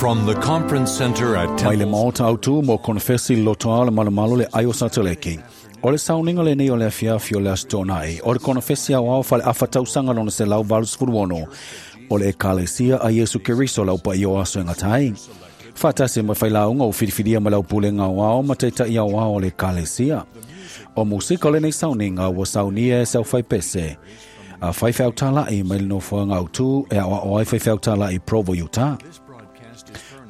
From the conference center at Mai le Temple maota autū mo konefesi lotoa o le malomalo le ai o Satoleki. O le sauniga lenei o le afiafi o le Aso Toonai, o le konefesi aoao faale-afa tausaga lona 186, o le Ekalesia a Iesu Keriso lau paia o aso e gata ai. Faatasi ma failauga ua filifilia ma lau pulega aoao ma taita'i aoao o le Ekalesia. O musika o lenei sauniga ua saunia e se aufaipese a faifeau tāla'i mai le nofoaga autū e aoao ai faifeau tāla'i Provo, Utah.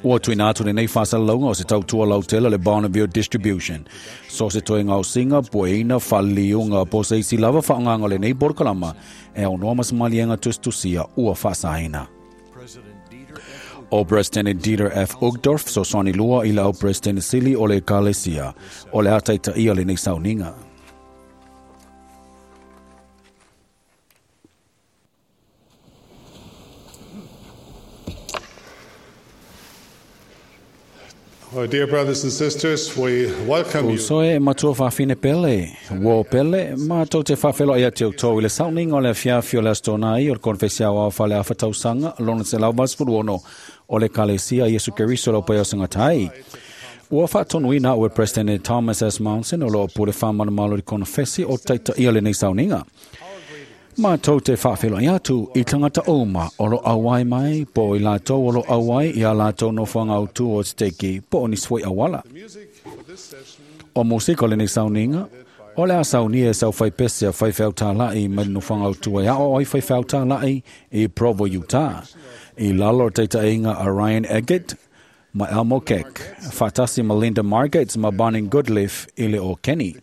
Ua tuuina atu lenei faasalalauga o se tautua lautele le Bonneville Distribution. So se toe gaosiga, pueina, faaliliuga po o se isi lava faaaogaga o lenei polokalama e aunoa ma se maliega tusitusia ua faasaina. O President Dieter F. Uchtdorf fesoasoani lua i le au President sili o le Ekalesia o le a taitaia lenei sauniga. Well, dear brothers and sisters, we welcome you Uso e matua faafine pele, uo pele, matou te faafeiloai atu i outou i le sauniga o le afiafi o le Aso Toonai o le konefesi aoao faaleafa tausaga lona 186 o le Ekalesia a Iesu Keriso lau paia o segata ai. Ua faatonuina au e President Thomas S. Monson o loo pule faamalumalu i le konefesi o taitaia lenei sauniga. Matou te faafeiloai atu i tagata uma o lo auai mai po o i latou o lo auai i a latou nofoaga autū o Siteki po o nisi foi auala. O musika o lenei sauniga, o le a saunia e se aufaipese a faifeau tāla'i mai le nofoaga autū e aoao ai faifeau tāla'i i Provo, Utah. I lalo o le taitaiga a Ryan Eggert ma Elmo Keck, faatasi ma Linda Margates ma Bonnie Goodleaf i le o Kenny.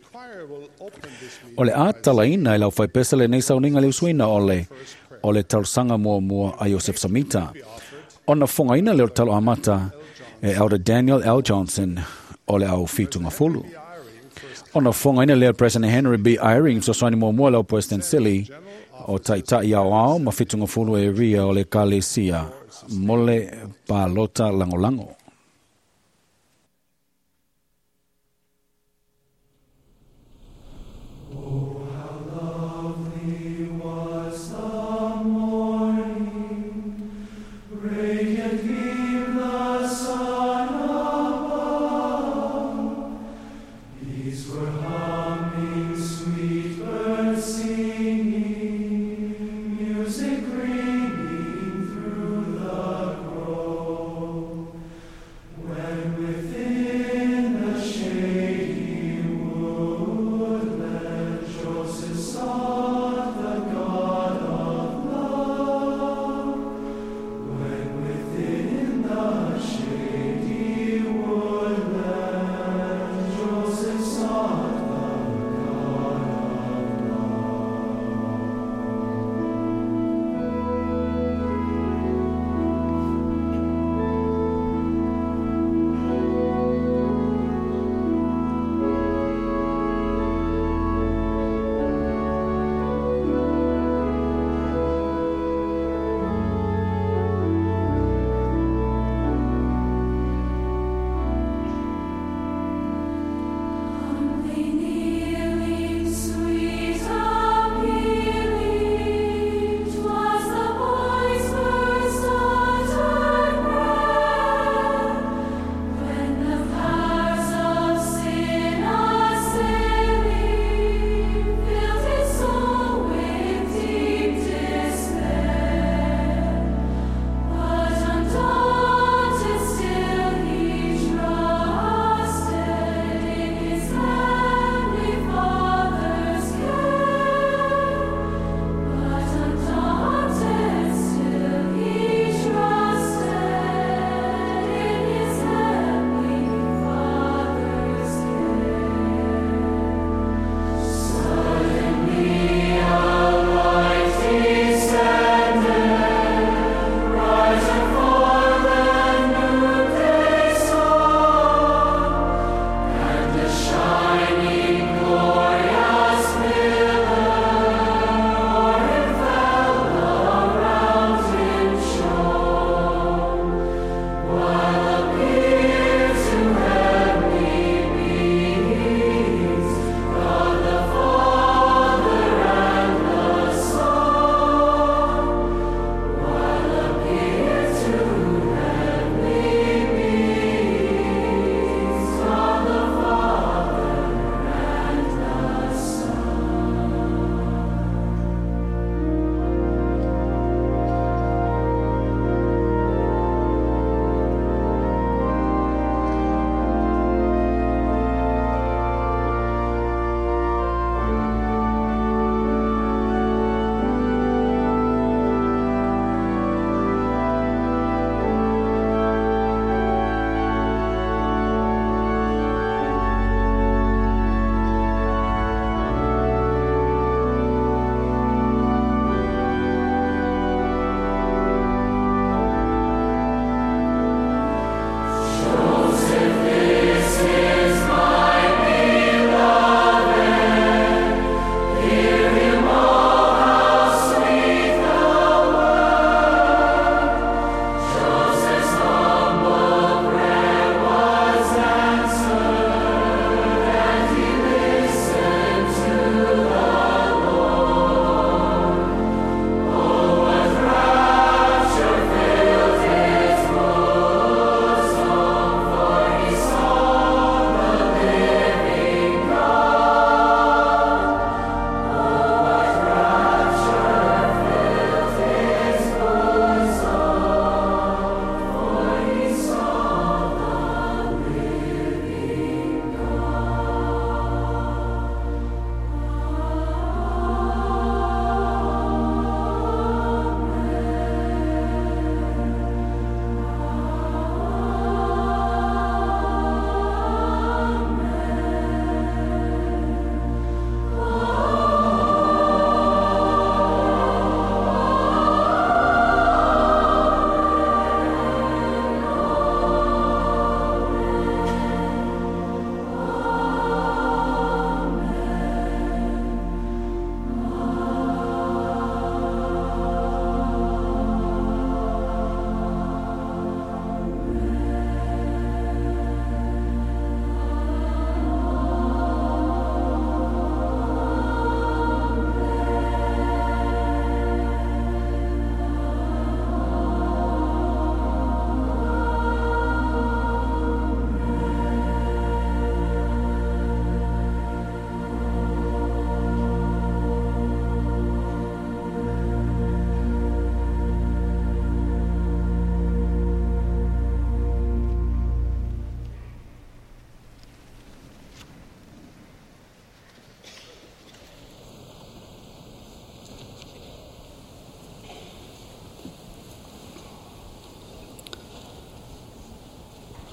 O le a talaina e le aufaipese lenei sauniga le usuina o le o le talosaga muamua a Iosef Samita. Ona fogaina lea o le talo amata e Elder Daniel L. Johnson o le au fitugafulu. Ona fogaina lea President Henry B. Eyring fesoasoani muamua le au President Sili o taita'i aoao ma fitugafulu e ria o le Ekalesia mo le palota lagolago. Radiant gleam the sun above. Bees were humming, sweet birds singing, music ringing through the grove.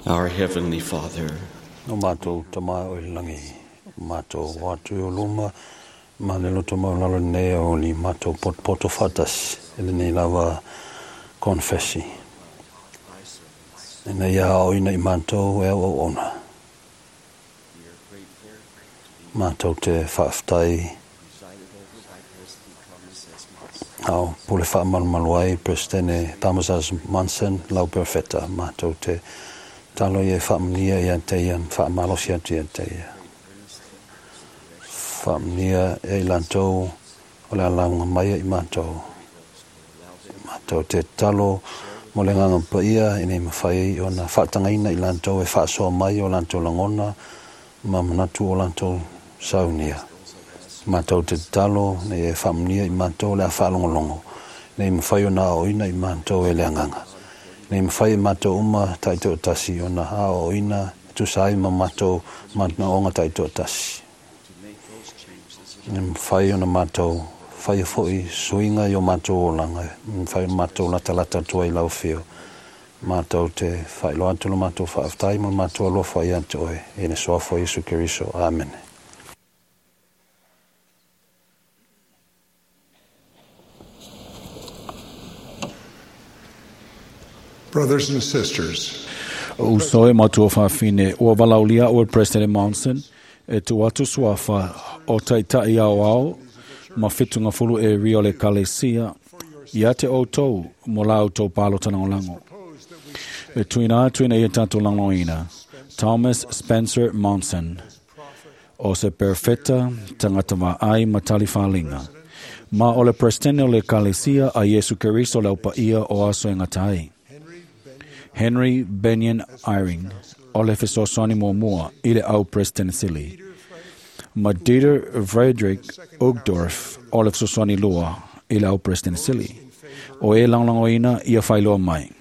Our Heavenly Father, O mātou tama o i langi, mātou wātu o luma, ma le loto mau lalo nei o li mātou poto whatasi, e le nei lava konfesi. E nei a o ina i mātou e au ona. Mātou te whaaftai au pule whaamalumalu ai Presidente Thomas S. Monson lau perfeta mātou te talo ia whaamania ia te ia whaamalosi atu ia te ia. Whaamania e lantou o le alaunga mai i mātou. Mātou te talo mo le nganga paia i nei mawhai o na whaatangaina i lantou e whaasoa mai o lantou langona ma manatu o lantou saunia. Mātou te talo nei e whaamania i mātou le a whaalongolongo. Nei mawhai o na oina i mātou e le anganga. Nei mawhai e mātou uma taito tasi o na a oina tusai ma mātou mātana onga taito tasi. Nei mawhai o na mātou whai foi suinga i o mātou olanga. Mawhai o mātou lata lata tua i lau whio. Mātou te whailoa atu lo mātou whaaftai ma mātou alofa i atu oe. E ne soafo Yesu Keriso. Amen. Brothers and sisters, Uso e matua whawhine, ua walaulia o President Monson, e tu atu suafa o taitai au au, ma whitunga fulu e rio le kalesia, ia te o tau, mo lau tau palo tanangolango. E tuina atu ina ia tātou langoina, Thomas Spencer Monson, o se perfeta tangata ai matali whalinga. Ma o le presidente o le kalesia a Yesu Keriso le upa ia o aso e ngatai. Henry Benyon Eyring, o le fesosoni mua i le au President Sili. Ma Dieter Frederick Uchtdorf, o le fesosoni lua i le au President Sili. O e langlangoina ia whailoa mai.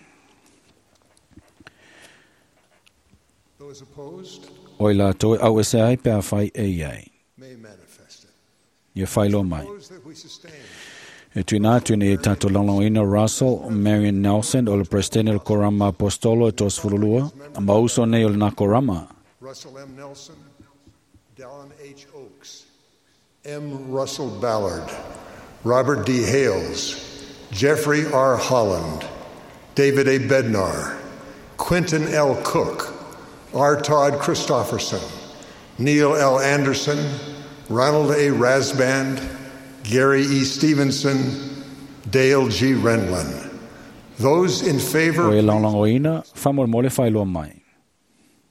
Those opposed O i la toi au ese ai pea whai e iai. may manifest it. Ia whailoa mai. Those that we sustain E tuina atu nei tātou langlangoina Russell Marion Nelson o le Presidente o le Korama Apostolo e tos fululua. Ma uso nei o le nā Korama. Russell M. Nelson, Dallin H. Oaks, M. Russell Ballard, Robert D. Hales, Jeffrey R. Holland, David A. Bednar, Quentin L. Cook, R. Todd Christofferson, Neil L. Anderson, Ronald A. Rasband, Gary E. Stevenson, Dale G. Renlund. Those in O favor, e langlangoina, whamol whailoa mai.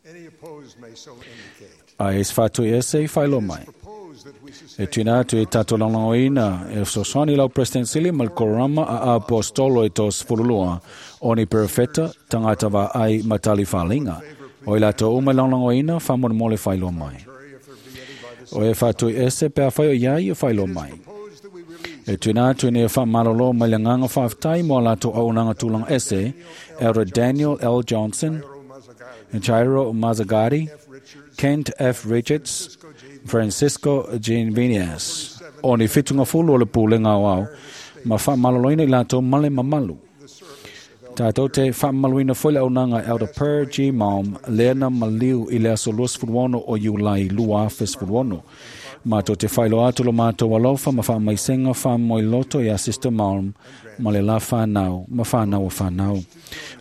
any opposed may so indicate. A es whatu ese i whailoa mai. Propose that we E sustain tuina atu e tātou langlangoina, e sosoni lau President Sili ma le Korama a Apostolo e tos fululua, o ni perfeta tangata va ai matali whalinga. O i lātou uma langlangoina, whamol whailoa mai. if there be any by the O e whatu ese pea whai o iai o whailoa mai. Propose that we release E tuina atu nei wha malolo mai le nganga whaftai mo lātou au nanga tūlanga ese, Elder Daniel L. Johnson, Mazzagatti, Jairo Mazzagatti, F. Richards, Kent F. Richards, Francisco Jean Vinias. O ni whitunga fulu o le pūlenga o au, ma wha maloloina i lātou male mamalu. Tātou te whaamaluina foi le aunanga Elder Per G. Malm, Lena Maliu i le aso 26 o Iulai 2016. Mātou te whailo atu lo mātou alofa ma whaamaisenga whaamoiloto i a Sister Malm, ma le la whanau, ma whanau o whanau.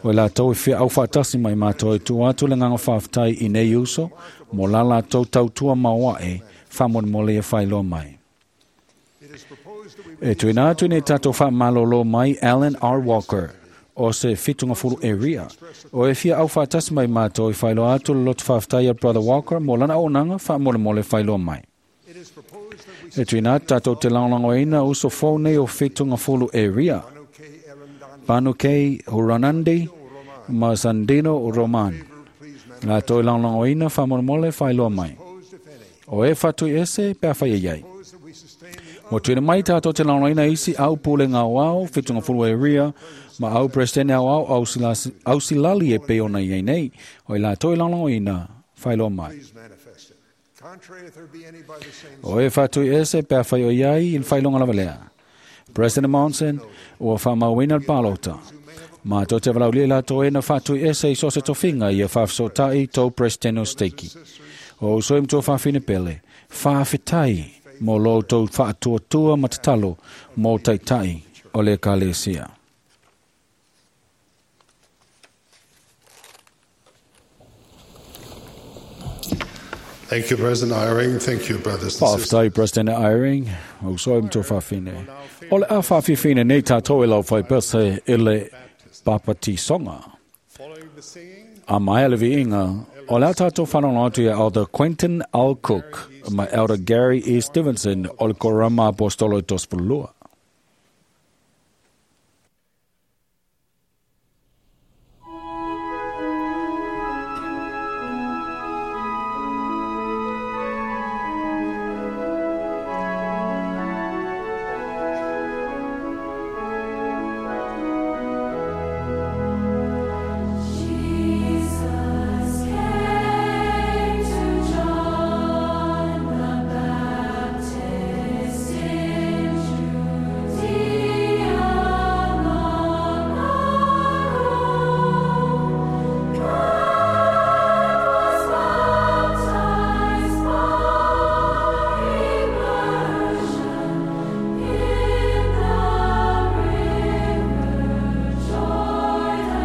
O i lātou i whia au whaatasi mai mātou e tu atu le nganga whaaftai i nei uso, mo la lātou tautua maoae, whaamon e whailoa mai. It is proposed that we E tuina atu nei tātou whaamalolo mai Alan R. Walker, o se whitunga fulu e ria. O e fia au whaatasi mai mātou i whailoa atu le lotu whaaftai a Brother Walker, mo lana au nanga whaamolemole whailoa mai. It is proposed that we E tuina atu tātou te langlangoina uso fou nei o whitunga fulu e ria. Panu K. Erandani, Panu K. Huranandi ma Sandino Roman. please La toi langlangoina whaamolemole whailoa mai. manifest if any. O e whatu ese pea whai e iai. Propose that we sustain the Mo tuina mai tātou te langlangoina isi au pule ngā wao, whitunga fulu e ria, ma au presidente au au, au silali e pe ona iei nei. O i la toi langlangoina whailoa mai. please manifest it. Contrary if there be any by the same O e whatu ese pea whai o iai i le whailonga lava lea. President Monson, ua whaamauina le palota. Mātou te walaulia la tō ena whātui ese i so se tofinga ia whaafisotai tō President o Steiki. O usoi mtua whaafine pele, whaafetai mō lo tō whaatuatua matatalo mō taitai o le kalesia. Thank you, President Eyring. Thank you, brothers and sisters. Whaafetai President Eyring, o usoi mtua whaafine. O le a whaafifine nei tātou e lau whaipese i le papatisonga. Following the singing, A mai le viinga, o le tātou whanonga atu ia Elder Quentin L. Cook ma Elder Gary E. Stevenson o le Korama Apostolo Tospulua. Jesus came to John the Baptist in Judea long ago, and was baptized by immersion in the river Jordan's flow.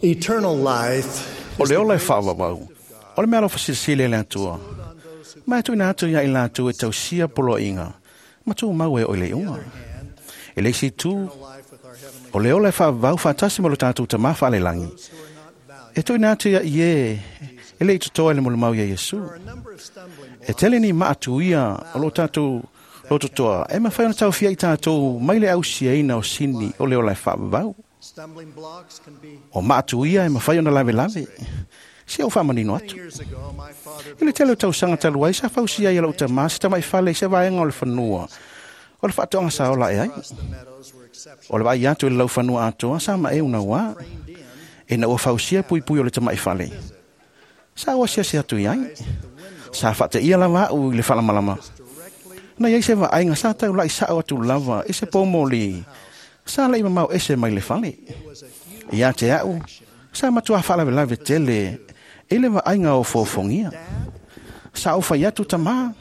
Eternal life O le ola e whaawawau. O le mea alofa silisili e le atua. Mai tuina atu ia i lātou e tausia poloaiga. Ma tū mau e o le unga. E le isi tū, o le ola e whaawawau whaatasi mo lo tātou tamā whaalelangi. E tuina atu ia i e, e le i tutoa le molo mau ia Iesu. E tele ni maatu ia o lo tātou lototoa. E mawhai ona tau fia i tātou mai le ausia ina o sini o le ola e whaawawau. stumbling blocks can be. O maatu ia e mawhai ona lave lave. Si au whaamanino atu. Years ago, my father I le tele o tausaga talu ai sa fausia ia lau tamā se tamaifale i se vaega o le fanua. O le faatoaga sa ola e ai. the meadows were exceptional. O le vaai atu i le laufanua atoa sa ma e una uā. E na ua fausia puipui o le tamaifale. Sa ua siasi atu i ai. Sa faateia lava au i le faalamalama. Na iai se vaaiga sa taulai sa'o atu lava i se poumoli. Sa la'i mamao ese mai le fale. Ia te a'u, sa matua faalavelave tele i le vaaiga o fofogia. Sa ou fai atu tamā.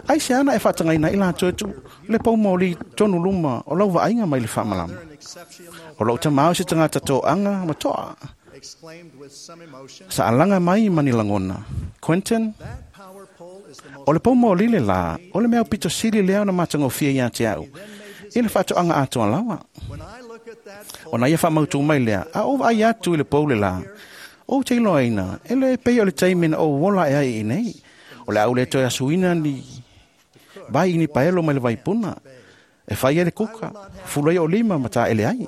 Ai se ana e faatagaina i latou e tu le poumoli tonu luma o lau vaaiga mai le faamalama. O lou tamā o se tagata toaga ma toa. Exclaimed with some emotion, Sa alaga mai ma ni lagona. Quentin, that power pole is the most o le poumoli le lā, o le mea pito sili lea ona matagofie ia te au. I le faatoaga atoa lava. When I look at that pole, O na ia whaamautu mai lea, a o ai atu i le pau le la. O te iloaina, e le pei o le taimi na o wola e ai i nei. O le au le toe asuina ni vai ni paelo mai le vaipuna. E whai e le kuka, fulai o lima ma tā ele ai.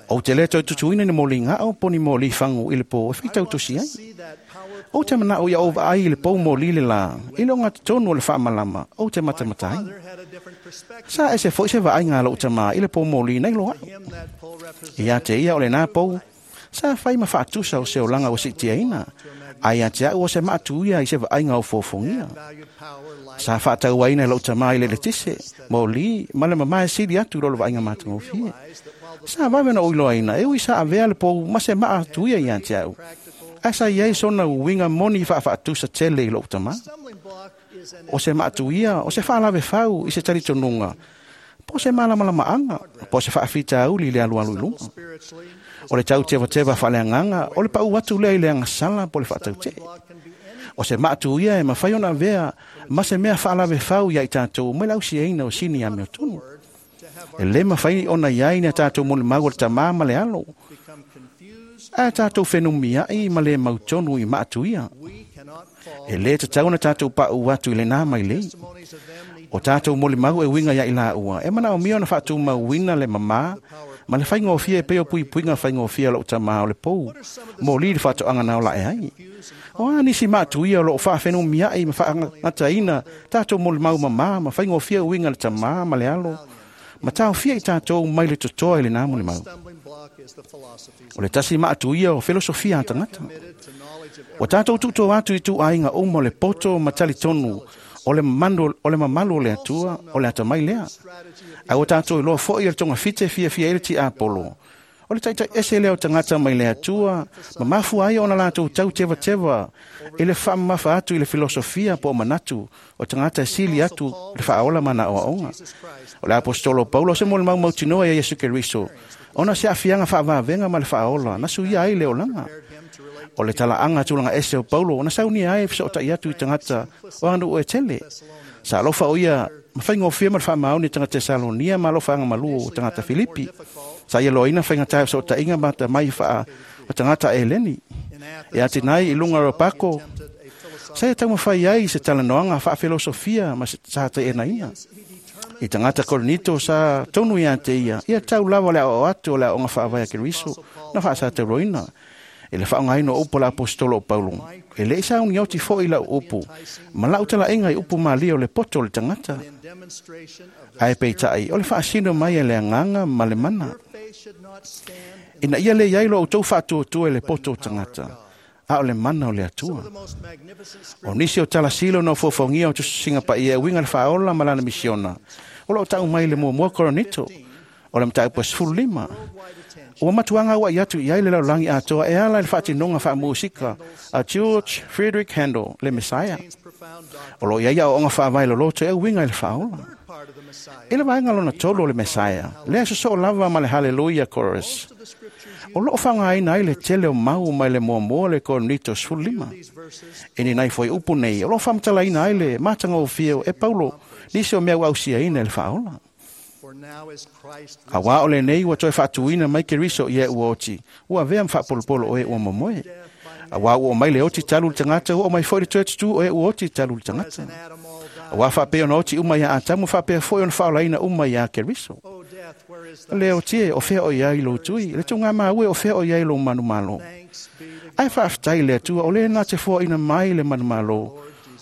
Ou te le toe tutuina ni mōli ga'o po o ni mōlī fagu i le pō e faitautosi ai. Ou te manaʻo ia ou vaai i le pou mōlī le lā i le ogatotonu o le faamalama ou te matamata ai. Sa ese foʻi se vaaiga a loʻu tamā i le pou mōlī nei loaʻu. Iā te ia o lenā pou sa fai ma faatusa o se olaga ua siʻitiaina, ae iā te aʻu o se maatuia i se vaaiga o fofogia. Sa faatauaina e loʻu tamā i le eletise, mōlī ma le mamā e sili atu i lo le vaaiga matagofie. Sa vave ona ou iloaina e ui sa avea le pou ma se maatuia iā te aʻu, ae sa iai sona uiga moni faafaatusa tele i loʻu tamā. O se maatuia o se faalavefau i se talitonuga po o se malamalamaaga po o se faafitauli i le alualu i luga. O le tautevateva faaleagaga o le paʻu atu lea i le agasala po o le faatautee. O se maatuia e mafai ona avea ma se mea faalavefau iā i tatou mai le ausiaina o sini amiotonu. E lē mafai ona iai ni a tatou molimau o le Tamā ma le Alo, ae tatou fenumiaʻi ma lē mautonu i maatuia. E lē tatau ona tatou paʻu atu i lenā mailei. O tatou molimau e uiga iā i laua e manaomia ona faatumauina le mamā ma le faigofie e pei o puipuiga faigofie o loʻu tamā o le pou mōlī le faatoaga na olaʻe ai. O a nisi maatuia o loo faafenumiaʻi ma faagataina tatou molimau mamā ma faigofie uiga le Tamā ma le Alo ma taofia i tatou mai le totoa i lenā molimau? O le tasi maatuia o filosofia a tagata. Ua tatou tuuto atu i tuaiga uma o le poto ma talitonu o le mamalu o le Atua o le atamai lea. Ae ua tatou iloa foʻi o le togafite fiafia ai le tiapolo. O le taʻitaʻi ese lea o tagata mai le Atua ma mafua ai ona latou tautevateva i le faamamafa atu i le filosofia po o manatu o tagata e sili atu le faaola ma na aoaoga. O le aposetolo Paulo o se molimau mautinoa ia Iesu Keriso ona se aafiaga faavavega ma le faaola na suia ai le olaga. O le talaaga tulaga ese o Paulo na saunia ai e fesoʻotaʻi atu i tagata o aganuu e tele. Sa alofa o ia ma faigofie ma le faamaoni tagata Tesalonia ma alofaaga malū o tagata Filipi. Sa ia loaina faigatā e fesoʻotaʻiga ma tamai faa o tagata Eleni. E atinai i luga o pako, sa ia taumafai ai i se talanoaga faafilosofia ma sa taʻenaina. I tagata Korinito sa tonu iā te ia, ia tau lava le aoao atu o le aoga faavae a Keriso na faasatauloina. E le faaaogaina o upu a le aposetolo o Paulo, e lē i saunioti foʻi lau upu ma lau talaʻiga i upu malie o le poto o le tagata. Ae peitaʻi o le faasino mai e le Agaga ma le mana. Ina ia lē iai lo outou faatuatua i le poto o tagata, a o le mana o le Atua. O nisi o talasilo na ofofogia o tusisiga paia e uiga le faaola ma lana misiona, o loo taʻu mai le muamua Korinito, o le mataupu e 15. Ua matuaga auaʻi atu i ai le lalolagi atoa e ala i le faatinoga faamusika a George Frederick Handel le Messiah. O loo iai aoaoga faavae loloto e uiga i le faaola. I le vaega lona tolu o le Messiah, lea sosoo lava ma le Hallelujah Chorus. O loo faaaogaina ai le tele o mau mai le muamua le Korinito 15. E ni nai foi upu nei, o loo faamatalaina ai le matagofie e Paulo nisi o mea ua ausiaina e le faaola. Auā o lenei ua toe faatuina mai Keriso i e ua oti, ua avea ma faapolopolo o e ua momoe. Auā ua o mai le oti talu le tagata, ua o mai foʻi le toe tutū o e ua oti talu le tagata. Auā faapea ona oti uma iā Atamu, faapea foʻi ona faaolaina uma iā Keriso. Le oti e, o fea o iai lou tui, le tugā maue o fea o iai lou manumalo. Ae faafetai le Atua o lē na te foaʻina mai le manumalo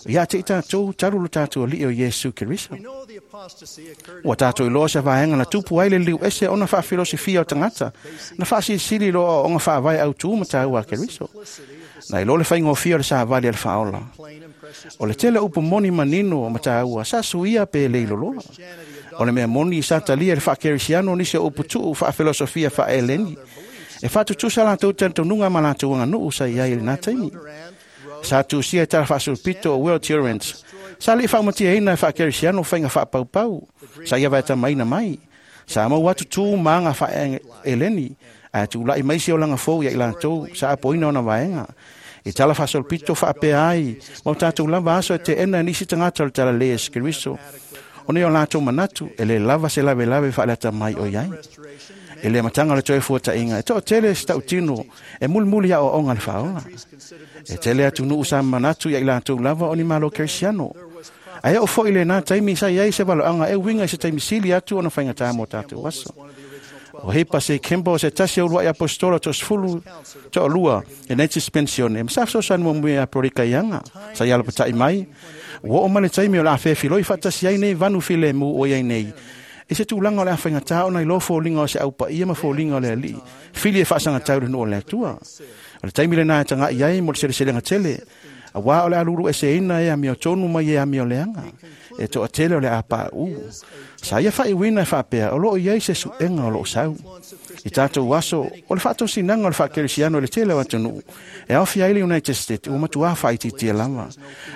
iā te i tatou talu lo tatou Alii o Iesu Keriso. Ua tatou iloa se vaega na tupu ai le liu ese ona faafilosofia o tagata na faasilisili lo aoaoga faavae autū ma tāua a Keriso. Na iloa le faigofie o le savali a le faaola. O le tele upu moni manino o mataua sa suia pe le iloloa. O le mea moni sa talia le faakerisiano nisi o upu tuu faafilosofia faaeleni. E faatutusa latou talitonuga ma latou aganuu sa iai i lenā taimi. Sa tusia i tala faasulupito o Will Durant. Sa liʻi faamatiaina e faakerisiano faiga faapaupau. Sa ia vaetamaina mai. Sa maua atu tu ma aga faaeleni, ae tulaʻi mai se olaga fou ia i latou sa apoina ona vaega. I tala faasolopito faapea ai ma o tatou lava aso e teʻena e nisi tagata o le talalē e Keriso. O nei o latou manatu e lē lava se lavelave faaleata mai o iai. I le amataga o le toe fuataʻiga e toʻatele se taʻutino e mulimuli aoaoga le faaola. E tele atunuu sa manatu ia i latou lava o ni malo kerisiano. Ae oo foʻi lenā taimi sa iai se valoaga e uiga i se taimi sili atu ona faigatā mo tatou aso. O Hipa C. Kimball se tasi o ulua'i apostola 12 e nei dispensione. Ma sa fesoasoani muamua ia Brody Kaiaga sa ia alapata'i mai. Ua oo mai le taimi o le a fefiloi faatasi ai nei vanu filemu o iai nei i se tulaga o le a faigatā ona iloa foliga o se aupaia ma foliga o le alii fili e faasagatau i le nuu o le Atua. O le taimi lenā e taga'i ai mo le seleselega tele, auā o le a lulu eseina e amiotonu mai e amio leaga e to'atele o le a paʻu. Sa ia faaiuina e faapea o loo i ai se suʻega o loo sau i tatou aso o le faatosinaga o le faakerisiano i le tele o atunuu e aofia ai le United States ua matuā faaitiitia lava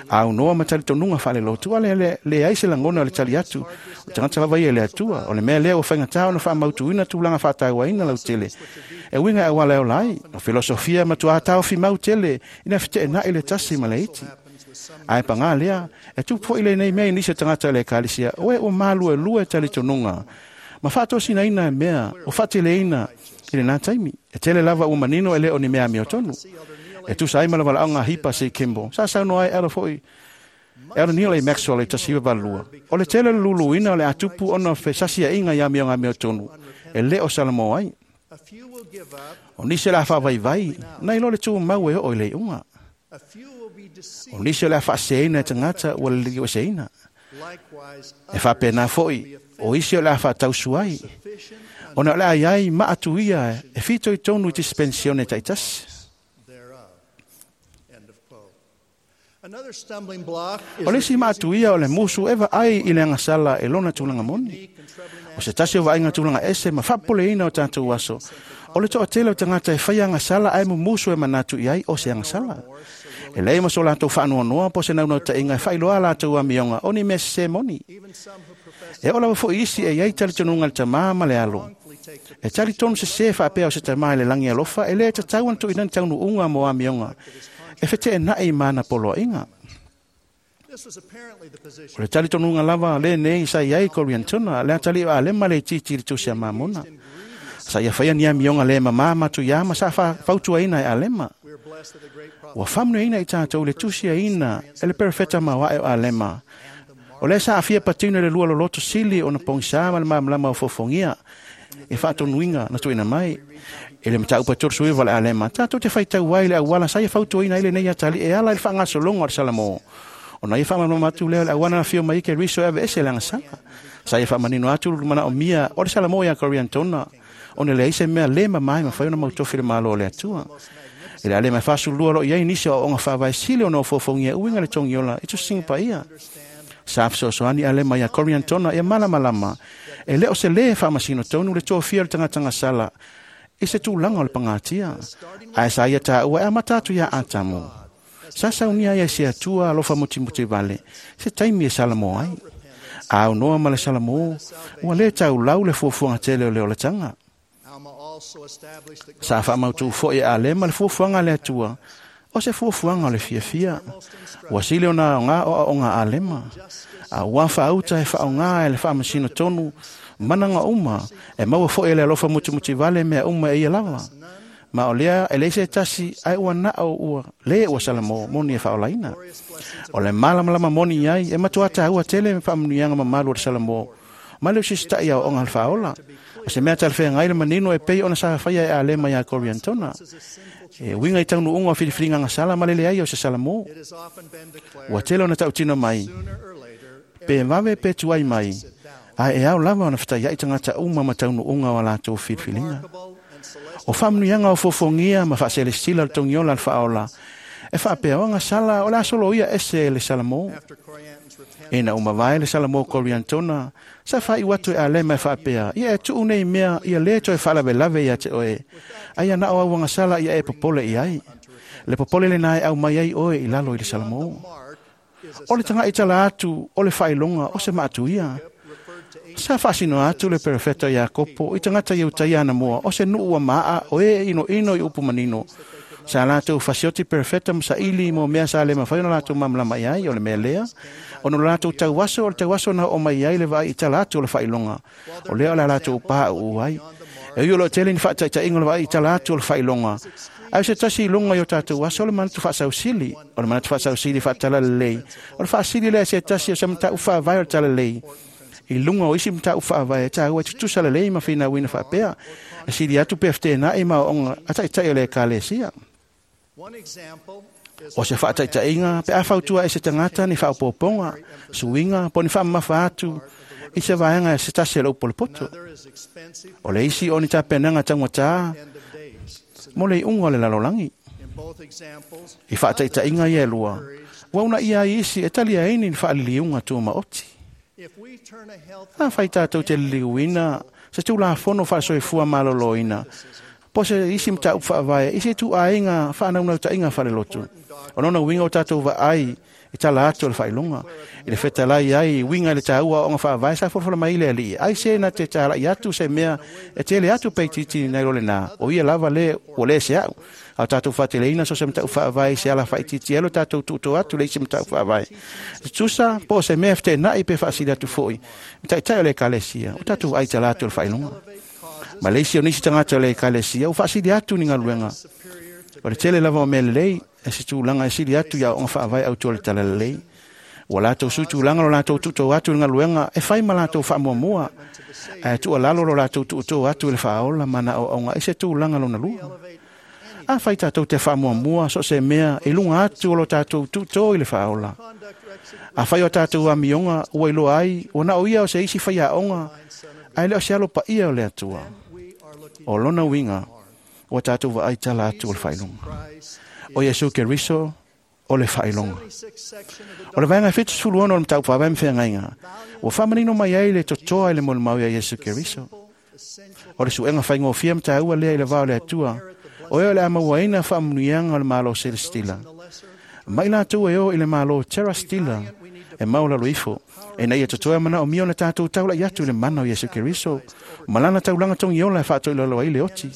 aunoa ma talitonuga faalelotu ale leai se lagona o le tali atu o tagata lava ia i le Atua. O le mea lea ua faigatā ona faamautuina tulaga faatauaina lautele e uiga e auala e ola ai o filosofia matuā taofimau tele ina feteenaʻi le tasi ma le iti. Ae pagā lea e tupu foʻi lenei mea i nisi o tagata o le ekalesia o e ua maluelue talitonuga ma faatosinaina e mea o faateleina i lenā taimi e tele lava ua manino e lē o ni mea amiotonu e tusa ai ma le valaʻoga Hipa C. Kimball sa saunoa ai alo foʻi Elder Neal A. Maxwell i 1982. O le tele o le luluina o le a tupu ona fesasiaʻiga i amioga amiotonu e lē o salamo ai. O nisi o le a faavaivai nai lo le tumau e oo i le iʻuga. O nisi o le a faaseseina e tagata ua liliueseina. E faapena foʻi o isi o le a faatausu ai ona o le a iai ma atuia e fitoitonu i dispensione taitasi. O le isi maatuia o le musu e vaai i le agasala e lona tulaga moni. O se tasi o vaaiga tulaga ese ma faapopoleina o tatou aso, o le toatele o tagata e faia agasala ae mumusu e manatu i ai o se agasala. E leai ma so latou faanoanoa po o se naunautaiga e faailoa a latou amioga o ni mea sesē moni. E oo lava foʻi isi e iai talitonuga i le tamā ma le alo. E talitonu sesē faapea o se tamā i le lagi alofa e lē tatau ona tuuina ni taunuuga mo amioga e feteenaʻi ma ana poloaiga. O le talitonuga lava lenei sa iai Koriantona, le atalii o Alema le itiiti i le tusi a Mamona. Sa ia faia ni amioga le mamā matuiā ma sa fautuaina e Alema. Ua faamanuiaina i tatou i le tusiaina e le perofeta maoaʻe o Alema. O lea sa aafia patino i le lua loloto sili ona pogisā ma le malamalama o fofogia e faatonuiga na tuuina mai. I le mataupu e 39 o le Alema, tatou te faitau ai i le auala sa ia fautuaina ai lenei atalii e ala i le faagasologa o le Salamo. Ona ia faamalamalama atu lea o le auala na afio mai ai Keriso e aveese le agasala. Sa ia faamanino atu le manaomia o le Salamo iā Koriantona, ona e leai se mea lē mamā e mafai ona mautofi i le Malo o le Atua. I le Alema e 42 o loo i ai nisi o aoaoga faavae sili ona ofoofogia e uiga i le togiola i tusiga paia. Sa fesoasoani Alema iā Koriantona ia malamalama e lē o se lē faamasino tonu le tofia o le tagata gasala i se tulaga o le pagatia, ae sa ia taua e amata atu iā Atamu. Sa saunia ai e se Atua alofa mutimuti vale se taimi e salamo ai. Aunoa ma le salamo, ua lē taulau le fuafuaga tele o le olataga. Sa faamautū foʻi e Alema le fuafuaga a le Atua, o se fuafuaga o le fiafia. Ua sili ona aogā o aoaoga a Alema, a ua faauta e faaaogā e le faamasino tonu managa uma e maua foʻi e le alofa mutimuti vale mea uma e ia lava. Ma o lea e leai se tasi ae ua nao ua lē ua salamo moni e faaolaina. O le malamalama moni ai e matuā taua tele faamanuiaga mamalu o le Salamo ma le usisitaʻi aoaoga a le faaola. O se mea talafeagai le manino e pei ona sa faia e Alema iā Koriantona e uiga i taunuuga o filifiliga agasala ma le leai o se Salamo. Ua tele ona tautino mai pe vave pe tuai mai, ae e ao lava ona fetaiaʻi tagata uma ma taunuuga o a latou filifiliga. O faamanuiaga o fuafuagia ma faaselesila o le togiola a le faaola e faapea o agasala o le a soloia ese e le Salamo. Ina ua mavae le Salamo Koriantona, sa faaiu atu e Alema e faapea, ia e tuu nei mea ia lē toe faalavelave iā te oe, ai ana o au agasala ia e popole i ai. Le popole lenā e aumai ai oe i lalo i le Salamo. O le tagaʻi tala atu o le faailoga o se maatuia. Sa faasinoa atu le perofeta Iakopo i tagata Iutaia anamua o se nuu ua maaa o e inoino i upu manino. Sa latou fasioti perofeta ma saili mo mea sa le mafai ona latou malamalama i ai o le mea lea, ona o le latou tauaso o le tauaso na oo mai ai le vaai i tala atu o le faailoga, o lea o le a latou pauu ai. E ui o loo tele ni faataitaiga o le vaai i tala atu o le faailoga, ae o se tasi i luga i o tatou aso o le manatu faasausili. O le manatu faasausili faatalalelei, o le faasili lea e se tasi o se mataupu faavae o le talalelei I luga o isi mataupu faavae e taua e tutusa lelei ma finauina faapea e sili atu pe fetenaʻi ma aoaoga a taʻitaʻi o le ekalesia. O se faataitaiga pe a fautua e se tagata ni faaopoopoga suiga po ni faamamafa atu i se vaega e se tasi e lou polepoto. O le isi o ni tapenaga taugatā mo le iʻuga o le lalolagi. I faataitaiga ia e lua, ua unaia ai isi e talia ai ni faaliliuga tumaoti. Afai tatou te liliuina se tulafono faasoifua malōlōina po se isi mataupu faavae i se ituaiga faanaunautaiga faalelotu, o lona uiga o tatou vaai i tala atu o le faailoga i le fetalai ai uiga i le taua o aoga faavae sa folafola mai le alii ai se na te talaʻi atu se mea e tele atu peititi nai lo lenā o ia lava le ua lē se aʻu a o tatou faateleina so se mataupu faavae i se ala faaitiitia ai lo tatou tuuto atu le isi mataupu faavae tutusa po o se mea e fetenaʻi pe faasili atu foʻi taʻitaʻi o le ekalesia o tatou ai tala atu o le faailoga. Ma le isi o nisi tagata o le ekalesia ua faasili atu ni galuega o le tele lava o mea lelei e se tulaga e sili atu i aoaoga faavae autu o le talalelei. Ua latou sui tulaga lo latou tuutou atu i le galuega e fai ma latou faamuamua, ae tuualalo lo latou tuutou atu i le faaola ma na aoaoga i se tulaga lona lua. Afai tatou te faamuamua so o se mea i luga atu o lo tatou tuutō i le faaola. Afai o tatou amioga ua iloa ai ua na o ia o se isi faiaoga ae le o se alo paia o le Atua. O lona uiga ua tatou vaai tala atu o le faailoga. O Iesu Keriso o le faailoga. O le vaega 76 o le mataupu faavae ma feagaiga ua faamanino mai ai le totoa i le molimau ia Iesu Keriso. O le suega faigofie ma taua lea i le va o le Atua, o ea o le a mauaina faamanuiaga o le Malo Selestila. Mai latou e o i le Malo Terrastila e maulalo ifo, e na ia totoe manaomia ona tatou taulaʻi atu i le mana o Iesu Keriso ma lana taulaga togiola e faatoilalo ai le oti.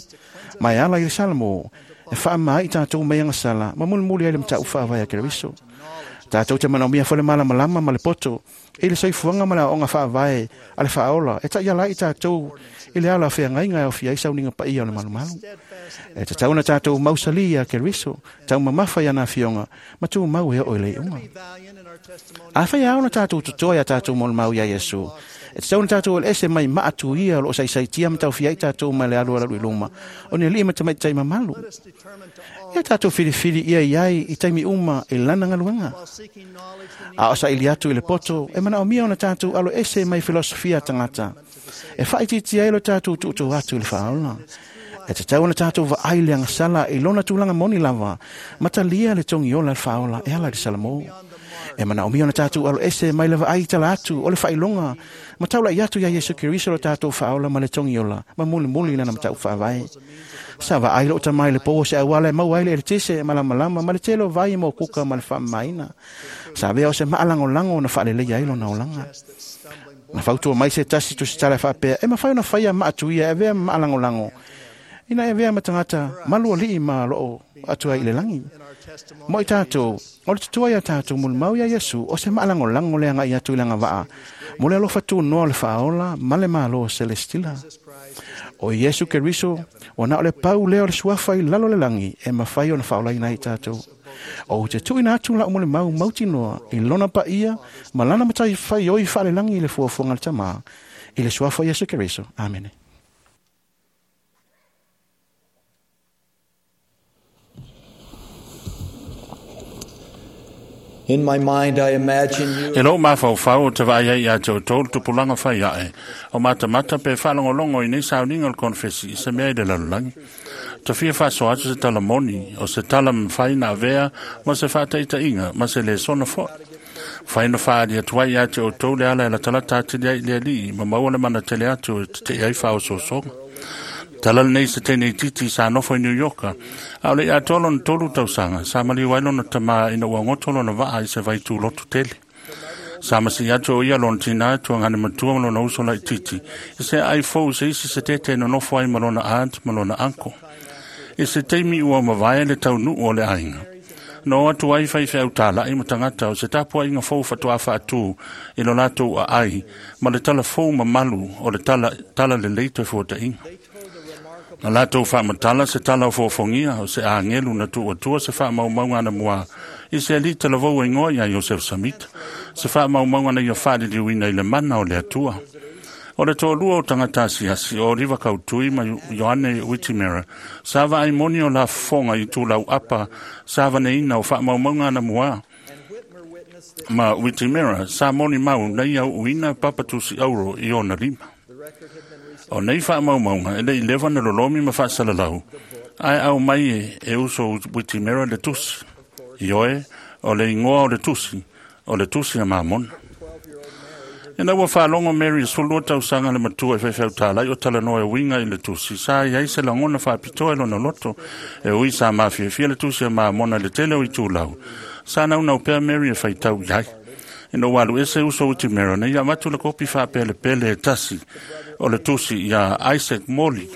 Ma e ala i le Salamo e faamā i tatou mai agasala ma mulimuli ai le mataupu faavae a Keriso. Tatou te manaomia foi le malamalama ma le poto i le soifuaga ma le aoaoga faavae a le faaola e taʻiala ai i tatou i le ala o feagaiga e aofia ai sauniga paia o le malumalu. E tatau ona tatou mausalī ia Keriso, taumamafa i ana afioga ma tumau e oo i le iuga. Afai e ao ona tatou totoa iā tatou molimau iā Iesu, e tatau ona tatou eleese mai maatuia o loo saisaitia ma taufia ai tatou mai le alu alalu i luma o ni alii ma tamaitai mamalu. Ia tatou filifili ia i ai i taimi uma i lana galuega. A o saili atu i le poto, e manaomia ona tatou alo ese mai filosofia a tagata e faaitiitia ai lo tatou tuutou atu i le faaola. E tatau ona tatou vaai le agasala i lona tulaga moni lava, ma talia le togiola le faaola e ala i le Salamo. E manaomia ona tatou alo ese mai le vaai i tala atu o le faailoga ma taulaʻi atu iā Iesu Keriso lo tatou faaola ma le togiola ma mulimuli lana mataupu faavae. Sa vaai lou tamā i le pou o se auala e maua ai le eletise malamalama ma le tele o vai mo kuka ma le faamamaina. Sa avea o se maalagolago na faaleleia ai lona olaga. Na fautua mai se tasi tusitala e faapea e mafai ona faia maatuia e avea ma maalagolago ina e avea ma tagata malualii ma loo atu ai i le lagi. Mo i tatou, o le totoa ia tatou molimau ia Iesu o se maalagolago le agai atu i le agavaa mo le alofa tunoa o le faaola ma le Malo Selestila. O Iesu Keriso, ua na o le pau lea o le suafa i lalo le lagi e mafai ona faaolaina ai tatou. Ou te tuuina atu lau molimau mautinoa i lona paia ma lana matai faioi faalelagi i le fuafuaga a le Tamā i le suafa o Iesu Keriso. Amene. In my mind, I imagine you E lou mafaufau o te vaai ai ia te outou le tupulaga fai ae o matamata pe faalogologo i nei sauniga o le konefesi i se mea i le lalolagi. Tafia faasoa atu se tala moni o se tala mafai na avea ma se faataitaiga ma se lesona foʻi. Fai na faaali atu ai ia te outou le ala e latalata atili ai i le alii ma maua le manatele atu e teteʻi ai faaosoosoga. Tala lenei se teine itiiti sa nofo i New Yorka, a o le i atoa lona 3 tausaga, sa maliu ai lona tamā ina ua goto lona vaa i se vaitulotu tele. Sa masii atu o ia lona tinā tuagane matua ma lona uso laitiiti, i se aai fou se isi se tete e nonofo ai ma lona aunt ma lona uncle. I se taimi ua mavae le taunuu o le aiga. Na o atu ai faifeau tālaʻi ma tagata o se tapuaiga fou faatoa faatū i lo latou aai ma le tala fou mamalu o le tala, tala lelei toe fuataʻiga. Na latou faamatala se tala o fofogia o se agelu na tuuatua se faamaumauga anamua i se alii talavou e igoa ia Iosefo Samita, se faamaumauga na ia faaliliuina i le mana o le Atua. O le toalua o tagata asiasi o Oliva Kautui ma Ioane Witimera sa vaai moni o lafofoga i itulau apa sa vaneina o faamaumauga anamua ma Witimera sa moni mau na ia uuina papa tusi auro i ona lima. O nei faamaumauga e le'i leva na lolomi ma faasalalau, ae au mai e uso Witimera le tusi. Ioe, o le igoa o le tusi, o le tusi a Mamona. Ina ua faalogo Mary e 12 tausaga le matua e faifeautalai o talanoa e uiga i le tusi, sa i ai se lagona faapitoa i lona loto, e ui sa mafiafia le tusi a Mamona i le tele o itulau. Sa naunau pea Mary e faitau i ai. Ina ua alu ese uso Witimera, na ia avatu le kopi faapelepele e tasi o le tusi iā Isaac Morley,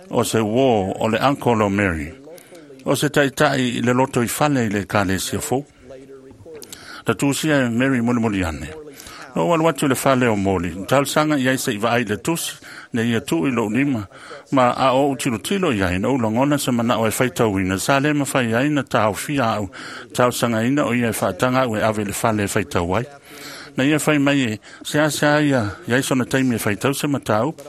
o se uō o le uncle o Mary, o se taʻitaʻi i le loto i fale i le ekalesia fou. Na tusia e Mary mulimuli ane. Na ou alu atu i le fale o Moli, na talosaga i ai seʻi vaai i le tusi, ne ia tuu i lou lima, ma a ou tilotilo i ai, na ou lagona se manaʻo e faitauina, sa lē mafai ai na taofia aʻu talosagaina o ia e faataga aʻu e ave i le fale e faitau ai. Na ia fai mai e seasea ia i ai sona taimi e faitau se mataupu,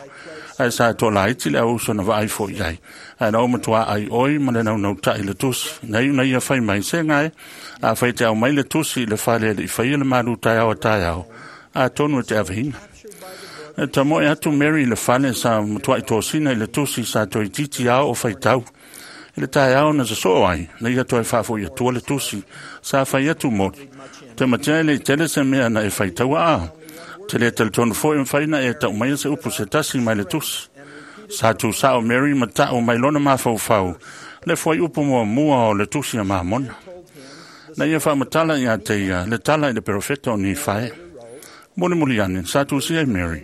ae sa toalaiti le auuso na vaai foʻi ai, ae na ou matuā ai oi ma le naunautaʻi le tusi. Na iu na ia fai mai, se gae, afai te aumai le tusi i le fale e leʻi faia le malu taeao a taeao, atonu e te aveina. E tamoe atu Mary i le fale sa matuaʻi tosina i le tusi sa toeitiiti ao o faitau. I le taeao na sosoo ai, na ia toe faafoʻi atua le tusi, sa fai atu Moli. Te matea e leʻi tele se mea na e faitaua a. Te lē talitonu foʻi mafai na e taʻu se upu se tasi mai le tusi. Sa tusaʻo Mary ma taʻu mai lona mafaufau, le fuaiupu muamua o le tusi a Mamona. Na ia faamatala iā te ia le tala i le perofeta o Nifae. Mulimuli ane, sa tusia e Mary.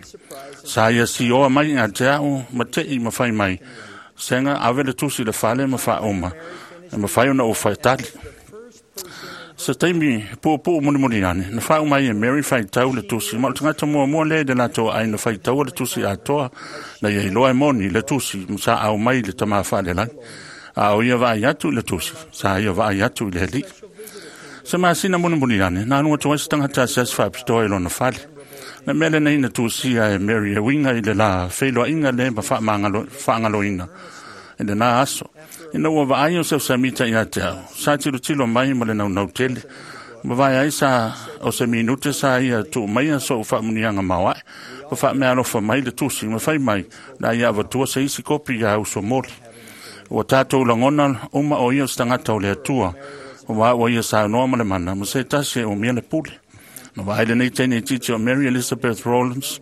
Sa ia sioa mai iā te aʻu ma teʻi ma fai mai, sega ave le tusi i le fale ma faauma, e mafai ona ou faitali. Se taimi puupuu mulimuli ane, na faauma ai e Mary faitau le tusi, ma o le tagata muamua lea i le latou aiga faitaua le tusi atoa, na ia iloa e moni le tusi ma sa aumai i le tamā faalelagi. A o ia vaai atu i le tusi, sa ia vaai atu i le Alii. Se masina mulimuli ane, na alu atu ai se tagata asiasi faapitoa i lona fale. Na mea lenei na tusia e Mary e uiga i le lā feiloaiga lē ma faagaloina i lenā aso. Ina ua vaai o Seusamita iā te au, sa tilotilo mai ma le naunau tele. Ma vae ai sa o se minute sa ia tuu maia soʻu faamuniaga maoaʻe, ma faameaalofa mai le tusi, ma fai mai, la ia avatua se isi kopi iā uso Moli. Ua tatou lagona uma o ia o se tagata o le Atua, ua ua ia saunoa ma le mana, ma se tasi e umia le pule. Na vaai lenei teine itiiti o Mary Elizabeth Rawlins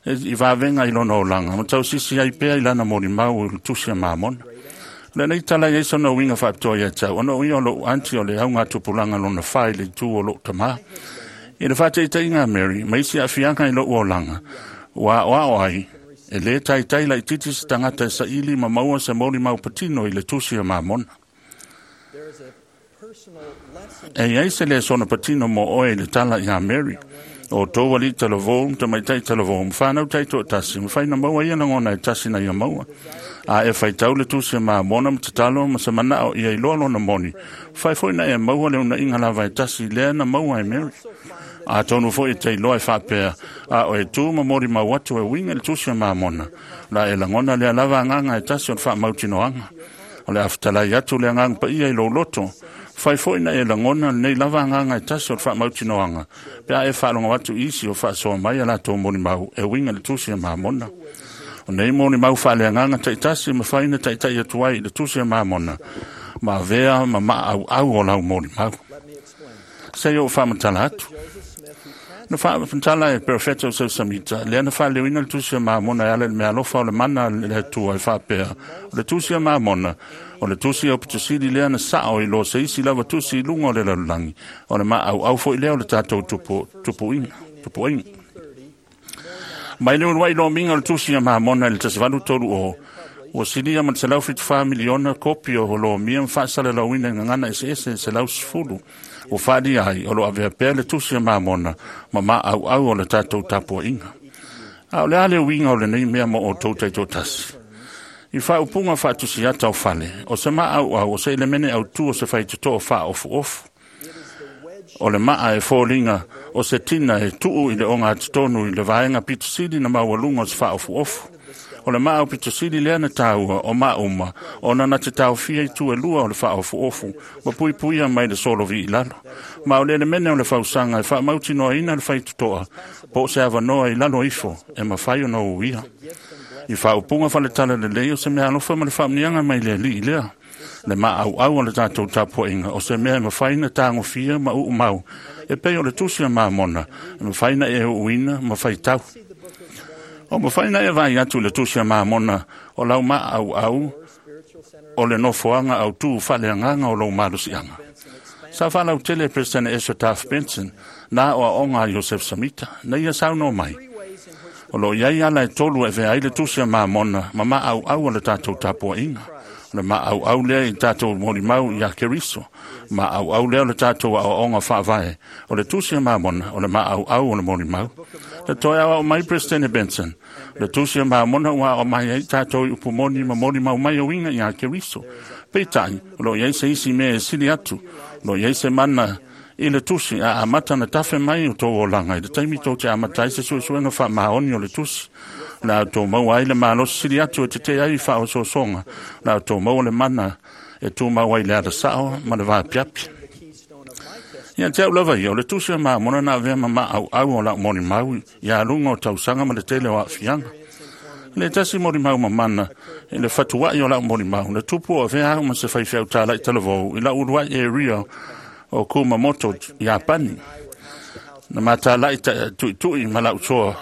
i vavega i lona olaga, ma tausisi ai pea i lana molimau i le tusi a Mamona. Lenei tala i ai sona uiga faapitoa ia te au, ona o ia o loʻu anti o le augatupulaga lona fa i le itu o loʻu tamā. I le faataitaiga a Mary, ma isi aafiaga i loʻu olaga, ua aoao ai, e lē taitai laititi se tagata e saili ma maua se molimau patino i le tusi a Mamona. E i ai se lesona patino mo oe i le tala iā Mary. O tou alii talavou ma tamaitai talavou ma fanau taitoatasi, mafai na maua ia lagona e tasi na ia maua. A e faitau le tusi a Mamona ma tatalo ma se manaʻo ia iloa lona moni, mafai foʻi na e maua le unaʻiga lava e tasi lea na maua e Mary. Atonu foʻi e te iloa e faapea, a o e tu ma molimau atu e uiga i le tusi a Mamona, la e lagona lea lava agaga e tasi o le faamautinoaga. O le a fetalai atu le agaga paia i lou loto, fai foʻi na e lagona lenei lava agaga e tasi o le faamautinoaga, pe a e faalogo atu i isi o faasoa mai a latou molimau e uiga i le tusi a Mamona. O nei molimau faaleagaga taitasi e mafai ona taitaʻi atu ai i le tusi a Mamona, ma avea ma maʻauʻau o lau molimau. Se i ou faamatala atu. Na faamatala e perofeta o Seusamita, lea na faaleuina le tusi a Mamona e ala i le meaalofa o le mana a le Atua e faapea, o le tusi a Mamona, o le tusi aupitosili lea na saʻo i lo se isi lava tusi i luga o le lalolagi, o le maʻauʻau foʻi lea o le tatou tupuiga. Mai le uluaʻi lomiga o le tusi a Mamona i le 1830, ua silia ma le 174 miliona kopi o lomia ma faasalalauina i gagana eseese e 110. Ua faalia ai o loo avea pea le tusi a Mamona ma maʻauʻau o le tatou tapuaʻiga. A o le a le uiga o lenei mea mo outou taitoatasi? I faaupuga faatusiata o fale, o se maauau o se elemene autū o se faitotoo faaofuofu. O le maa e foliga o se tina e tuu i le ogatotonu i le vaega pitosili na maualuga o se faaofuofu. O le maa o pitosili lea na tāua o maauma ona na te taofia i tu e lua o le faaofuofu ma puipuia mai le solovi i lalo. Ma o le elemene o le fausaga e faamautinoaina le faitotoa po o se avanoa i lalo ifo e mafai ona uia. I faaupuga faletala lelei o se mea alofa ma le faamuniaga mai le alii lea. Le maauau o le tatou tapuaiga o se mea e mafai na tagofia ma uumau e pei o le tusi a Mamona e mafai na e uuina ma faitau. O mafai na e vaai atu i le tusi a Mamona o lau maauau o le nofoaga autū faaleagaga o lou malosiaga. Sa faalautele e Peresetene Ezra Taft Benson na aoaoga a Iosef Samita na ia saunoa mai. O lo o i ai ala e tolu e avea ai le tusi a Mamona ma maauau o le tatou tapuaiga. O le maauau lea i tatou molimau ia Keriso. Maauau lea o le tatou aoaoga faavae. O le tusi a Mamona o le maauau o le molimau. Le toe aoao mai Peresetene Benson. Le tusi a Mamona ua aoao mai ai tatou i upu moni ma molimau mai e uiga ia Keriso. Peitai, o lo o i ai se isi mea e sili atu. O lo o i ai se mana i le tusi a amata na tafe mai o tou olaga i le taimi tou te amata ai se suesuega faamaoni o le tusi. O le a outou maua ai le malosi sili atu e tetee ai i faaosoosoga. O le a outou maua le mana e tumau ai le alasao ma le vapiapi. Ia te au lava ia, o le tusi a Mamona na avea ma maauau o lau molimau ia aluga o tausaga ma le tele o aafiaga. Le tasi molimau mamana i le fatuai o lau molimau, na tupu o avea au ma se faifeau tālai talavou i lau uluai area o Kumamoto, Iapani. Na matalai tuitui ma lau soa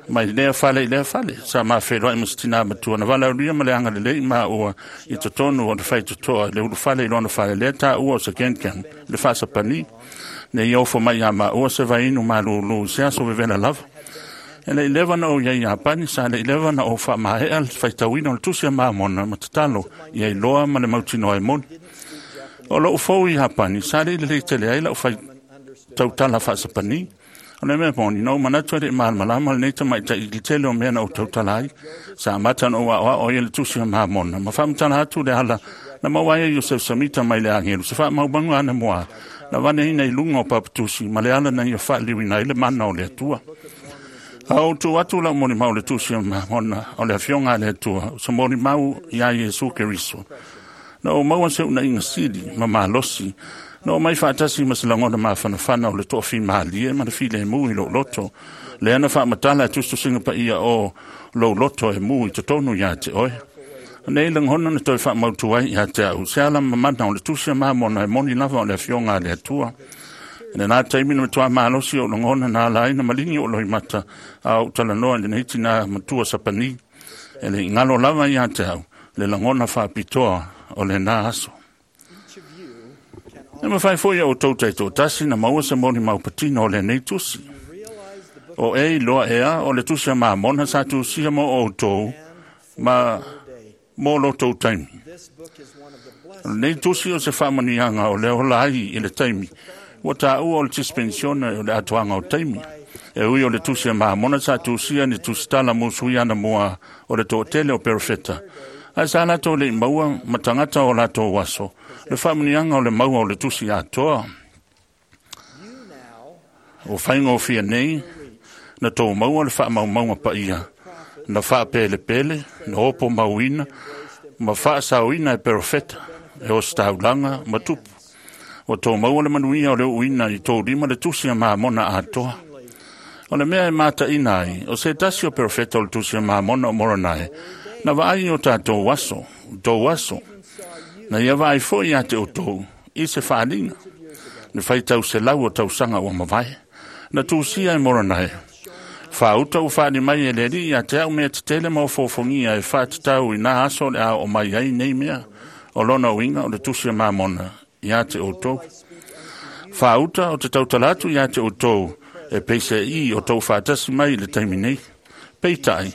mai lea fale i lea fale. Sa mafeloai ma se tinā matua. Na valaaulia ma le agalelei maua i totonu o le faitotoa i le ulufale i lona fale lea taua o se kenken le faasapani. Ne i ofo mai ia maua se vainu malūlū i se aso vevela lava. E le i leva na ou i ai Iapani, sa le i leva na ou faamaea le faitauina o le tusi a Mamona ma tatalo ia iloa ma le mautinoa e moni. O lou fou i Iapani, sa le i lelei tele ai lau fai tautala faasapani. O le mea moni, na ou manatu e le i malamalama lenei tamaitai i le tele o mea na ou tautala ai. Sa amata na ou aoao ai le tusi a Mamona, ma faamatala atu le ala na maua ai e Iosef Samita mai le agelu se faamaumauga ana mua na vaneina i luga o papatusi ma le ala na ia faaliliuina ai le mana o le Atua. A ou tuu atu lau molimau le tusi a Mamona o le afioga a le Atua, o se molimau iā Iesu Keriso. Na ou maua se unaiga sili ma malosi, na ou mai faatasi ma se lagona mafanafana o le toafimalie ma le filemu i lou loto. Lea na faamatala e tusitusiga paia o lou loto e mu i totonu iā te oe. Nei lagona na toe faamautu ai ia te au, se ala mamana o le tusi a Mamona e moni lava o le afioga a le Atua. I lenā taimi na matuā malosi o lagona na ala ai na maligi o loimata a ou talanoa i lenei tinā matua sapani. E le igalo lava ia te au, le lagona faapitoa o lenā aso. E mafai foi e outou taitoatasi na maua se molimau patino o lenei tusi. O e iloa ea o le tusi a Mamona sa tusia mo outou ma mo lotou taimi. O lenei tusi o se faamanuiaga o le ola ai i le taimi. Ua tāua o le dispensione o le atoaga o taimi. E ui o le tusi a Mamona sa tusia ni tusitala musui ana mua o le toatele o perofeta. Ae sa latou le i maua ma tagata o latou aso, le faamanuiaga o le maua o le tusi atoa. O faigofie nei, na tou maua le faamaumauga paia, na faapelepele, na opo mauina, ma faasaoina e perofeta, e ositaulaga ma tupu. Ua tou maua le manuia o le uuina i tou lima le tusi a Mamona atoa. O le mea e mataina ai, o se tasi o perofeta o le tusi a Mamona o Moronae, na vaai o tatou aso, tou aso, na ia vaai foi ia te outou i se faaliga. Le faitau selau o tausaga ua mavae. Na tusia e Moronae. Faauta ua faali mai e le alii ia te au mea tetele ma ofoofogia e faatatau i nā aso o le a oo mai ai nei mea. O lona uiga o le tusi a Mamona ia te outou. Faauta o te tautala atu ia te outou e peiseai o tou faatasi mai i le taimi nei. Peitai,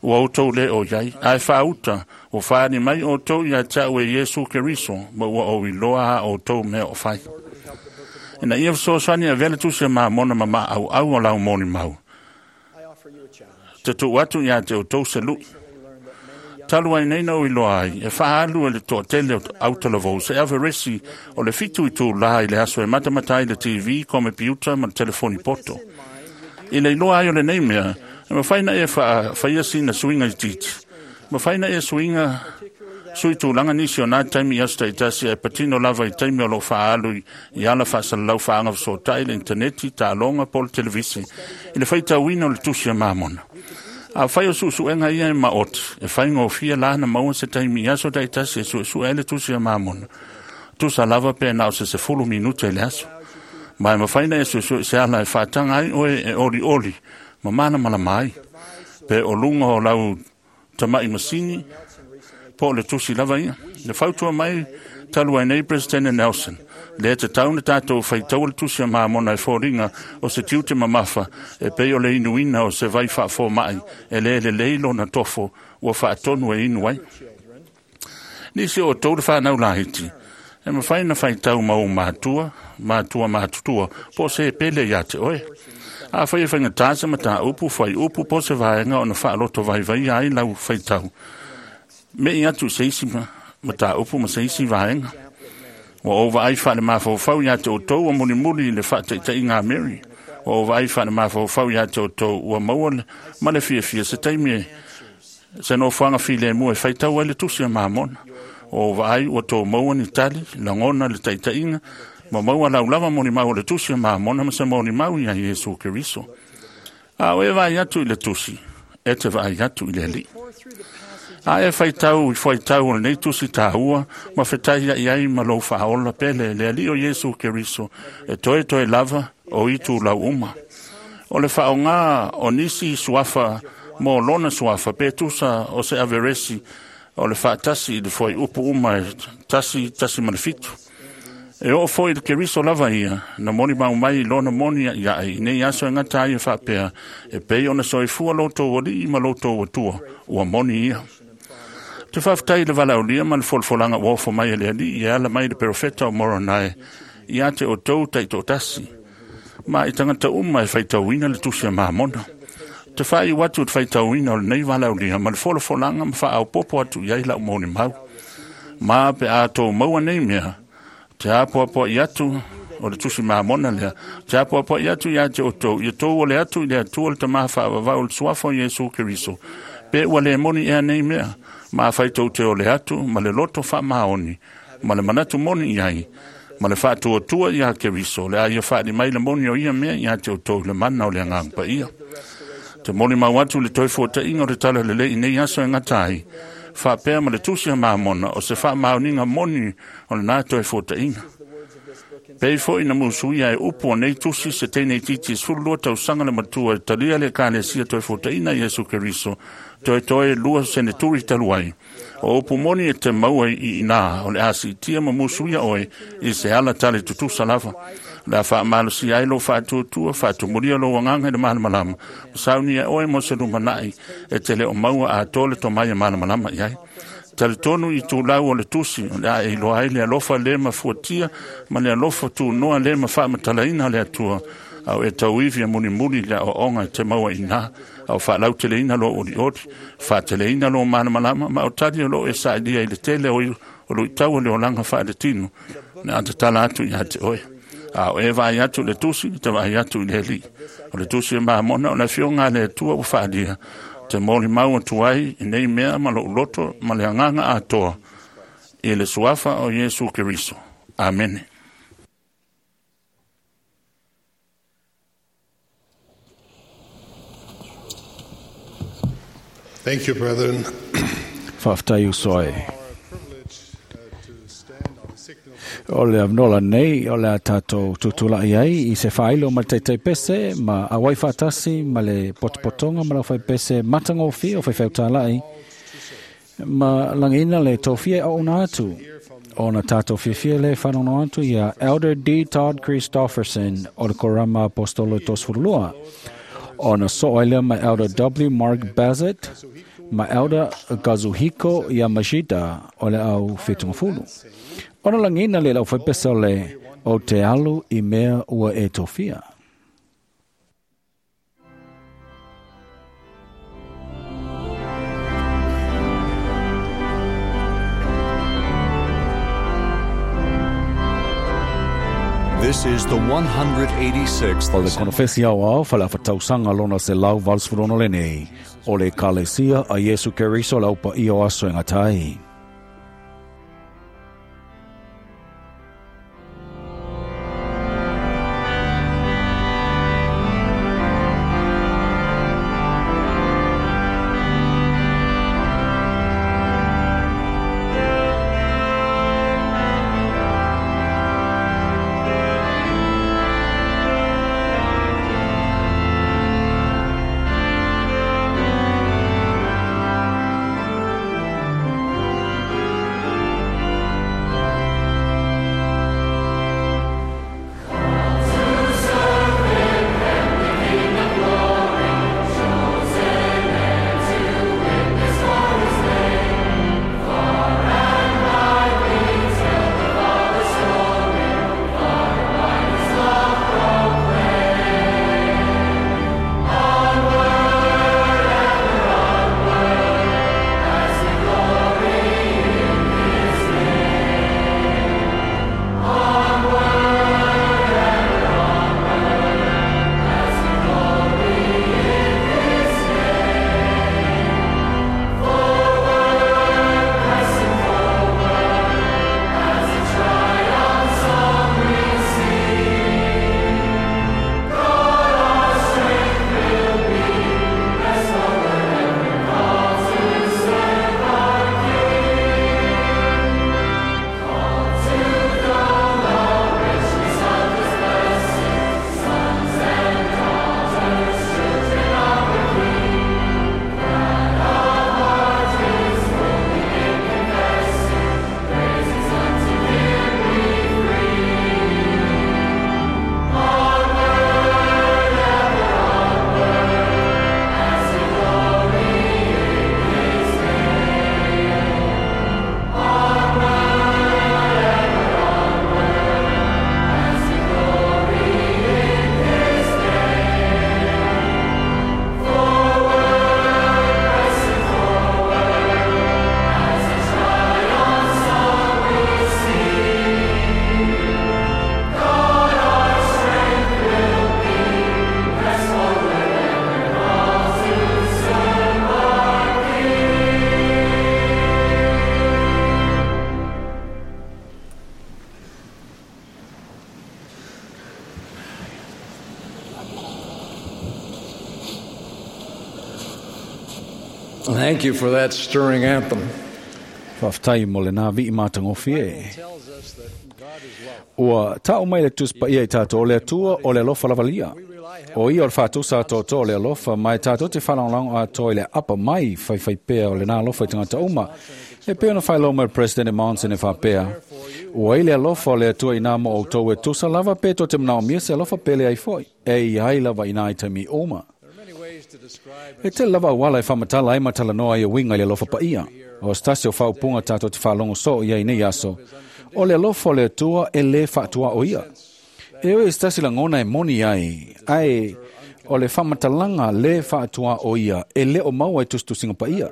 ua outou le o iai, ae faauta ua faali mai outou ia te au e Iesu Keriso ma ua ou iloa a outou mea o fai. Ina ia fesoasoani avea le tusi a Mamona ma maauau o lau molimau. Te tuu atu ia te outou se lui. Talu ai nei na ui loa ai, e faalu e le toatele o autalavou se averesi o le 7 itulā i le aso e matamata ai le TV, komepiuta ma le telefoni poto. I le iloa ai o lenei mea, e mafai na e faafaia sina suiga itiiti. Mafai na e suiga sui tulaga nisi o nā taimi i aso taitasi ae patino lava i taimi o loo faaalu i ala faasalalau faagafesootai le initaneti, taaloga po o le televise i le faitauina o le tusi a Mamona. Afai o suesuega ia e maoti, e faigofie la na maua se taimi i aso taitasi e suesue ai le tusi a Mamona. Tusa lava pe na o se 10 minute i le aso. Ma e mafai na e suesue se ala e faataga ai oe e olioli ma malamalama ai. Pe o luga o lau tama'i masini, po o le tusi lava ia. Le fautua mai talu ai nei President Nelson, lea tatau na tatou faitaua le tusi a Mamona e foliga o se tiute mamafa e pei o le inuina o se vai faafoma'i e lē lelei lona tofo ua faatonu e inu ai. Nisi o outou le fanau laiti, e mafai na faitau ma ou matua, matua matutua, po o se pele iā te oe. Afai e faigatā se mataupu, fuaiupu po o se vaega ona faaloto vaivaia ai lau faitau, me'i atu i se isi mataupu ma se isi vaega. Ua ou vaai faale-mafaufau iā te outou ua mulimuli i le faataitaiga a Mary. Ua ou vaai faale-mafaufau iā te outou ua maua ma le fiafia se taimi e se nofoaga filemu e faitau ai le tusi a Mamona. Ua ou vaai ua tou maua ni tali, lagona le taitaiga, ma maua laulava molimau o le tusi a Mamona ma se molimau iā Iesu Keriso. A o e vaai atu i le tusi, e te vaai atu i le Alii. A e faitau i fuaitau o lenei tusi tāua, ma fetaia i ai ma lou faaola pele le Alii o Iesu Keriso, e toe lava o itu lau uma. O le faaaogā o nisi suafa mo lona suafa pe tusa o se averesi o le faatasi i le fuaiupu uma e 1.7. E oo foi i le Keriso lava ia, na molimau mai i lona moni a'ia'i i nei aso e gata ai e faapea, e pei ona soifua lo outou alii ma lo outou atua, ua moni ia. Te faafetai i le valaaulia ma le folafolaga ua ofo mai e le Alii e ala mai le perofeta o Moronai iā te outou taitoatasi, ma i tagata uma e faitauina le tusi a Mamona. Te faaiu atu i le faitauina o lenei valaaulia ma le folafolaga ma faaopoopo atu i ai lau molimau. Ma pe a tou maua nei mea, te apoapoa'i atu o le tusi Mamona lea, te apoapoa'i atu iā te outou, ia tou ole atu i le Atua le Tamā faavavau o le suafa o Iesu Keriso, pe ua lē moni ea nei mea, ma afai tou te ole atu ma le loto faamaoni, ma le manatu moni i ai, ma le faatuatua iā Keriso, le a ia faali mai le moni o ia mea iā te outou i le mana o le Agaga Paia. Te molimau atu le toe fuata'iga o le tala lelei i nei aso e gata ai, faapea ma le tusi a Mamona o se faamaoniga moni o lenā toe fuata'iga. Pei foi na musuia e upu o nei tusi se teine itiiti e 12 tausaga le matua e talia le ekalesia toe fuataʻina Iesu Keriso, toetoe 2 seneturi talu ai. O upu moni e te maua i inā o le a siitia ma musuia oe i se ala tale tutusa lava. O le a faamalosia ai lou faatuatua, faatumulia lou agaga i le malamalama, ma saunia oe mo se lumana'i e te le o maua atoa le tomai e malamalama i ai. Talitonu i tulau o le tusi, o le a e iloa ai le alofa le mafuatia ma le alofa tunoa le mafaamatalaina o le Atua, au e tauivi e mulimuli le aoaoga e te maua i ina, au faalauteleina lou olioli, faateleina lou malamalama, ma o tali o loo e sailiia i le tele o luitau o le olaga faaletino, le a tatala atu iā te oe. A o e vaai atu i le tusi, te vaai atu i le Alii. O le tusi e Mamona o le afioga a le Atua ua faalia, te molimau atu ai i nei mea ma lou loto ma le agaga atoa i le suafa o Iesu Keriso. Amene. Thank you, brethren. Faafetai uso ai. O le avanoa lenei o le a tatou tutula'i ai i se faailo ma le taitaipese ma auai faatasi ma le potopotoga ma le aufaipese matagofie o faifeutala'i ma lagiina le tofia e auauna atu ona tatou fiafia lē faanono atu iā Elder D. Todd Christofferson o le Korama Apostolo e 32 ona soo ai lea ma Elder W. Mark Bassett ma Elder Kazuhiko Yamashita o le au fetugafulu. Ona lagiina le lau faipese o le o te alu i mea ua e tofia. This is the 186th O le konofesi aoao faleafatausaga lona 186 lenei o le Ekalesia a Iesu Keriso le aupaia o aso e gata ai. Thank you for that stirring anthem. Faafetai mo lenā vi'i matagofie. Ua ta'u mai le Tusi Paia i tatou o le Atua o le alofa lavalia. O ia o le fa'atusa atoatoa o le alofa, ma e tatou te fa'alagolago atoa i le apa mai faifaipea o lenā alofa i tagata uma. E pei ona faailoa mai le Presidente Monson e fa'apea, ua i le alofa o le Atua inā mo outou e tusa lava pe tou te manaomia se alofa pe leai fo'i, e i ai lava inā i taimi uma. E tele lava auala e faamatala ai ma talanoa ai e uiga i le alofa paia. O se tasi o faaupuga tatou te faalogo soo i ai nei aso, o le alofa o le Atua e lē faatuaʻo ia. E ui i se tasi lagona e moni ai, ae o le faamatalaga lē faatuaʻo ia e lē o maua i tusitusiga paia.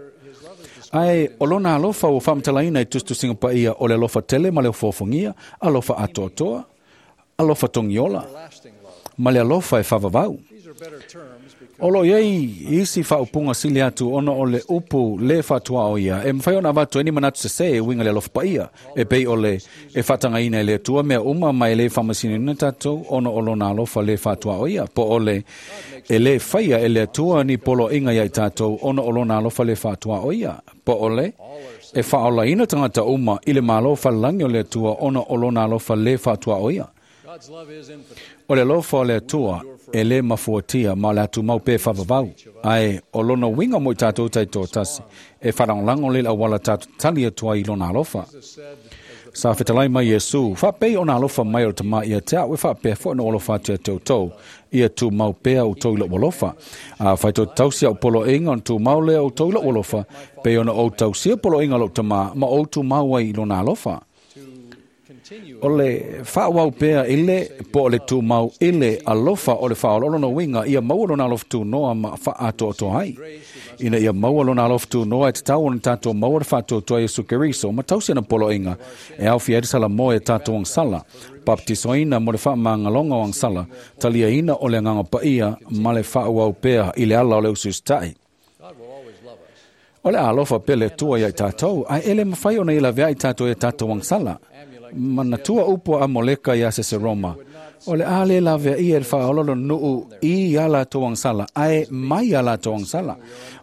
Ae o lona alofa ua faamatalaina i tusitusiga paia o le alofa tele ma le ofoofogia, alofa atoatoa, alofa togiola, ma le alofa e faavavau. O loo i ai isi faaupuga sili atu ona o le upu lē faatuaʻo ia e mafai ona avatu ai ni manatu sesē e uiga le alofa paia, e pei o le e faatagaina e le Atua mea uma ma e lē faamasinoina tatou ona o lona alofa lē faatuaʻo ia, po o le e lē faia e le Atua ni poloaiga iā i tatou ona o lona alofa lē faatuaʻo ia, po o le e faaolaina tagata uma i le Malo falelagi o le Atua ona o lona alofa lē faatuaʻo ia. O le alofa o le Atua e lē mafuatia ma o le a tumau pea e faavavau, ae o lona uiga mo i tatou taitoatasi e faalagolago lea i le auala tatou tali atu ai i lona alofa. Sa fetalai mai Iesu, faapei ona alofa mai o le Tamā ia te a'u, e faapea foi ona ou alofa atu ia te outou, ia tumau pea outou i lo'u alofa. Afai tou te tausi a'u poloaiga, ona tumau lea o outou i lo'u alofa, pei ona ou tausia poloaiga a lo'u Tamā, ma ou tumau ai i lona alofa. O le faaauau pea i le, po o le tumau i le alofa o le faaoloolo lona uiga ia maua lona alofa tunoa ma faaatoatoa ai. Ina ia maua lona alofa tunoa e tatau ona tatou maua le faatuatua Iesu Keriso ma tausi ana poloaiga e aofia ai le salamo e tatou agasala, papatisoina mo le faamagaloga o agasala, taliaina o le agaga paia ma le faaauau pea i le ala o le usiusitai. O le alofa pea le Atua ia i tatou, ae e le mafai ona ia laveai tatou e tatou agasala. Manatua upu a Amoleka ia Seseroma, o le a le laveaia e le faaololo nuu i ia latou agasala, ae mai ia latou agasala.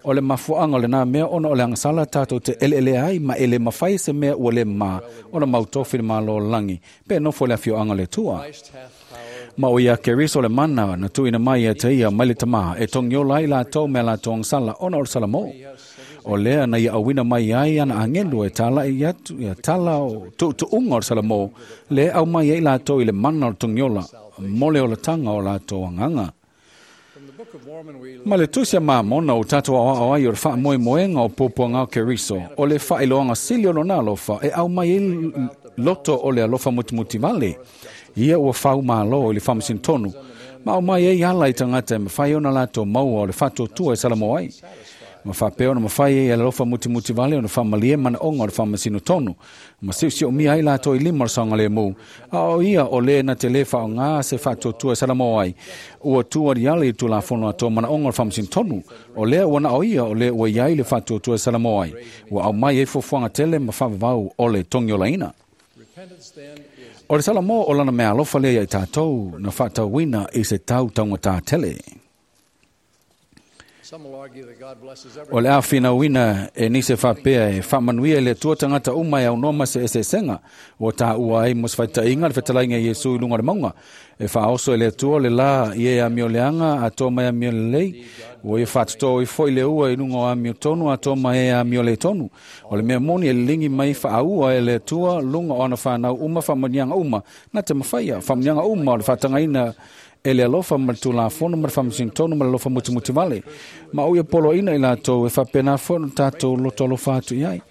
O le mafuaaga o lena mea ona o le agasala tatou te eleelea ai ma e le mafai se mea ua le mama ona mautofi le Malo o le lagi, pe nofo i le afioaga o le Atua. Ma o ia Keriso le mana na tuuina mai ia te ia mai le Tamā e togiola ai latou me a latou agasala ona o le salamo. O lea na ia auina mai ai ana agelu e talai atu ia tala o tuutuuga o le salamo, le au mai ai latou i le mana o le togiola mo le olataga o latou agaga. Ma le tusi a Mamona o tatou aoao ai o le faamoemoega o puapuaga o Keriso, o le faailoaga sili o lona alofa e au mai ai loto o le alofa mutimutivale. Ia ua faumalo i le faamasino ma au mai ai ala i tagata e mafai ona latou maua o le faatuatua e salamo ai. Ma faapea ona mafai ai e le alofa mutimutivale ona faamalie manaoga o le faamasino tonu, ma siosiomia ai latou i lima o le saogalemu. A o ia o le na te lē faaaogā se faatuatua e salamo ai, ua tu aliali i le tulafono atoa manaoga o le faamasino tonu. O lea ua na o ia o le ua iai le faatuatua e salamo ai, ua aumai ai fuafuaga tele ma faavavau o le togiolaina. O le salamo o lana mea alofa lea ia i tatou na faatauina i se tau taugatā tele. O le a finauina e nisi faapea e faamanuia i le Atua tagata uma e aunoa ma se eseesega, ua taua ai mo se faitaiga le fetalaiga i Iesu i luga o le mauga. E faaoso e le Atua le la i e amioleaga atoa mai amiolelei, ua ia faatotō ai foi le ua i luga o amiotonu atoa mai e amioletonu. O le mea moni e liligi mai faaua e le Atua luga o ana whanau uma faamanuiaga uma, na te mafaia faamanuiaga uma o le faatagaina e le alofa ma le tulafono ma le faamasino ma le alofa mutimutivale. Ma o ia poloaiina i latou e faapena foi ona tatou loto alofa atu i ai.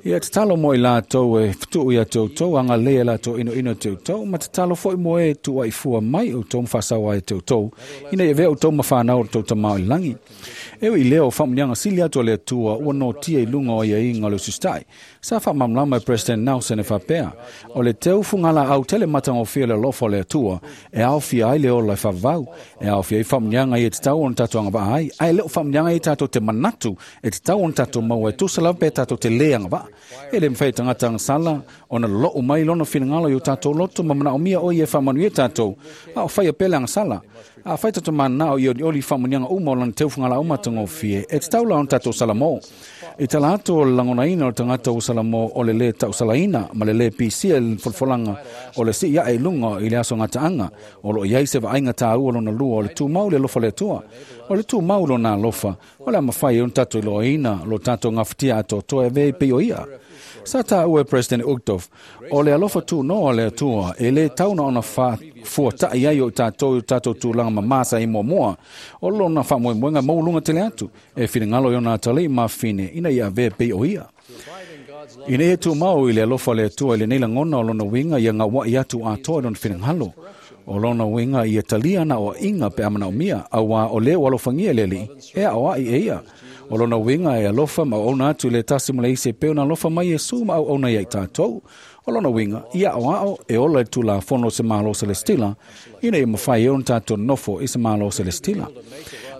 Ia tatalo mo i latou e fetuu ia te outou, agalelei e latou inoino te outou, ma tatalo foi mo e tuuaifua mai outou ma faasaoa ai te outou, ina ia avea outou ma fanau o le tou Tamā o i le lagi. E ui i lea o faamanuiaga sili atu a le Atua ua notia i luga o aiaiga o le usiusitai. Sa faamalamalama e President Nelson e faapea, o le teu fugalaau tele matagofie o le alofa o le Atua e aofia ai le ola e faavavau, e aofia ai faamanuiaga ia tatau ona tatou agavaa ai, ae le o faamanuiaga ia tatou te manatu e tatau ona tatou maua e tusa lava pe tatou te lē agavaa. E le mafai e tagata agasala ona lou mai lona finagalo i o tatou loto ma manaomia o ia e faamanuia tatou, a o faia pea le agasala. A fai tatou mananao i olioli i faamanuiaga uma o lana teu fugalaau matagofie, e tatau la ona tatou salamo. I tala atu o le lagonaina o le tagata ua salamo o le lē tausalaina ma le lē pisia i le folafolaga o le sii ae i luga i le aso gataaga, o loo i ai se vaaiga tāua lona lua o le tumau le alofa o le Atua. O le tumau lona alofa, o le a mafai ai ona tatou iloaina lo tatou gafatia atoatoa e avea ai pei o ia. Sa tāua e President Uchtdorf, o le alofa tunoa o le Atua e lē tau na ona fuata'i ai o i tatou i o tatou tulaga mamā sa i muamua. O lona faamoemoega maualuga tele atu, e finagalo i ona atalii ma afafine ina ia avea pei o ia. Ina ia tumau i le alofa o le Atua i lenei lagona o lona uiga ia gaua'i atu atoa i lona finagalo. O lona uiga ia talia ana oa'iga pe a manaomia, auā o lē ua alofagia e le Alii, e aoa'i e ia. O lona uiga e alofa ma auauna atu i le tasi ma le isi e pei ona alofa mai Iesu ma auauna ia i tatou. O lona uiga, ia aoao e ola i le tulafono o se Malo Selestila, ina ia mafai ai ona tatou nofo i se Malo Selestila.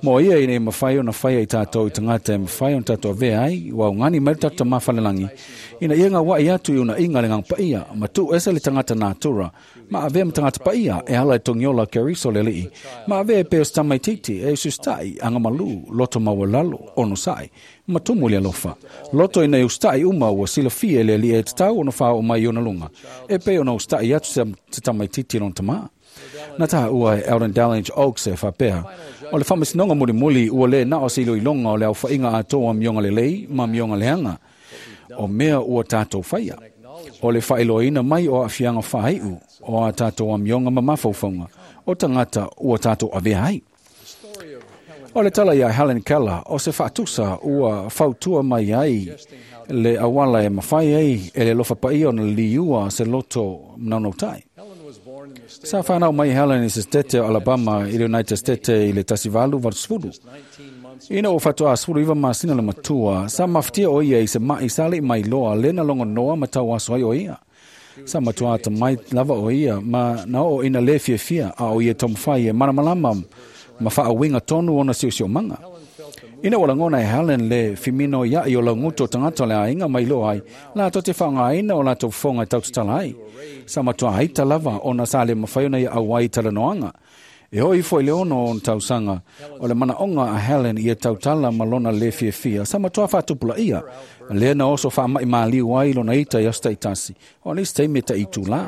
Mo ia ina ia mafai ona faia i tatou i tagata e mafai ona tatou avea ai, ua augani mai le tatou Tamā Falelagi, ina ia gaua'i atu i unaiga le Agaga Paia, ma tuu ese le tagata natura, ma avea ma tagata paia e ala i togiola Keriso le Alii, ma avea e pei o se tamaitiiti e usiusitai, agamalu, loto maualalo, onosai, ma tumu i le alofa. Loto ina ia usitai uma ua silafia e le Alii e tatau ona faaoo mai i ona luga, e pei ona usitai atu se tamaitiiti i lona tamā. Na tāua e Eldon Dallange Oaks e faapea, o le faamasinoga mulimuli ua lē na o se iloiloga o le aofaiga atoa o amioga lelei ma amioga leaga, o mea ua tatou faia. O le faailoaina mai o aafiaga faaiu o a tatou amioga ma mafaufauga o tagata ua tatou avea ai. O le tala iā Helen Keller o se faatusa ua fautua mai ai le auala e mafai ai e le alofa paia ona liua se loto manaunautai. Sa whanau mai Helen i se stete o Alabama i le United States i le 1880. Ina ua fatoā 19 masina le matua, sa mafatia o ia i se ma'i sa le'i mailoa lea na logonoa ma tauaso ai o ia. Sa matuā atamai lava o ia ma na oo ina lē fiafia a o ia taumafai e malamalama ma faauiga tonu ona siosiomaga. Ina ua lagona e Helen le fiminoia'i o laugutu o tagata o le aiga ma iloa ai latou te faaaogaina o latou fofoga e tautatala ai. Sa matuā ita lava ona sa le mafai ona ia auai i talanoaga. E oo ifo i le 6 ona tausaga, o le manaʻoga a Helen ia tautala ma lona lē fiafia sa matuā faatupulaia, lea na oso faamaʻi maliu ai lona ita i aso taitasi, o nisi taimi e taʻitulā.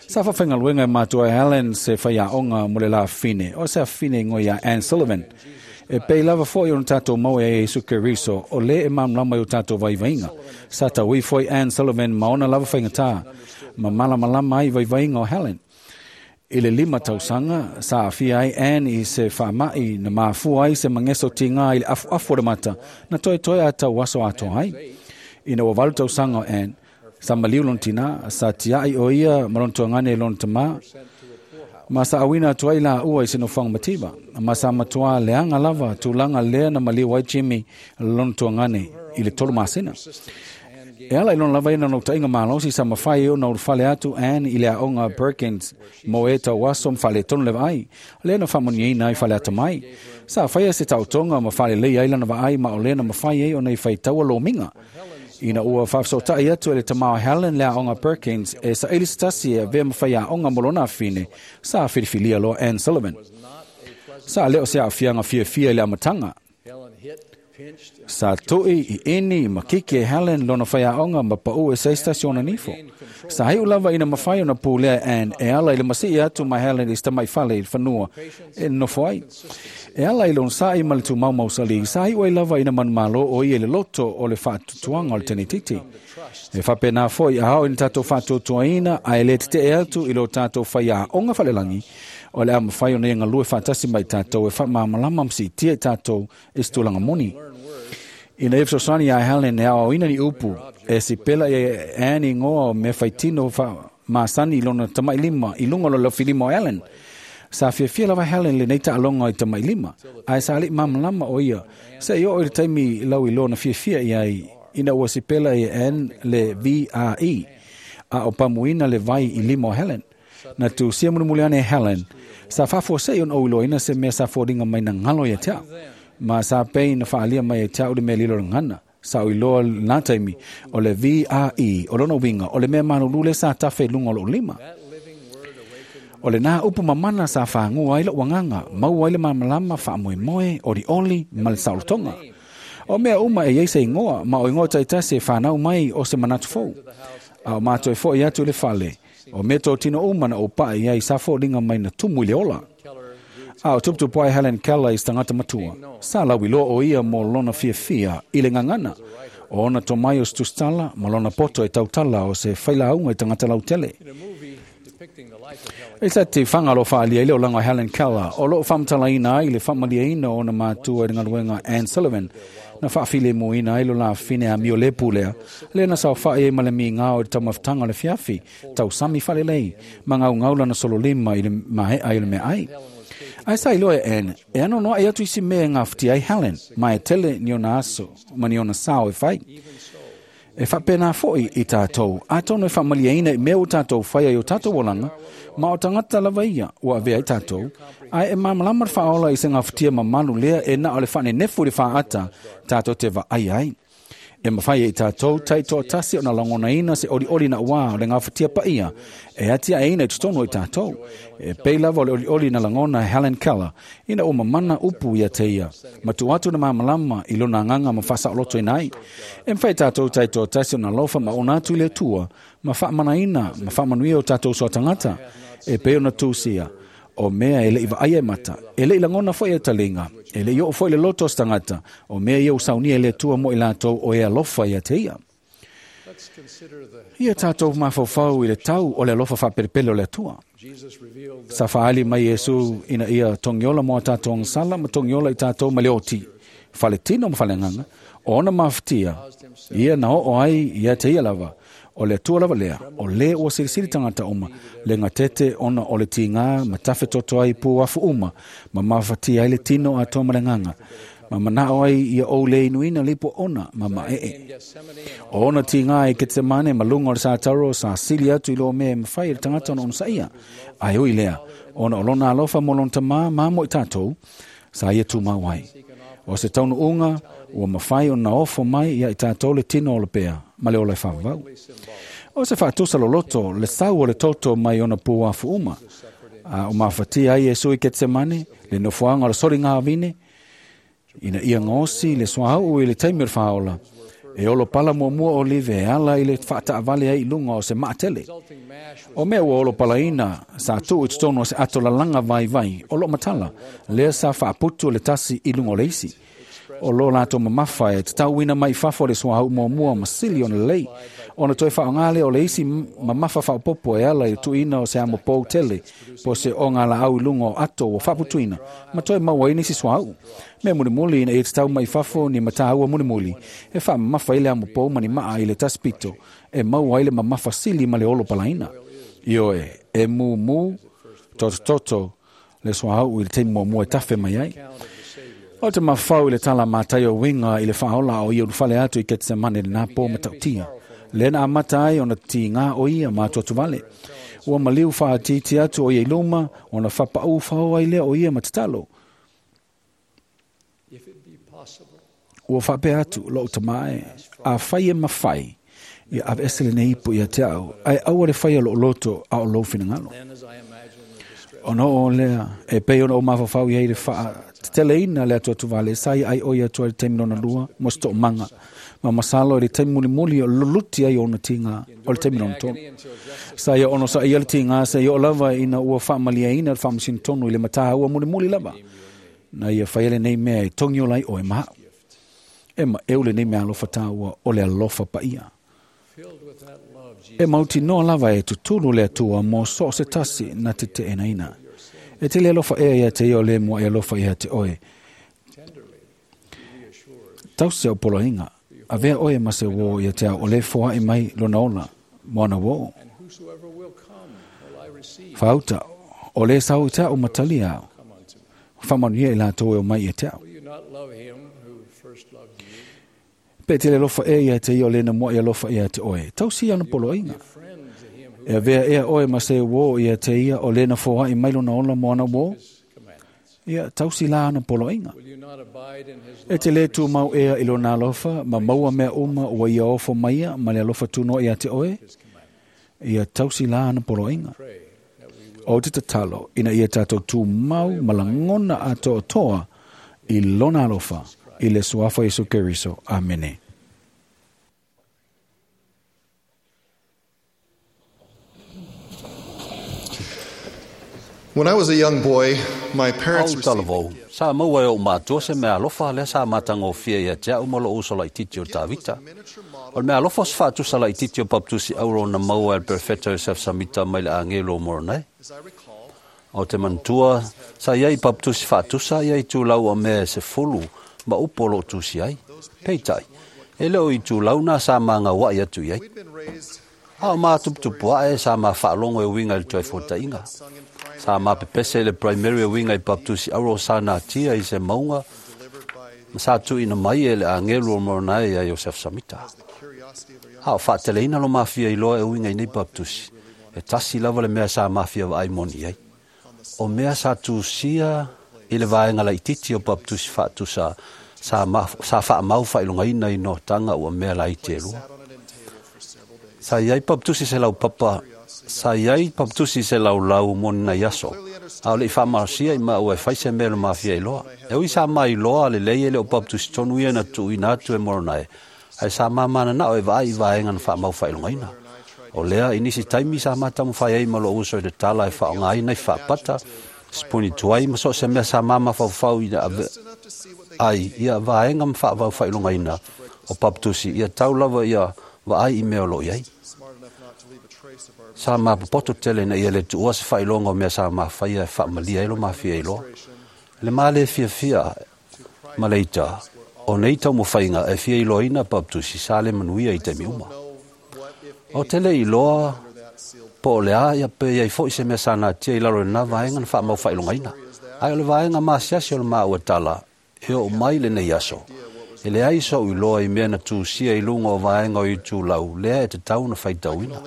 Sa faafaigaluega e matua e Helen se faiaoga mo le lafine, o se afine igoa iā Ann Sullivan. E pei lava foʻi ona tatou maua iā Iesu Keriso, o lē e malamalama i o tatou vaivaiga. Sa tauī foi Ann Sullivan ma ona lava faigatā, ma malamalama ai vaivaiga o Helen. I le 5 tausaga, sa aafia ai Ann i se faamaʻi na mafua ai se mageso tigā i le afuafu o le mata, na toetoe a tauaso atoa ai. Ina ua 8 tausaga o Ann, sa maliu lona tinā, sa tiaʻi o ia ma lona tuagane i lona tamā, ma sa auina atu ai laua i se nofoaga mativa. Ma sa matuā leaga lava tulaga lea na maliu ai Jimmy lona tuagane i le 3 masina. E ala i lona lava ia na nautaʻiga malosi sa mafai ai ona ulufale atu Ann i le aoga Perkins mo e tauaso ma faaletonu le vaai, lea na faamanuiaina ai faleata mai. Sa faia se taotoga ma faalelei ai lana vaai ma o lea na mafai ai ona i faitaua lomiga. Ina ua faafesootaʻi atu e le tamā o Helen le aoga Perkins e saʻili se tasi e avea ma faiaoga mo lona afine, sa filifilia loa Ann Sullivan. Sa lē o se aafiaga fiafia i le amataga. Sa tuʻi i eni ma kiki e Helen lona faiaoga ma paʻu e se tasi ona nifo. Sa iʻu lava ina mafai ona pulea e Ann e ala i le masiʻi atu ma Helen i se tamaifale i le fanua e nonofo ai. E ala i lona saʻi ma le tumau mausalī, sa iʻu ai lava ina manumālō o ia i le loto o le faatutuaga o le tenetiti. E faapenā foʻi a ao ina tatou faatuatuaina ae lē teteʻe atu i lo tatou faiaoga falelagi, o le a mafai ona ia galue faatasi mai tatou e faamalamalama ma siitia i tatou i se tulaga moni. Ina ia fesoasoani iā Helen e aoaoina ni upu, e sipela ia Ann igoa o mea faitino faamasani i lona tamaʻilima i luga o le lofilima o Helen. Sa fiafia lava Helen lenei taaloga i tamaʻilima, ae sa aliʻi malamalama o ia, seʻi oo i le taimi lau iloa na fiafia i ai, ina ua sipela ia Ann le VRE, a o pamuina le vai i lima o Helen. Na tusia mulimuli ane e Helen, sa faafuaseʻi ona ou iloaina se mea sa foliga mai na galo ia te au. Ma sa pei na faalia mai e te au le mea lilo le gana. Sa o iloa lena taimi o le VRE, o lona uiga, o le mea malulu le sa tafe i luga o lou lima. O lenā upu mamana sa fagua ai loʻu agaga, maua ai le malamalama faamoemoe, olioli ma le saolotoga. O mea uma e iai se igoa, ma o igoa taitasi e fanau mai o se manatu fou. A o matou e foʻi atu i le fale, o mea totino uma na ou paʻa i ai sa foliga mai na tumu i le ola. A o tuputupu ai Helen Keller i se tagata matua, sa lauiloa o ia mo lona fiafia i le gagana, o ona tomai o se tusitala ma lona poto e tautala o se failauga i tagata lautele. I sa te whangalo whaalia i le olaga o Helen Keller, o loo faamatalaina ai le faamaliaina o ona matua i le galuega Ann Sullivan, na faafilemuina ai lo lafine amio lepu lea, lea na saofaʻi ai ma le migao i le taumafataga o le fiafi, tausami faalelei, ma gaugau lana sololima i le maeʻa i le meaai. Ae sa iloa e Ann, e ano noaʻi atu isi mea e gafatia ai Helen, ma e tele ni ona aso ma ni ona sao e fai. E faapenā foʻi i tatou, atonu e faamaliaina i mea ua tatou faia i o tatou olaga, ma o tagata lava ia ua avea ai tatou, ae e malamalama le faaola i se gafatia mamalu lea e na o le faanenefu i le faaata tatou te vaai ai. E mafai e i tatou taitoatasi ona lagonaina se olioli na uā o le gafatia paia e atiaeina i totonu o i tatou. E pei lava o le olioli na lagona e Helen Keller ina ua mamana upu ia te ia, ma tuu atu na malamalama i lona agaga ma faasaolotoina ai. E mafai e tatou taitoatasi ona alofa ma ona atu i le Atua ma faamanaina ma faamanuia o tatou soa tagata e pei ona tusia. O mea e leʻi vaaia e mata, e leʻi lagona foʻi e taliga, e leʻi oo foʻi le loto o se tagata, o mea ia ua saunia e le Atua mo i latou o e alofa ia te ia. Ia tatou mafaufau i le tau o le alofa faapelepele o le Atua. Sa faaali mai Iesu ina ia togiola mo a tatou agasala ma togiola i tatou ma le oti, faletino ma faleagaga, o ona mafatia, ia na oo ai ia te ia lava. O le Atua lava lea, o lē ua silisili tagata uma, le gatete ona o le tigā ma tafe toto ai i puafu uma, ma mafatia ai le tino atoa ma le agaga. Ma manao ai ia ou le inuina le ipu ona ma maee. O ona tigā i Ketsemane ma luga o le sataro sa sili atu i lo mea e mafai e le tagata ona onosaia. Ae ui lea, ona o lona alofa mo lona tamā ma mo i tatou, sa ia tumau ai. O se taunuuga ua mafai ona ofo mai ia i tatou le tino o le pea ma le ola e faavavau. O se faatusa loloto le sau o le toto mai ona puafu uma. A o mafatia ai Iesu i Ketsemane, le nofoaga o le soliga vine, ina ia gaosi le suauu i le taimi o le faaola, e olo pala muamua o live e ala i le faataavale ai i luga o se maatele. O mea ua olo palaina sa tuu i totonu o se ato lalaga vaivai o loo matala, lea sa faaputu le tasi i luga o le isi. O lo latou mamafa e tatauina mai fafo le suauu muamua ma sili ona lelei, ona toe faaaoga lea o le isi mamafa faaopoopo e ala i le tuuina o se amo pou tele po se oga laau i luga o ato ua faaputuina ma toe maua ai nisi suauu. Mea mulimuli ina ia tatau mai fafo ni mataua mulimuli e faamamafa ai le amo pou ma ni maa i le tasi pito e maua ai le mamafa sili ma le olo palaina. Ioe, e mumu totototo le suauu i le taimi muamua e tafe mai ai. O te mafau i le tala matai o winga i le faaola o ia ulufale atu i Ketsemane le nā pō matautia. Le na amata ai ona tigā o ia ma atuatuvale. Ua maliu faatiiti atu o ia i luma, ona fapaʻu fao ai lea o ia ma tatalo. Ua faapea atu lou tamā e, afai e mafai, ia aveese lenei ipu ia te au, ae aua le faia lou loto a o lou finagalo. Ona oo lea, e pei ona ou mafaufau i ai le faateteleina le atuatuvale, sa ia ai o ia atu ai le taimi lona lua mo se toomaga. Ma masalo i le taimi mulimuli o luluti ai ona tigā o le taimi lona tolu. Sa ia onosaia le tigā seia oo lava ina ua faamaliaina le faamasino tonu i le mataua mulimuli lava. Na ia faia lenei mea e togi ola ai oe ma au. E maeu lenei mea alofa tāua o le alofa paia. E mautinoa lava e tutulu le Atua mo so o se tasi na te teenaina. E te le alofa ea ia te ia o le mua e alofa ia te oe. Tausi au poloaiga, avea oe ma se uō ia te au o le foai mai lona ola, mo ana uō. Faauta, o le sau i te au matalia au. Faamanuia i latou e omai ia te au. Pe te le alofa ea ia te ia o le na mua e alofa ia te oe. Tausi ana poloaiga. E avea ea oe ma se uō ia te ia o le na foai mai lona ola mo ana uō. Ia tausi la ana poloaiga. E te le tumau ea i lona alofa, ma maua mea uma ua ia ofo maia ma le alofa tunoa ia te oe. Ia tausi la ana poloaiga. O te tatalo, ina ia tatou tumau ma lagona atoatoa i lona alofa, i le suafa Iesu Keriso. Amene. When I was a young boy, my parents Au talavou, sa maua e ou matua se mea alofa lea sa matagofie ia te au ma lou uso laitiiti o Tavita. O le mea alofa o se faatusa laitiiti o Papatusi Auro na maua e le Perfeta Joseph Samita mai le agelo o Moroni. O te manatua, sa iai Papatusi faatusa ia itulau o mea e 10 ma upu o loo tusi ai. Peitai, e le o itulau na sa magaua'i atu i ai. A o matuputupu ae sa mafaalogo e uiga i le toe fuata'iga. Sa mapepese i le primary e uiga i Papatusi Auro sa natia i se mauga ma sa tuuina mai e le agelu o Moroni ia Joseph Samita. A o faateleina lo mafia iloa e uiga i nei Papatusi, e tasi lava le mea sa mafia vaai moni ai. O mea sa tusia i le vaega laitiiti o Papatusi faatusa sa faamau faailogaina i notaga ua mea laiti e lua. Sa iai Papatusi se laupapa, sa iai Papatusi se laulau mo ni nai aso, a o le'i faamalosia i maua e fai se mea le mafia iloa. E ui sa mailoa lelei e le o Papatusi tonu ia na tuuina atu e Moroni, ae sa mamananao e vaai i vaega na faamau faailogaina. O lea, i nisi taimi sa matamafai ai ma lou uso i le tala e faaaogaina i faapata, sipuni tuai ma so o se mea sa mamafaufau ina ave ai ia vaega ma faavau faailogaina o Papatusi ia tau lava ia vaai i mea o loo iai. Sa mapopoto tele na ia le tuua se faailoga o mea sa mafaia e faamalia ai lo mafia iloa. Le ma le fiafia ma le ita, o nei taumafaiga e fia iloaina Papatusi sa le manuia i taimi uma. O te le iloa po o le a ia pe iai fo'i se mea sa natia i lalo i lena vaega na faamau faailogaina. Ae o le vaega masiasi o le maua tala e oo mai lenei aso. E leai so'u iloa i mea na tusia i luga o vaega o itulau lea e tatau ona faitauina.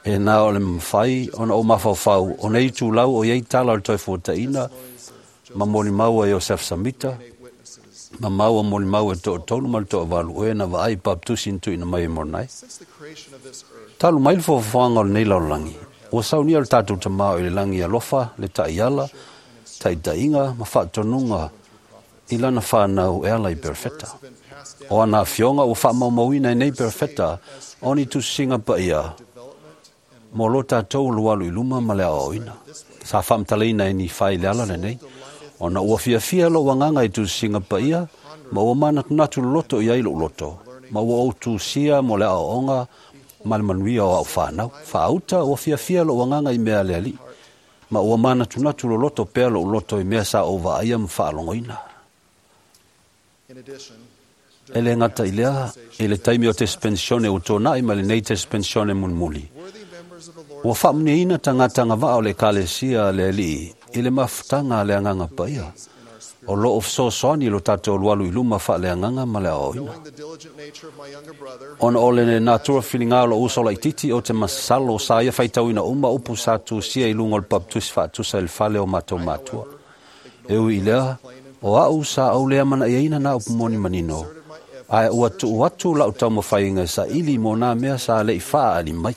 E na o le mafai ona ou mafaufau o nei itulau o iai tala o le Toefuataiga ma molimau a Iosefa Samita ma maua molimau e toatolu ma le toavalu o e na vaai i papatusi na tuuina mai e Moronai. Talu mai le foafoaga o lenei lalolagi, ua saunia le tatou Tamā o i le lagi alofa, le taiala, taitaiga ma faatonuga i lana whānau e ala i perefeta. O ana afioga ua faamaumauina e nei perefeta o ni tusisiga paia mo lo tatou alualu i luma ma le aoaoina. Sa faamatalaina e Nifai i le ala lenei, ona ua fiafia lou agaga i tusisiga paia, ma ua manatunatu loloto i ai lou loto, ma ua ou tusia mo le aoaoga ma le manuia o au whānau. Faauta ua fiafia lou agaga i mea a le Alii, ma ua manatunatu loloto pea lou loto i mea sa ou vaaia ma faalogoina. E le gata i lea, i le taimi o tespensione ua tōna'i ma lenei tespensione mulimuli, ua faamuniaina tagata agavaa o le Ekalesia a le Alii i le mafutaga a le Agaga Paia, o loo fesoasoani lo tatou alualu i luma faaleagaga ma le aoaoina. Ona o le natura filiga o lou uso laitiiti o te masalo sa ia faitauina uma upu sa tusia i luga o le papatusi faatusa i le fale o matou matua. E ui i lea, o a'u sa ou lea manaiaina na upu moni manino, ae ua tuu atu la'u taumafaiga e saili mo nā mea sa le'i faaali mai.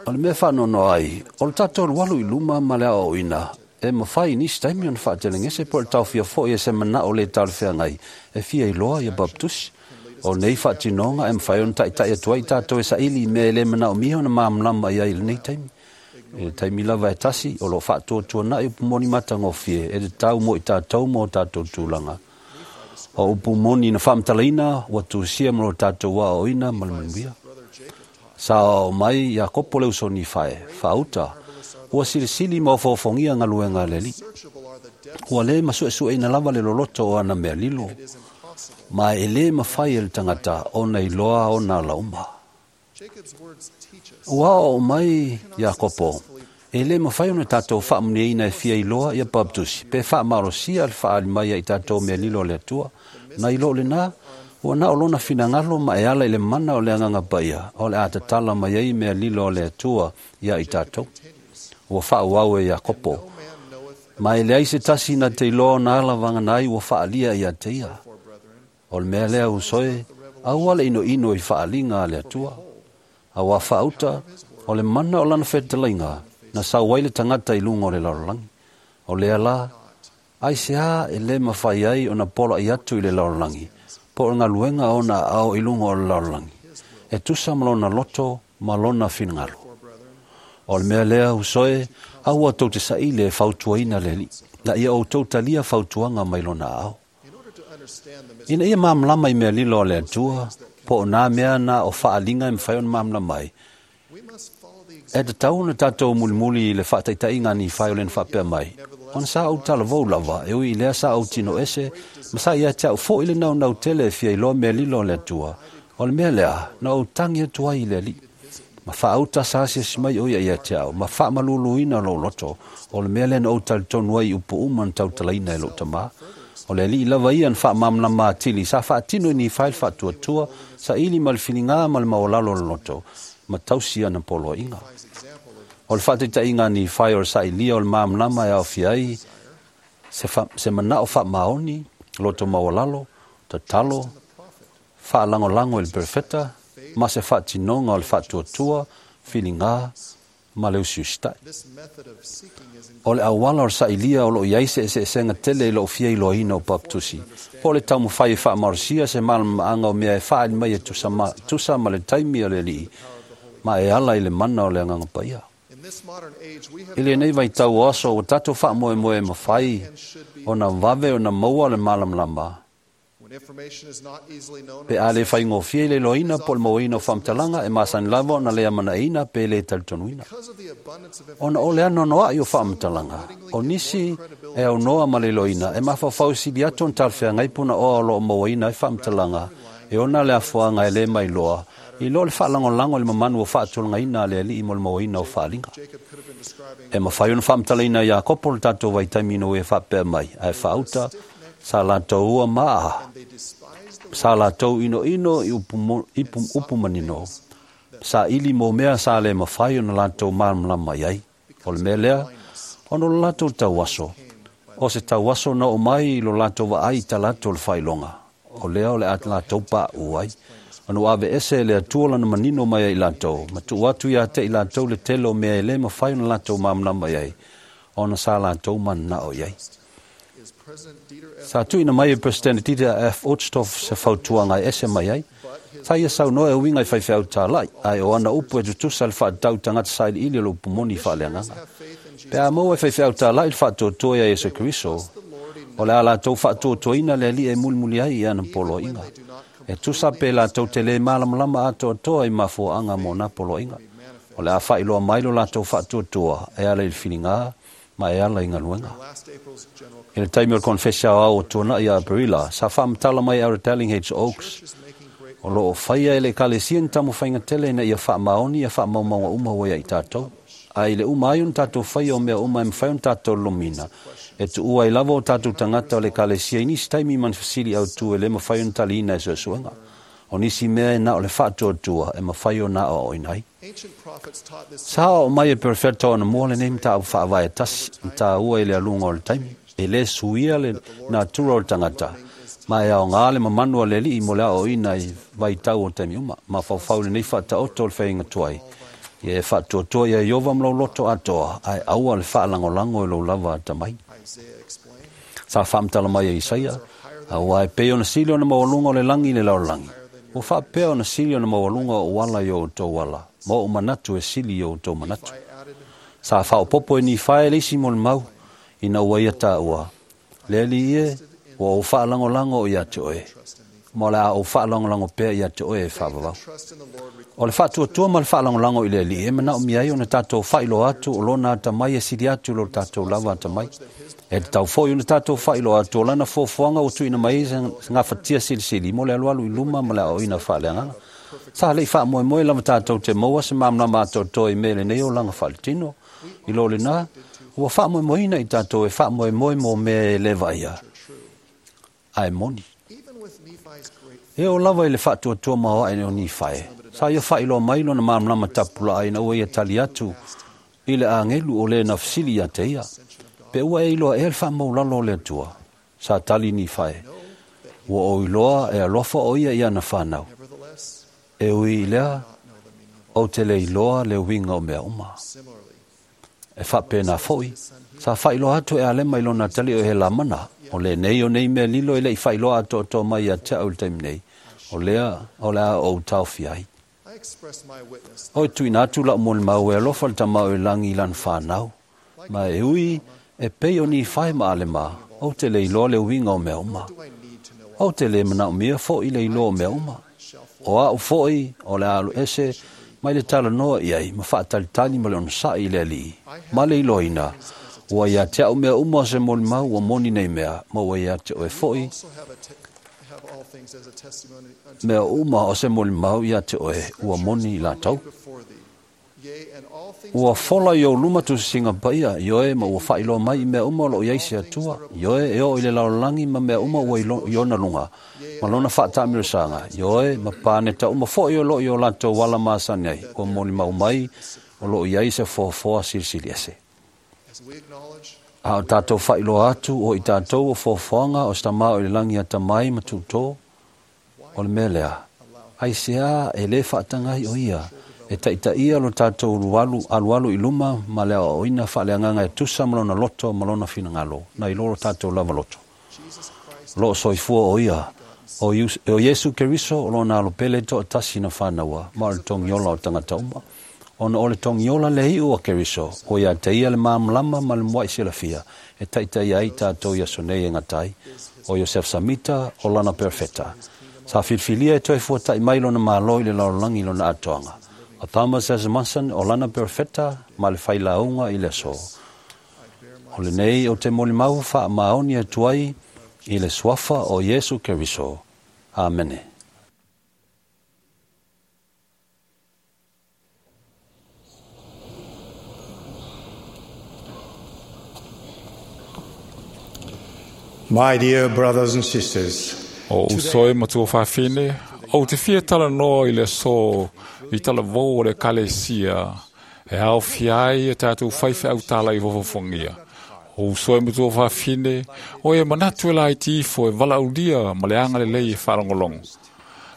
O le mea faanoanoa ai, o le tatou alualu i luma ma le aoaoina, e mafai i nisi taimi ona faatelegese po o le taofia fo'i e se mana'o lē talafeagai e fia iloa ia papatusi. O nei faatinoga e mafai ona ta'ita'i atu ai tatou e saili i mea e lē manaomia ona malamalama i ai i lenei taimi. I le taimi lava e tasi, o loo faatuatuana'i upu moni matagofie e tatau mo i tatou ma o tatou tulaga. O upu moni na faamatalaina ua tusia ma lo tatou aoaoina ma le manuia. Sa aoao mai Iakopo le uso o Nifae, faauta, ua silisili ma ofoofogia galuega a le Alii. Ua lē masuesueina lava le loloto o ana mea lilo, ma e lē mafai e le tagata ona iloa ona alauma. Ua aoao mai Iakopo, e lē mafai ona tatou faamuniaina e fia iloa ia papatusi pe faamalosia le faaali mai ai tatou mea lilo a le Atua. Na i loo lenā, ua na o lona finagalo ma e ala i le mana o le Agaga Paia o le a tatala mai ai mea lilo a le Atua ia i tatou. Ua faaauau e Iakopo, ma e leai se tasi na te iloa ona ala vagana ai ua faalia ia te ia. O le mea lea usoe, aua le inoino i faaliga a le Atua. Auā faauta, o le mana o lana fetalaiga na sau ai le tagata i luga o le lalolagi. O lea la, aisea e lē mafai ai ona pola'i atu i le lalolagi, po o le galuega ona aao i luga o le lalolagi, e tusa ma lona loto ma lona finagalo. O le mea lea usoe, aua tou te saili e fautuaina le Alii, na ia outou talia fautuaga mai lona aao. Ina ia malamalama i mea lilo a le Atua, po o nā mea na o faaliga e mafai ona malamalama ai, e tatau ona tatou mulimuli i le faataitaiga a Nifai o lena faapea mai, ona sa ou talavou lava, e ui i lea sa ou tino ese, ma sa ia te au fo'i le naunau tele e fia iloa mea lilo a le Atua. O le mea lea, na ou tagi atu ai i le Alii. Ma faauta sa asiasi mai o ia ia te au, ma faamaluluina lou loto, o le mea lea na ou talitonu ai i upu uma na tautalaina e lou tamā. O le Alii lava ia na faamalamalama atili, sa faatino i Nifai le faatuatua, saili ma le filiga ma le maualalo o le loto, ma tausi ana poloaiga. O le faataitaiga a Nifai o le sailia o le malamalama e aofia ai se mana'o faamaoni, loto maualalo, tatalo, faalagolago i le perefeta, ma se faatinoga o le faatuatua, filiga ma le usiusita'i. O le auala o le sailia o loo i ai se eseesega tele i lou fia iloaina o papatusi, po o le taumafai e faamalosia se malamalamaaga o mea e faaali mai e tusa ma le taimi a le Alii, ma e ala i le mana o le Agaga Paia. I lenei vaitau o aso ua tatou faamoemoe e mafai ona vave ona maua le malamalama, pe a le faigofie i le iloaina po o le mauaina o faamatalaga e masani lava ona le amanaiaina pe le talitonuina. Ona o le anoanoa'i o faamatalaga, o nisi e aunoa ma le iloaina e mafaufau sili atu ona talafeagai punaoa o loo mauaina ai faamatalaga e ona le afoaga e lē mailoa I lo le faalagolago i le mamanu o faatulagaina a le Alii mo le mauaina o faaliga. E mafai ona faamatalaina e Iakopo le tatou vaitaimi ina ua ia faapea mai, ae faauta sa latou ua maa, sa latou inoino i upu manino, saili mo mea sa le mafai ona latou malamalama i ai. O le mea lea, ona o le latou tauaso, o se tauaso na oo mai i lo latou vaai i talaatu o le faailoga, o lea o le a latou paʻu ai. Ona ua aveese e le Atua lana manino mai ai i latou, ma tuu atu ia te i latou le tele o mea e le mafai ona latou malamalama i ai, ona sa latou mananao i ai. Sa tuuina mai e Peresetene Dieter F. Uchtdorf se fautuaga e ese mai ai. Sa ia saunoa e uiga i faifeau tāla'i, ae o ana upu e tutusa le faatatau i tagata sailiili o le upu moni faaleagaga. Pe a maua e faifeau tāla'i le faatoatoa iā Iesu Keriso, o le a latou faatoatoaina le Alii e mulimuli ai i ana poloaiga. E tusa pe latou te lē malamalama atoatoa i mafuaaga mo na poloaiga. O le a faailoa mai lo latou faatoatoa e ala i le filiga ma e ala i galuega. I le taimi o le konefesi aoao o tuana'i ia Aperila, sa faamatala mai e Elder Dallin H. Oaks, o lo o faia e le Ekalesia ni taumafaiga tele ina ia faamaoni ia faamaumauga uma ua ia i tatou. Ae i le uma ai ona tatou faia o mea uma e mafai ona tatou lolomiina, e tuua ai lava o tatou tagata o le Ekalesia i nisi taimi ma ni fesili autu e le mafai ona taliina e suesuega. O nisi mea e na o le faatuatua e mafai ona aoaoina ai. Sa aoao mai e Perofeta o anamua lenei mataupu faavae tasi, na taua i le aluga o le taimi, e le suia le natura o le tagata, ma e aoga le mamanu a le Alii mo le aoaoina i vaitau o taimi uma. Mafaufau i lenei faataoto o le faiga tuai, ia e faatuatua ia Ieova ma lou loto atoa, ae aua le faalagolago i lou lava atamai. Sa faamatala mai e Isaia, Aua e pei ona sili ona maualuga o le lagi i le lalolagi, ua faapea ona sili ona maualuga ou ala i o outou ala, ma ou manatu e sili i o outou manatu. Sa faaopoopo e Nifae le isi molimau, ina ua ia taua, Le Alii e, ua ou faalagolago ia te oe, ma o le a ou faalagolago pea ia te oe e faavavau. O le faatuatua ma le faalagolago i le Alii e manaomia ai ona tatou faailoa atu o lona atamai e sili atu i lo tatou lava atamai. E tatau foi ona tatou faailoa atu o lana fuafuaga ua tuuina mai ai se gafatia silisili mo le alualu i luma ma le aoaoina faaleagaga. Sa le i faamoemoe lava tatou te maua se malamalama atoatoa i mea i lenei olaga faaletino. I lo lena, ua faamoemoeina i tatou e faamoemoe mo mea e le vaaia, ae moni. E oo lava i le faatuatua maoae o Nifae, sa ia faailoa mai lona malamalama tapulaa ina ua ia tali atu i le agelu o le na fesili ia te ia, Pe ua e iloa ea le faamaulalo o le Atua? Sa tali Nifae, Ua ou iloa e alofa o ia i ana fanau. E ui i lea, ou te le iloa le uiga o mea uma. E faapena foi, sa faailoa atu e Alema i lona atalii o Helamana, o lenei o nei mea lilo e le i faailoa atoatoa mai ia te au i le taimi nei, o lea o le a ou taofia ai. Oi tuuina atu lau molimau e alofa le Tama o i lagi i lana fanau, ma e ui e pei o Nifae ma Alema, ou te le iloa le uiga o mea uma. Ou te le manaomia foi le iloa o mea uma. O au foi o le a alu ese mai le talanoa i ai ma faatalitali ma le onosai i le Alii, ma le iloaina, ua ia te au mea uma o se molimau ua moni nei mea, ma ua ia te oe foi mea uma o se molimau ia te oe ua moni i latou. Ua fola i ou luma tusisiga paia, ioe, ma ua faailoa mai i mea uma o lo o i ai se Atua, ioe, e oo i le lalolagi ma mea uma ua i ona luga, ma lona faataamilosaga, ioe, ma paneta uma foi o lo o i o latou ala masani ai, ua molimau mai o lo o i ai se foafoa silisili ese. A o tatou faailoa atu o i tatou o foafoaga o se Tama o i le lagi atamai ma tutō, o le mea lea, aisea e le faataga ai o ia e taitaia lo tatou alualu i luma ma le aoaoina faaleagaga e tusa ma lona loto ma lona finagalo, nai lo lo tatou lava loto. O lo o soifua o ia, o Iesu Keriso o lona alo pele toatasi na fanaua, ma o le togiola o tagata uma. Ona o le togiola le iu a Keriso, ua ia te ia le malamalama ma le mua'i silafia e taitaia ai tatou i aso nei e gata ai, o Iosef Samita o lana perofeta. Sa filifilia e toe fuata'i mai lona Malo i le lalolagi i lona atoaga. O Thomas S. Monson o lana perofeta ma le failauga i le aso. O lenei ou te molimau faamaoni atu ai i le suafa o Iesu Keriso. Amene. My dear brothers and sisters, O usoe matua whawhine, o te fia tala noa i le so i tala vō o le kalesia, e au fiai e tātou whaiwhe au tala i vofofongia. O usoe matua whawhine, o e manatu e lai tifo e vala ulia ma le anga le lei e whalongolongo.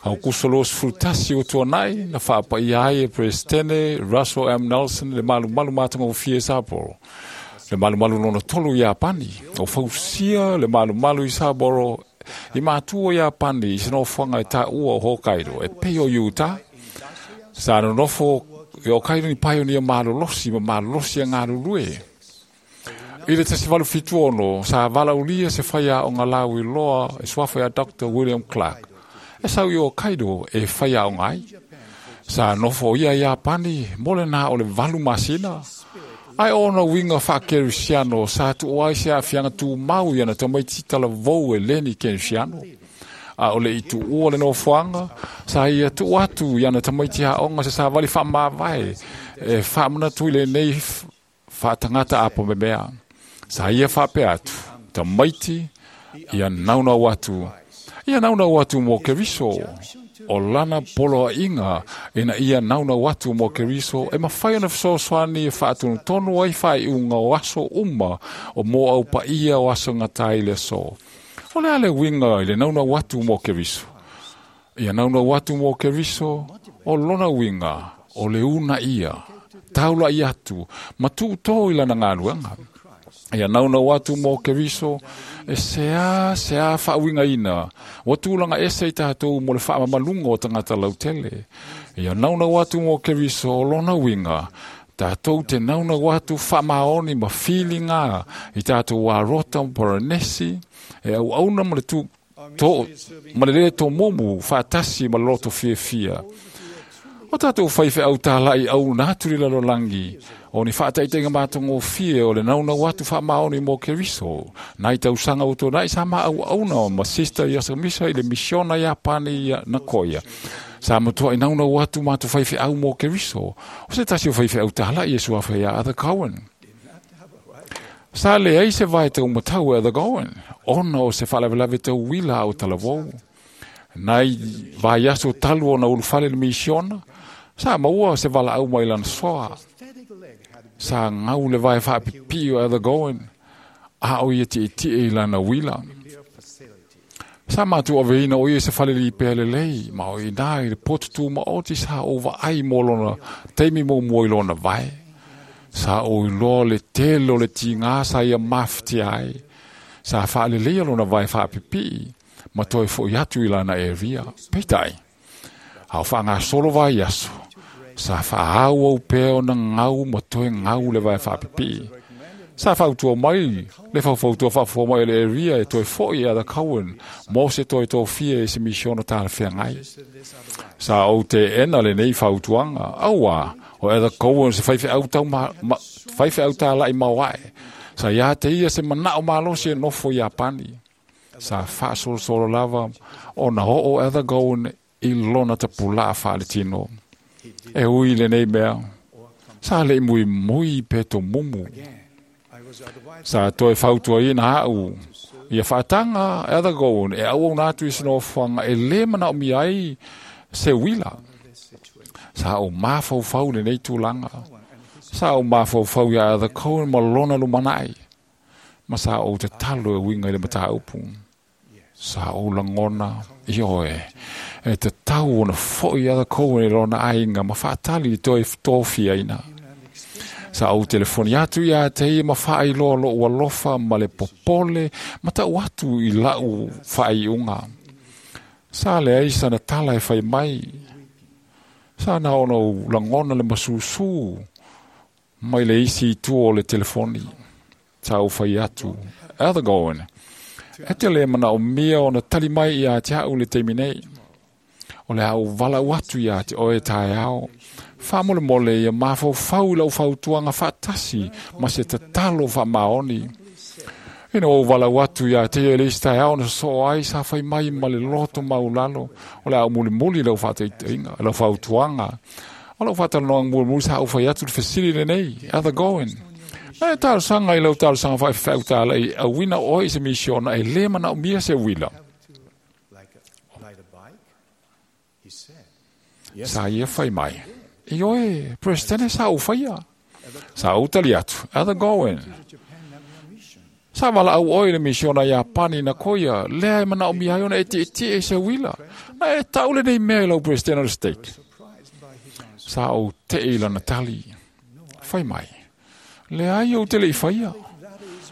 Au kuso los fultasi o tuanai, na whaapa i ai e Presidente Russell M. Nelson le malu malu mātanga o fie Sapporo. Le malu malu nona tolu i Apani, o fausia le malu malu i Sapporo, i mātua i Apani i sinofuanga e tā ua o Hokkaido, e pei o Utah. Sa nonofo i Hokkaido ni paionia malolosi ma malolosi a ngalulue. I le tasi valu fituono, sa valaulia se whaia o ngā lau i loa e suafa ia Dr. William Clark. E sau i Hokkaido e whaia o ngai. Sa nofo ia i Apani, mole nā o le valu masina. Ai ona winga whakerusiano, sa tu oai se awhianga tū mau ia na tamaiti tala vau e Leni Kerusiano. A ole i tu ua le nofoanga, sa ia tu atu ia na tamaiti haonga se sa wali whaamavae, e whaamana tui le nei whaatangata apo me mea. Sa ia whaapea atu, tamaiti ia naunau atu. Ia naunau atu mō Keriso, o lana polo a inga, ina ia naunau atu mō Keriso, e mawhai ana whasoswani e whaatunu tonu ai whai unga o aso uma, o mō au pa ia o aso ngatai le so. O le ale winga i le naunau atu mō Keriso. Ia naunau atu mō Keriso, o lona winga, o le una ia, taula i atu, ma tūtō i lana ngāluanga. Ia naunau atu mō Keriso, e sea, sea whaawinga ina, o tūlanga ese i tātou mō le whaamamalunga o tangata lautele. Ia naunau atu mō Keriso o lona winga, tātou te naunau atu whaamaoni ma whilinga i tātou warota poranesi, e au auna ma le tū, tō, ma le le tō momu whaatasi ma le loto fia fia. O tātou whaiwhe au tālai au nāturi lalo langi, o ni whaataitenga mātongo fie o le naunau atu whaamaoni mō Keriso. Nai tausanga o tōnai sa ma au auna ma sister ia sa misa i le misiona Japani ia Nakoya. Sa matua i naunau atu mātou whaiwhe au mō Keriso. O se tasi o whaiwhe au tālai e suawha ia Arthur Cohen. Sa le ei se vai tau matau e Arthur Cohen. Ona o se whalavelave tau wila au talavou. Nai vai aso talu o na ulufale le misiona. Sa maua se wala au mai lana soa. Sa ngau le vai whaapipi o Arthur Cohen. A o ia ti ti e lana wila. Sa mātu o veina o ia se whaleli i pēle lei. Ma o i nā i le potutu ma o ti sa o wa ai mō lona. Teimi mō mua i lona vai. Sa o i loa le tele o le tingā sa ia mawhiti ai. Sa whaalelei lona vai whaapipi. Ma toi fo i atu i lana e ria. Peitai. Hau wha ngā solo vai aso. Sa wha au au pēo na ngau ma toi ngau le vai whaapipi. Sa whautua mai, le whautua whafua mai le ria e toi fo i Arthur Cohen, mō se toi tō fia e se misiona tāna whengai. Sa o te ena le nei whautuanga, aua, o Arthur Cohen se whaiwhe au tau ma, ma, whaiwhe au tā lai mauae. Sa ia te ia se manao malosi e nofo i Apani. Sa whaasolosolo lava, o na ho o Arthur Cohen i lona tapula a whaaletino. E ui le nei mea, sa le mui mui peto mumu. Sa toe whautua i nā au. Ia whaatanga Arthur Cohen e au au nātu i sinofuanga e le mana o mi ai se wila. Sa o māwhauwhau le nei tūlanga. Sa o māwhauwhau ia Arthur Cohen ma lona lumanai. Ma sa o te talo e winga i le mataupu. Sa o langona i oe. E te tau ona fo i Arthur Cohen e lona ainga ma whaatali i toe tōfia ina. Sa au telefoni atu ia te ia ma whaai loa lo alofa ma le popole ma tau atu i lau whaai unga. Sa le ai sana tala e whai mai. Sa na ona u langona le masusu mai le isi i tua o le telefoni. Sa au whai atu. Arthur Cohen. E te le mana o mia ona tali mai ia te au le teimi nei. O le au walau atu ia te oe tae ao. Whamole mole ia mawhau lau whautuanga whaatasi ma se tatalo wha maoni. Ina o walau atu ia te ele ista ao na so ai sa whai mai ma le loto maulalo. O le au muli muli lau whaateinga, lau whautuanga. O lau whaatalanoang muli muli sa au whai atu le fesili le nei, Arthur Cohen. Na e talosaga i lau talosaga faifeau talai auina oe i se misiona e lē manaomia se uila. Sa ia fai mai, ioe, Presidente sa ou faia. Sa ou tali atu, Elder Goen. Sa valaau oe i le misiona Iapani na koia, lea e manaomia ai ona e tietie i se uila. Na e tau lenei mea i lau Presidente o le stake. Sa ou tei i lana tali. Fai mai, leai ou te le i faia.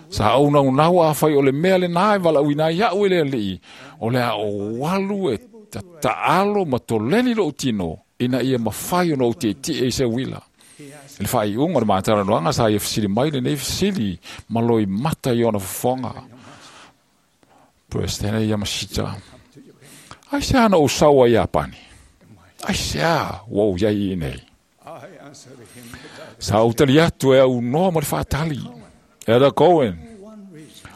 Sa ou naunau afai o le mea lenā e valaauina ai a'u e le Alii, o le a ou alu e tataalo ma toleni lo'u tino, ina ia mafai ona ou tietie i se uila. I le faaiuga o le matalanoaga sa ia fesili mai lenei fesili ma loimata i ona fofoga. Presidente Yamashita, aisea na ou sau ai Iapani? Aisea ua ou iai iinei? Sa ou tali atu e aunoa ma le faatali. Elder Cohen,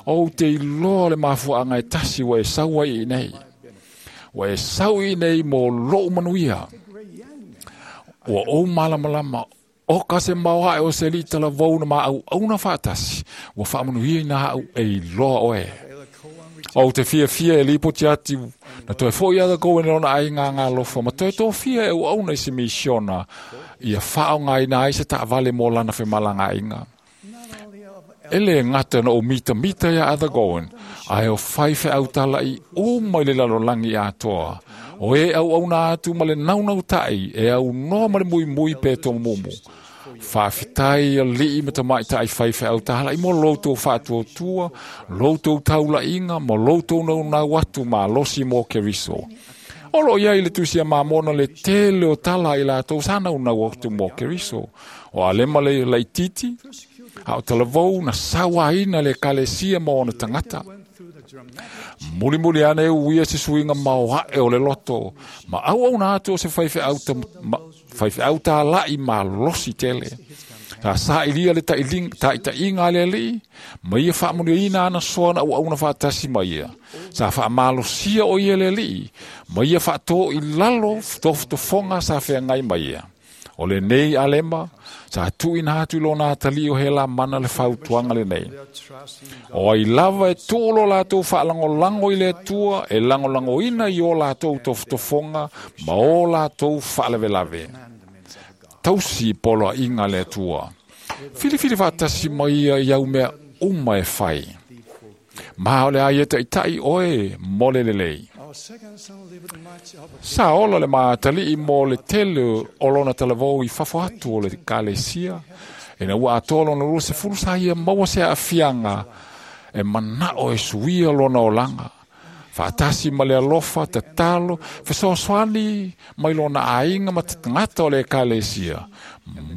ou te iloa le mafuaaga e tasi ua e sau ai iinei. Ua e sau iinei mo lo'u manuia. Ua ou malamalama o ka se maoae o se alii talavou na maauauna faatasi, ua faamanuiaina a'u e iloa oe. Ou te fiafia e lipoti atu na toe fo'i Elder Cohen i lona aiga agalofa ma toe tofia e auauna i se misiona ia faaaogaina ai se taavale mo lana femalagaaiga. E lē gata na ou mitamita iā Elder Cohen, ae o faifeau tala'i uma i le lalolagi atoa, o e auauna atu ma le naunauta'i e aunoa ma le muimui pe tomumu. Faafetai alii ma tamaita'i faifeau tala'i mo loutou faatuatua, loutou taula'iga ma loutou naunau atu malosi mo Keriso. O loo iai le tusi a Mamona le tele o tala i latou sa naunau atu mo Keriso. O Alema le laititi, a o talavou na sauaina le ekalesia ma ona tagata. Mulimuli ane e uia se suiga maoaʻe o le loto, ma auauna atu o se faifeau talaʻi malosi tele. Sa saʻilia le taʻitaʻiga a le Alii, ma ia faamanuiaina ana soa na auauna faatasi ma ia. Sa faamalosia o ia le Alii, ma ia faatō i lalo tofotofoga sa feagai ma ia. O lenei Alema, sa tuuina atu i lona atalii o Helamana le fautuaga lenei. O ai lava e tuu lo latou faalagolago i le Atua e lagolagoina i o latou tofotofoga ma o latou faalavelave. Tausi poloaiga le Atua. Filifili faatasi ma ia i au mea uma e fai. Ma o le a ia taʻitaʻi oe mo le lelei. Sa ola le matalii mo le tele o lona talavou i fafo atu o le ekalesia, ina ua atoa lona 20 sa ia maua se aafiaga e manao e suia lona olaga. Faatasi ma le alofa, tatalo, fesoasoani mai lona aiga ma tagata o le ekalesia.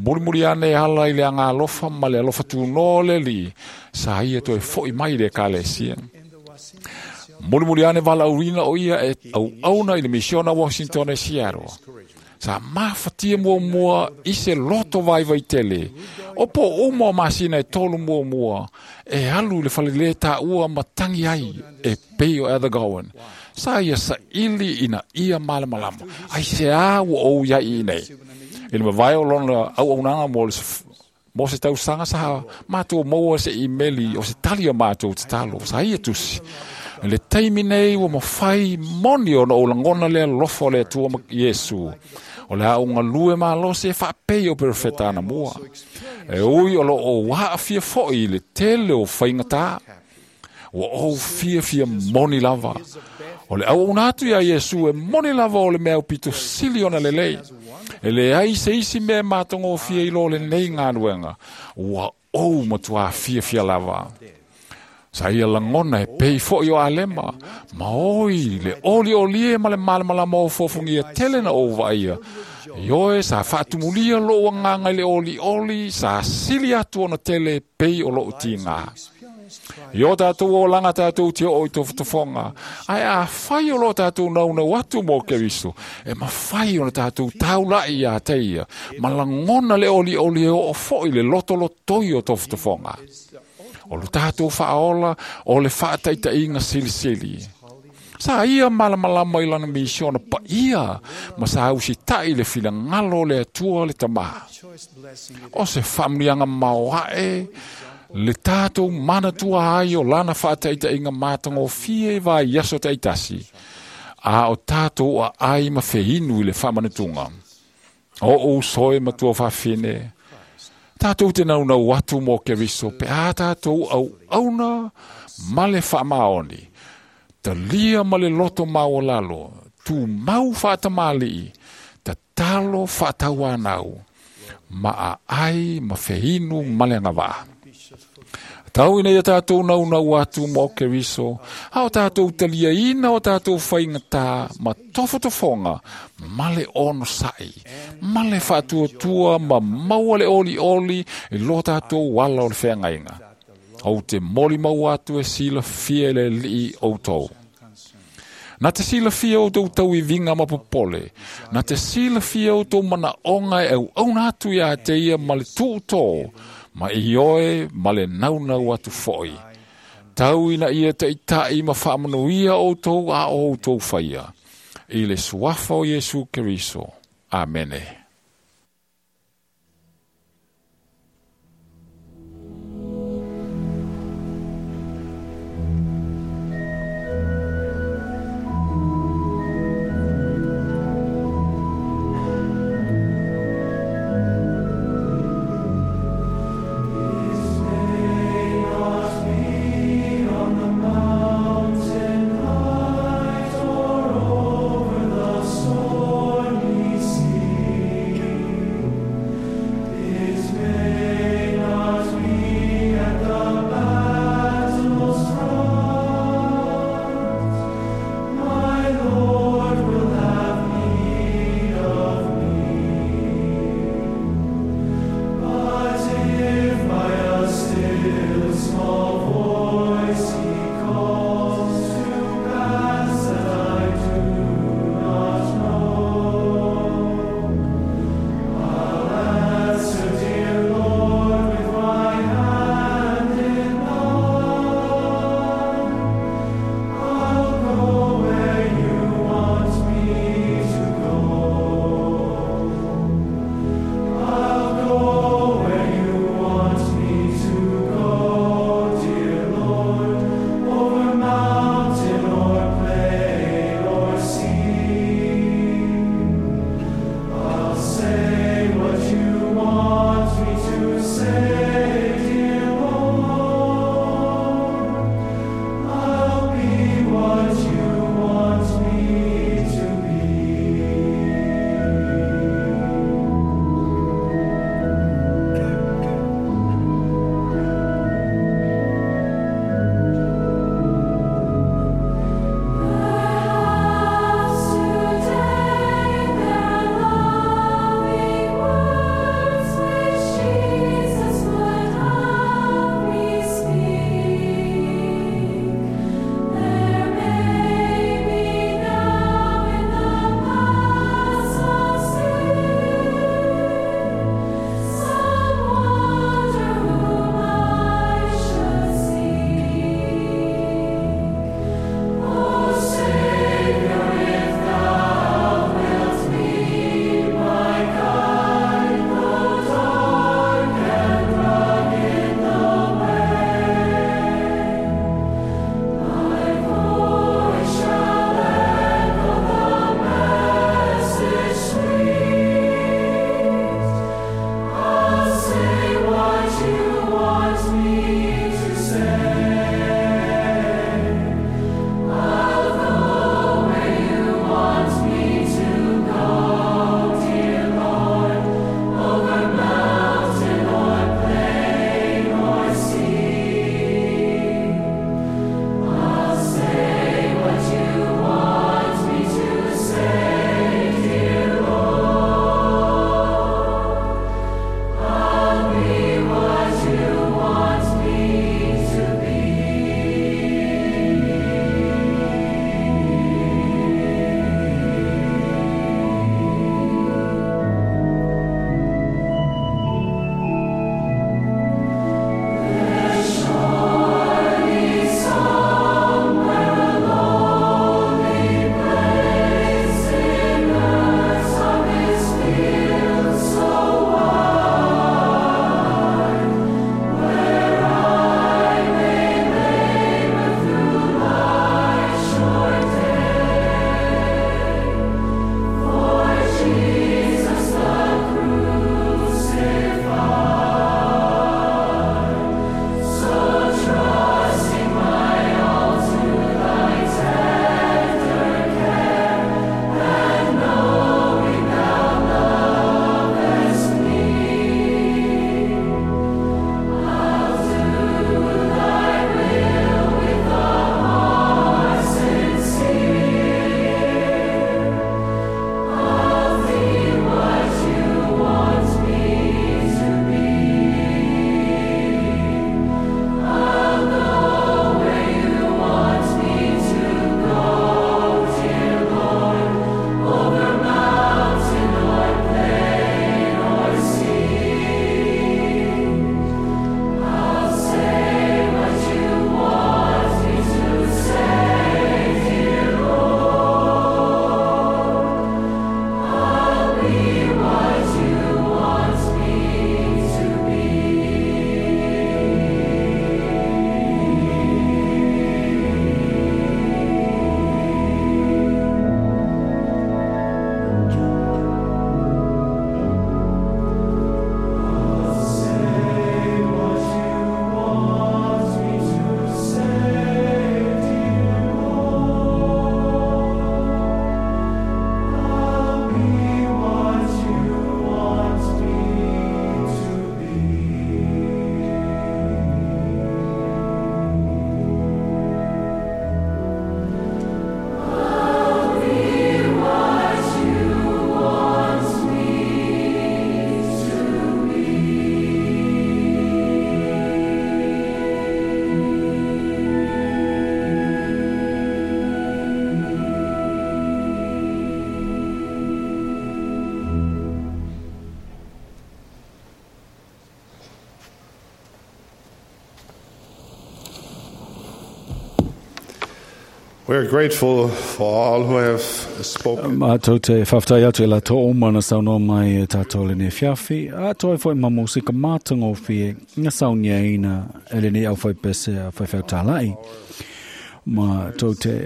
Mulimuli ane ala i le agalofa ma le alofa tunoa o le Alii, sa ia toe fo'i mai i le ekalesia. Mulimuli ane valaauina o ia e auauna i le misiona Washington e Seattle. Sa mafatia muamua i se loto vaivai tele. O po uma o masina e 3 muamua, e alu i le falelē taua ma tagi ai e pei o Elder Gowan. Sa ia saʻili ina ia malamalama, aisea ua ou iai iinei. I le mavae o lona auaunaga mo se tausaga sa matou maua se imeli o se tali o matou tatalo, sa ia tusi. Le taimi nei ua mafai moni ona ou lagona le alofa o le Atua ma Iesu. O le a ou galue malosi e faapei o perofeta anamua. E ui o loo ou aafia foʻi i le tele o faigatā. Ua ou fiafia moni lava. O le auauna atu iā Iesu e moni lava o le mea aupito sili ona lelei. E leai se isi mea e matagofie i lo lenei galuega. Ua ou matuā fiafia lava. Sa ia lagona e pei foʻi o Alema, ma oi le oliolie ma le malamalama o fofogia tele na ou vaaia. Ioe sa faatumulia lou agaga i le olioli, sa sili atu ona tele e pei o lou tigā. I o tatou olaga tatou te oo i tofotofoga, ae afai o loo tatou naunau atu mo Keriso, e mafai ona tatou taulaʻi iā te ia, ma lagona le olioli e oo foʻi le lotolotoi o tofotofoga. O lo tatou faaola o le faataʻitaʻiga silisili. Sa ia malamalama i lana misiona paia ma sa usita'i le finagalo o le Atua le Tamā. O se faamanuiaga maoaʻe le tatou manatua ai o lana faataʻitaʻiga matagofie i vaiaso taʻitasi, a o tatou aai ma feinu i le faamanatuga. O ou soe matua faafine, tatou te naunau atu mo Keriso pe a tatou auauna ma le faamaoni, talia ma le loto maualalo, tumau faatamali'i, tatalo faatauanau, ma aai ma feinu ma le agavaa. Tau ina ia tatou naunau atu mo Keriso, a o tatou taliaina o tatou faigatā ma tofotofoga ma le onosaʻi, ma le faatuatua ma maua le olioli i lo tatou ala o le feagaiga. Ou te molimau atu e silafia e le Alii outou. Na te silafia outou tauiviga ma popole, na te silafia outou manaʻoga e auauna atu iā te ia ma le tuutō, ma ioe ma le naunau atu foʻi. Tau ina ia taʻitaʻi ma faamanuia outou a o outou faia. I le suafa o Iesu Keriso. Amene. Mountain height or over the stormy sea. We are grateful for all who have spoken. Mātou te whawhtai atu e la tō oma na saunoa mai e tātou le nei fiafi. A toi foi ma musika mātango fie nga saunia ina e le nei au whai pese a whai whai tālai. Mātou te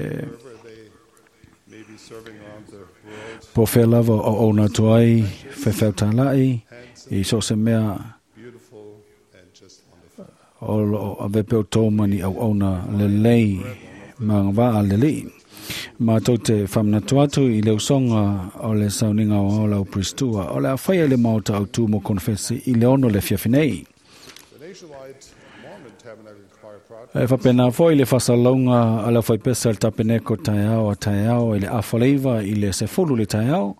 po whea lava o o nā toai whai whai tālai i so se mea o lo a vepe o tō mani au ona le lei ma ngā a le lei. Mātou te whamnatu atu i le usonga o le sauninga o au lau Pristua o le a whaia le maota au tū mo konfesi i le ono le fiafinei. E whapena foi le whasalaunga a le whaipesa le tapeneko taeao a taeao i le afaleiva i le sefulu le taeao.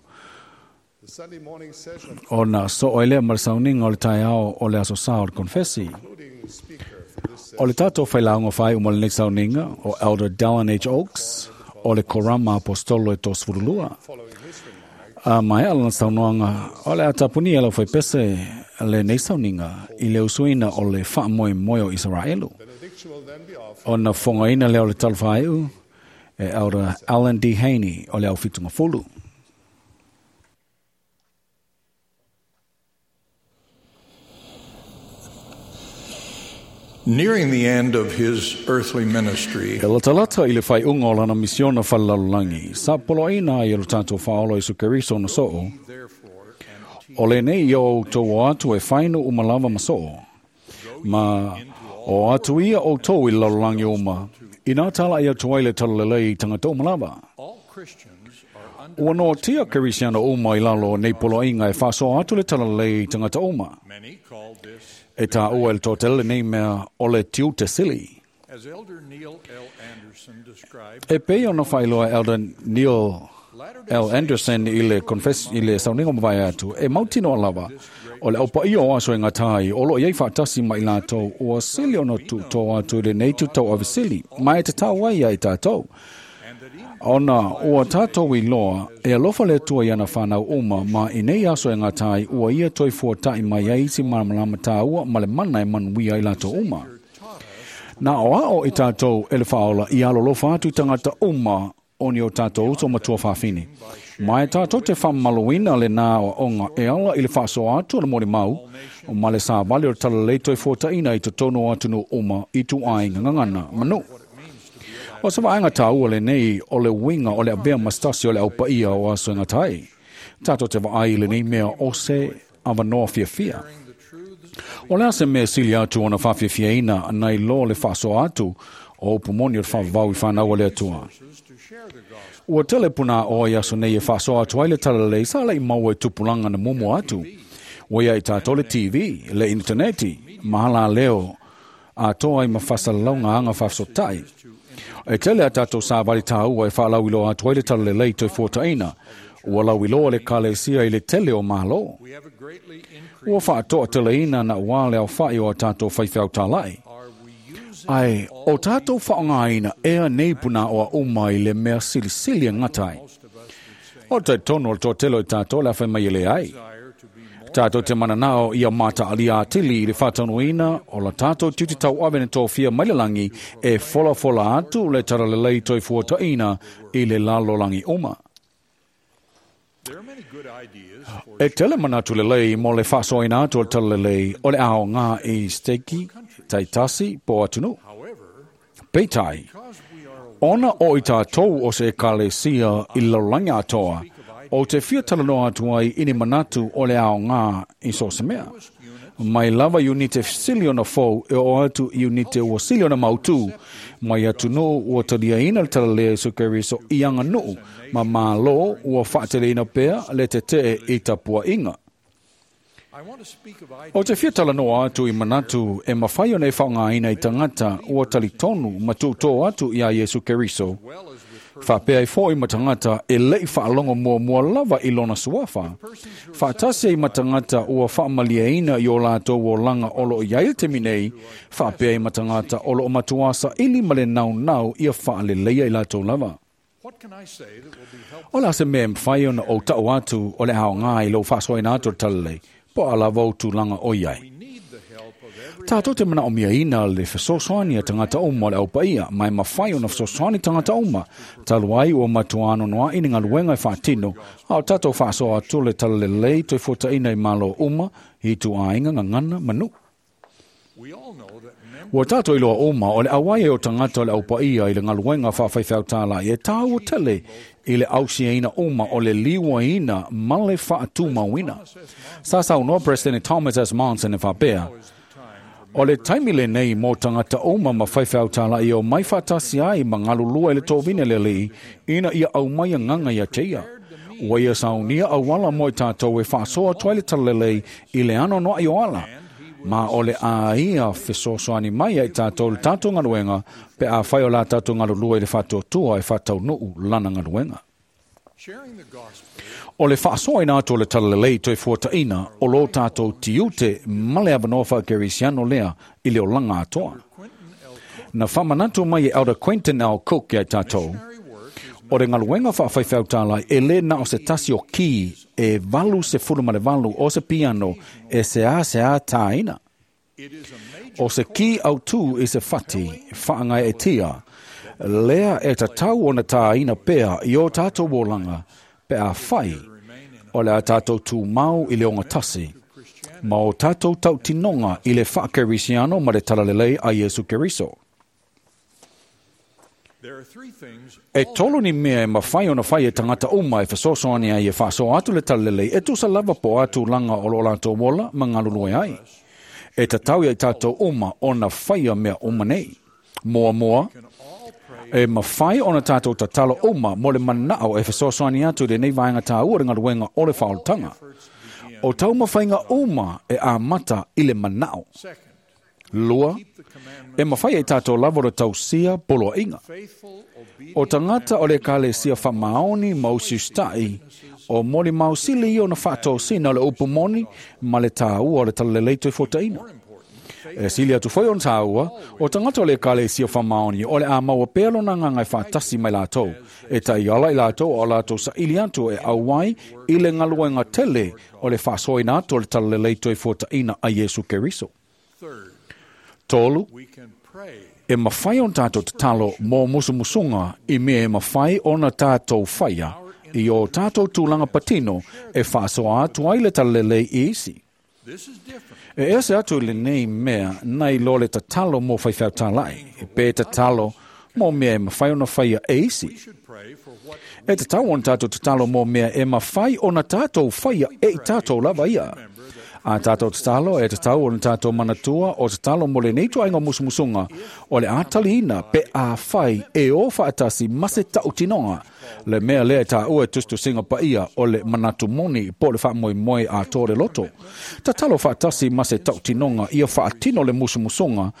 O na so o le ma le sauninga o le taeao o le aso sa o le konfesi. O le tātou whailaunga whai o le sauninga o Elder Dallin H. Oaks o le Korama Apostolo e tō sfurulua. A mai ala na saunoanga o le atapuni ala whai pese le nei sauninga i le usuina o le whaamoe moe o Israelu. O na whongaina leo le talwhaiu e Elder Alan D. Haney o le au whitunga fulu. Nearing the end of his earthly ministry, E latalata i le whai unga o lana misiona whalalalangi, sa polo ina i lo tātou whaolo i Keriso na soo, o le nei i o tō atu e whainu umalava ma soo, ma o atu ia o tō i lalolangi uma, i nā tala i atu ai le talalelei i tangata umalava. Ua no tia Kerisiana uma i lalo nei polo inga e whasoa atu le talalelei i tangata uma. E tā ua el tōtele nei mea o le tiute sili. E pei ona whailoa Elder Neil L. Anderson i le confess i le sauninga mawai atu, e mautino lava o le aupa ia o aso e ngā tai, o lo iei whaatasi mai lātou, o a sili ono tu tō atu i le nei tu tau avisili, mai e te tau ai ai tātou. Ona ua tātou i loa, e alofa le tua i ana whanau uma, ma i nei aso e ngā tai, ua ia toi fua tai mai ai isi malamalama tāua, ma le mana e manuia i lātou uma. Nā o ao i tātou e le whaola i alo lofa atu i tangata uma o ni o tātou uso matua whawhini. Mai tātou te whamaloina le nā o onga e ala i le whasoa atu o le mori mau, o male sā vale o talalei toi fuataina i te tono atu no uma i tu ai ngangana manu. O sa vaenga tāua le nei o le winga o le abea mastasi o le aupaia o aso ngā tai. Tātou te vaai le nei mea o se awanoa fiafia. O le ase mea sili atu ona whawhiawhia ina nei lo le whasoa atu o upumoni o le whawawau i whanau le atua. Ua tele puna o i aso nei e whasoa atu ai le talalei sa lei maua e tupulanga na mumu atu. Ua ia i tātou le TV, le interneti, mahala leo a toa i mawhasalalaunga anga whawhisotai. E tele a tātou sāwari tāua e whaalauiloa atu ai le talalelei toi fuataina. Ua lauiloa le kalesia i le tele o malo. Ua whaatoa teleina na ua le au whai o a tātou whaiwhau tālai. Ai, o tātou whaongaina ea nei puna o a uma i le mea silisili a ngatai. O te tono o tō telo i tātou le awhai mai le ai. Tātou te mananao i a mata ali atili i le whātanoina o la tātou tuti tau awene tō whia mailalangi e fola fola atu le taralelei toi fuataina i le lalolangi uma. E tele manatu le lei mo le whasoina atu o le talalelei o le ao ngā i steki, taitasi, po atunu. Peitai, ona o i tātou o se ekalesia i lalolangi atoa, o te fia talanoa atu ai ini manatu o le ao ngā i so se mea. Mai lava unite siliona fou e o atu i unite ua siliona mautu, mai atu no ua talia ina le talalea i so i anga nuu, ma malo ua whaateleina pea le te te i tapua inga. O te fia talanoa atu i manatu e mawhai o nei whaongaina i tangata ua talitonu ma tūtō atu i a Yesu Keriso. Whapea i fōi matangata e lei whaalongo mua mua lava i lona suafa. Whaatasi i matangata ua whaamaliaina i o lātou o langa olo i ail te minei, whapea i matangata olo o matuasa ili male nau nau i a whaaleleia i lātou lava. O la se mea mwhai ona o tau atu o le hao ngā i lau whasoina atu o talalei, po ala vau tūlanga o iai. Tātou te manaomiaina le fesoasoani a tagata uma o le aupaia, ma e mafai ona fesoasoani tagata uma, talu ai ua matua anoanoai ni galuega e faatino, a o tātou faasoa atu le talalelei toe fuataina i Malo uma, i ituaiga gagana ma nuu. Ua tātou iloa uma o le auai o tagata o le aupaia i le galuega faafaifeau tālai e tāua tele i le ausiaina uma o le liuaina ma le faatumauina. Sa saunoa Peresetene Thomas S. Monson e faapea, o le taimi lenei mo tagata uma ma faifeau tālai o mai faatasi ai ma galulua i le tovina le alii ina ia aumai agaga ia te ia. Ua ia saunia auala mo i tātou e faasoa atu ai le talalelei i le anoanoai o ala, ma o le a ia fesoasoani mai ai tātou le tātou galuega pe afai o la tātou galulua i le faatuatua e faataunuu lana galuega. O le faasoaina atu o le talalelei toe fuataina o lo tātou tiute ma le avanoa faakerisiano lea i le olaga atoa. Na faamanatu mai e Elder Quentin L. Cook ia i tātou, o le galuega faafaifeau tālai e lē na o se tasi o kī e 88 o se piano e seāseā tāina. O se kī autū i se fati faagaeetia, lea e tatau ona tāina pea i o tātou olaga pe afai o le a tātou tumau i le ogatasi, ma o tātou tautinoga i le faakerisiano ma le talalelei a Iesu Keriso. E tolu ni mea e mafai ona fai e tagata uma e fesoasoani ai e faasoa atu le talalelei e tusa lava po o a tulaga o lo latou ola ma galulue ai. E tatau ia i tātou uma ona faia mea uma nei. Muamua, e mafai ona tātou tatalo uma mo le manao e fesoasoani atu i lenei vaega tāua le galuega o le faaolataga. O taumafaiga uma e amata i le manao. Lua, e mafai ai tātou lava o le tausia poloaiga. O tagata o le ekalesia faamaoni ma usiusitai, o molimau sili ia ona faatosina o le upu moni ma le tāua o le talalelei toe fuataina. E sili atu foi ona tāua, o tagata o le ekalesia faamaoni o le a maua pea lona agaga e faatasi mai latou, e taiala i latou o latou saili atu e auai i le galuega tele o le faasoaina atu o le talalelei toe fuataina a Iesu Keriso. Tolu, e mafai ona tātou tatalo mo musumusuga i mea e mafai ona tātou faia i o tātou tulaga patino e faasoa atu ai le talalelei i isi. E ese atu i lenei mea nai lo le tatalo mo faifeau tālai, pe tatalo mo mea e mafai ona faia e isi. E tatau ona tātou tatalo mo mea e mafai ona tātou faia e i tātou lava ia. A tātou tatalo e tatau ona tātou manatua o tatalo mo lenei ituaiga musumusuga o le a taliina pe afai e o faatasi ma se tautinoga le mea lea e tāua e tusitusiga paia o le manatu moni po o le faamoemoe atoa le loto. Tatalo faatasi ma se tautinoga ia faatino le musumusuga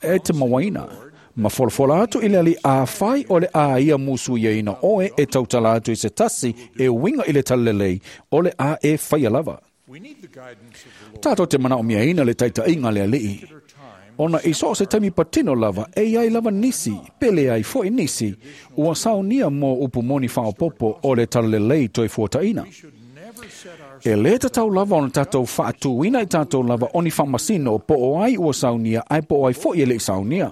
e te mauaina. Ma folafola atu i le alii afai o le a ia musuiaina oe e tautala atu i se tasi e uiga i le talalelei o le a e faia lava. Tātou te manaomiaina le taitaiga le alii. Ona i so o se taimi patino lava, e iai lava nisi, pe leai foi nisi, ua saunia mo upu moni faaopoopo o le talalelei toe fuataina. E lē tatau lava ona tātou faatūina i tātou lava o ni faamasino po o ai ua saunia ae po o ai foi e leʻi saunia.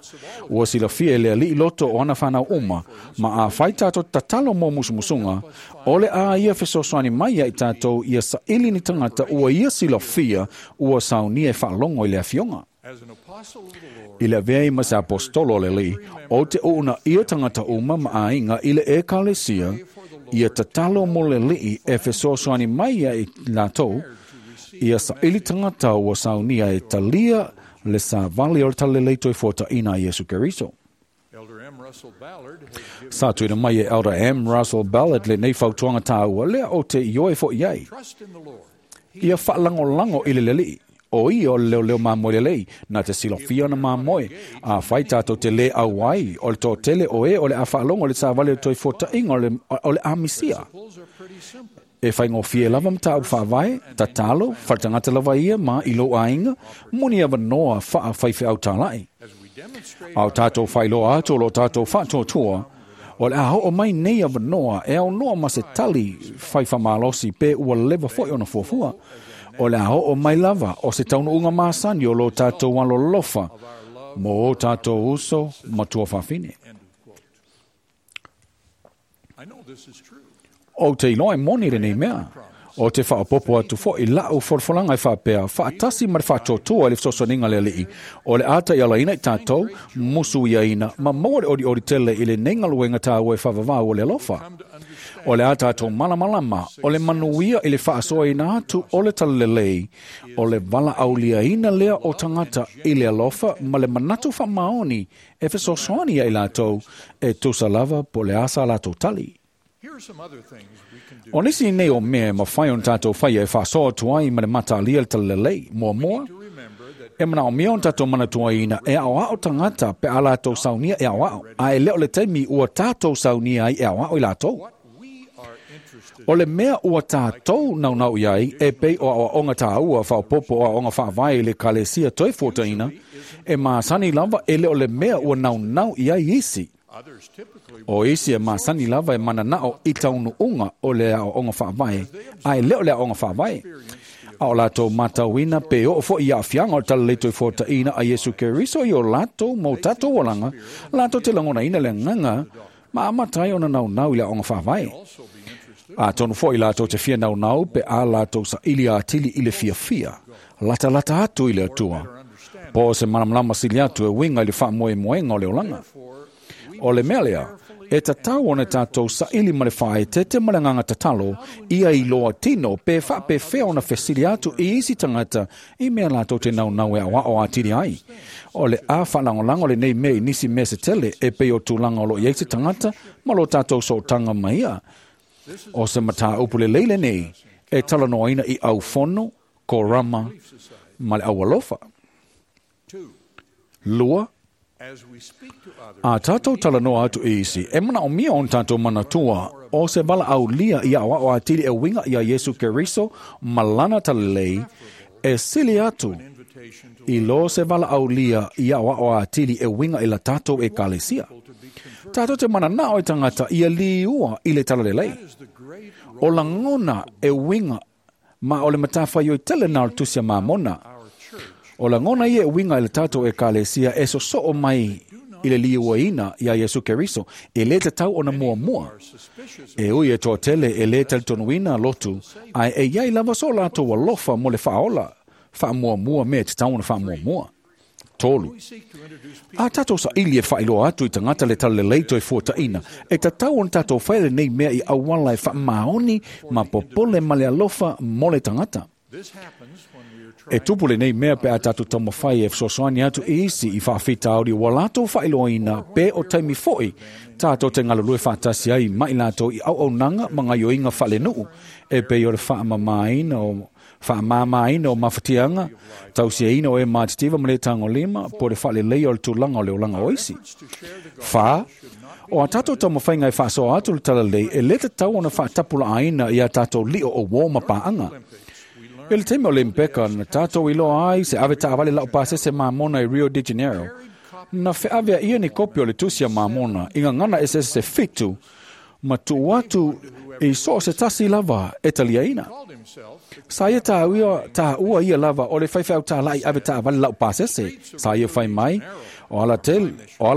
Ua silafia e le alii loto o ana fanau uma, ma afai tātou tatalo mo musumusuga, o le a ia fesoasoani mai ia i tātou ia saili ni tagata ua ia silafia ua saunia e faalogo i le afioga. I le avea ai ma se aposetolo o le alii, ou te uunaia tagata uma ma aiga i le ekalesia, ia tatalo mo le alii e fesoasoani mai ia i latou, ia saili tagata ua saunia e talia le savali o le talalelei toe fuataina a Iesu Keriso. Sa tuuina mai e Elder M. Russell Ballard lenei fautuaga tāua lea o te ioe foi ai. Ia faalagolago i le alii, o ia o le leoleo mamoe lelei, na te silafia ona mamoe, afai tātou te lē auai, o le toatele o e o le a faalogo i le savali o le toe fuataʻiga o le a misia. E faigofie lava mataupu faavae, tatalo, faletagata lava ia ma i lou aiga, mo ni avanoa faafaifeau tālai. A o tātou faailoa atu o lo tātou faatuatua, o le a oo mai nei avanoa e aunoa ma se tali faifamalosi pe ua leva foi ona fuafua. O le a oo mai lava o se taunuuga masani o lo tatou alolofa mo o tatou uso ma tuafafine. Ou te iloa e moni lenei mea. O te faaopopo atu fo'i la'u folafolaga e faapea, faatasi ma le faatuatua i le fesoasoaniga a le Alii, o le a taialaina i tatou, musuiaina ma maua le olioli tele i lenei galuega tāua e faavavau o le alofa. O le a tatou malamalama, o le manuia i le faasoaina atu o le talalelei, o le valaauliaina lea o tagata i le alofa ma le manatu faamaoni e fesoasoani ia i latou e tusa lava po o le a sa latou tali. O nisi nei o mea e mafai ona tatou faia e faasoa atu ai ma le mataalia le talalelei. Muamua, e manaomia ona tatou manatuaina e aoao tagata pe a latou saunia e aoao, a e le o le taimi ua tatou saunia ai e aoao i latou. O le mea ua tatou naunau i ai e pei o aoaoga tāua faaopoopo o aoaoga faavae i le Ekalesia toe fuataina, e masani lava e le o le mea ua naunau i ai isi. O isi e masani lava e mananao i taunuuga o le aoaoga faavae, a e le o le aoaoga faavae. A o latou matauina pe oo fo'i i aafiaga o le talalelei toe fuataina a Iesu Keriso i o latou ma o tatou olaga, latou te lagonaina le agaga ma amata ai ona naunau i le aoaoga faavae. Atonu fo'i latou te fia naunau pe a latou saili atili i le fiafia, latalata atu i le Atua, po o se malamalama sili atu e uiga i le faamoemoega o le olaga. O le mea lea, e tatau ona tatou saili ma le faaeteete ma le agaga tatalo, ia iloa tino pe faapefea ona fesili atu i isi tagata i mea latou te naunau e aoao atili ai. O le a faalagolago lenei mea i nisi mea se tele e pei o tulaga o lo o i ai se tagata ma lo tatou sootaga ma ia. O se mataupu lelei lenei e talanoaina i aufono, korama ma le aualofa. 2. A tatou talanoa atu i isi, e manaomia ona tatou manatua o se valaaulia i aoao atili e uiga iā Iesu Keriso ma lana talalelei, e sili atu i lo se valaaulia i aoao atili e uiga i la tatou Ekalesia. Tatou te mananao i tagata ia liua i le talalelei. O lagona e uiga ma o le matafaioi tele na o le Tusi a Mamona. O lagona ia e uiga i le tatou Ekalesia e sosoo mai i le liuaina iā Iesu Keriso, e lē tatau ona muamua. E ui e toatele e lē talitonuina lotu, ae e iai lava so latou alofa mo le faaola, faamuamua mea e tatau ona faamuamua. 3. A tatou saili e faailoa atu i tagata le talalelei toe fuataina, e tatau ona tatou faia lenei mea i auala e faamaoni ma popole ma le alofa mo le tagata. E tupu lenei mea pe a tatou taumafai e fesoasoani atu i isi i faafitauli ua latou faailoaina pe o taimi fo'i tatou te galulue faatasi ai ma i latou i auaunaga ma gaioiga faalenuu e pei o le faamamaina o mafatiaga, tausiaina o e matitiva ma le tagolima, po o le faaleleia o le tulaga o le olaga o isi. 4. O a tatou taumafaiga e faasoa atu le talalelei e lē tatau ona faatapulaaina i a tatou lio o uō ma paaga. I le taimi o Olympica na tatou iloa ai se ave taavale laupasese Mamona i Rio de Janeiro, na feaveaia ni kopi o le Tusi a Mamona i gagana eseese se 7 ma tuu atu i so o se tasi lava e taliaina. Sa ia tāua ia lava o le faifeau tāla'i ave taavale laupasese, sa ia fai mai, o ala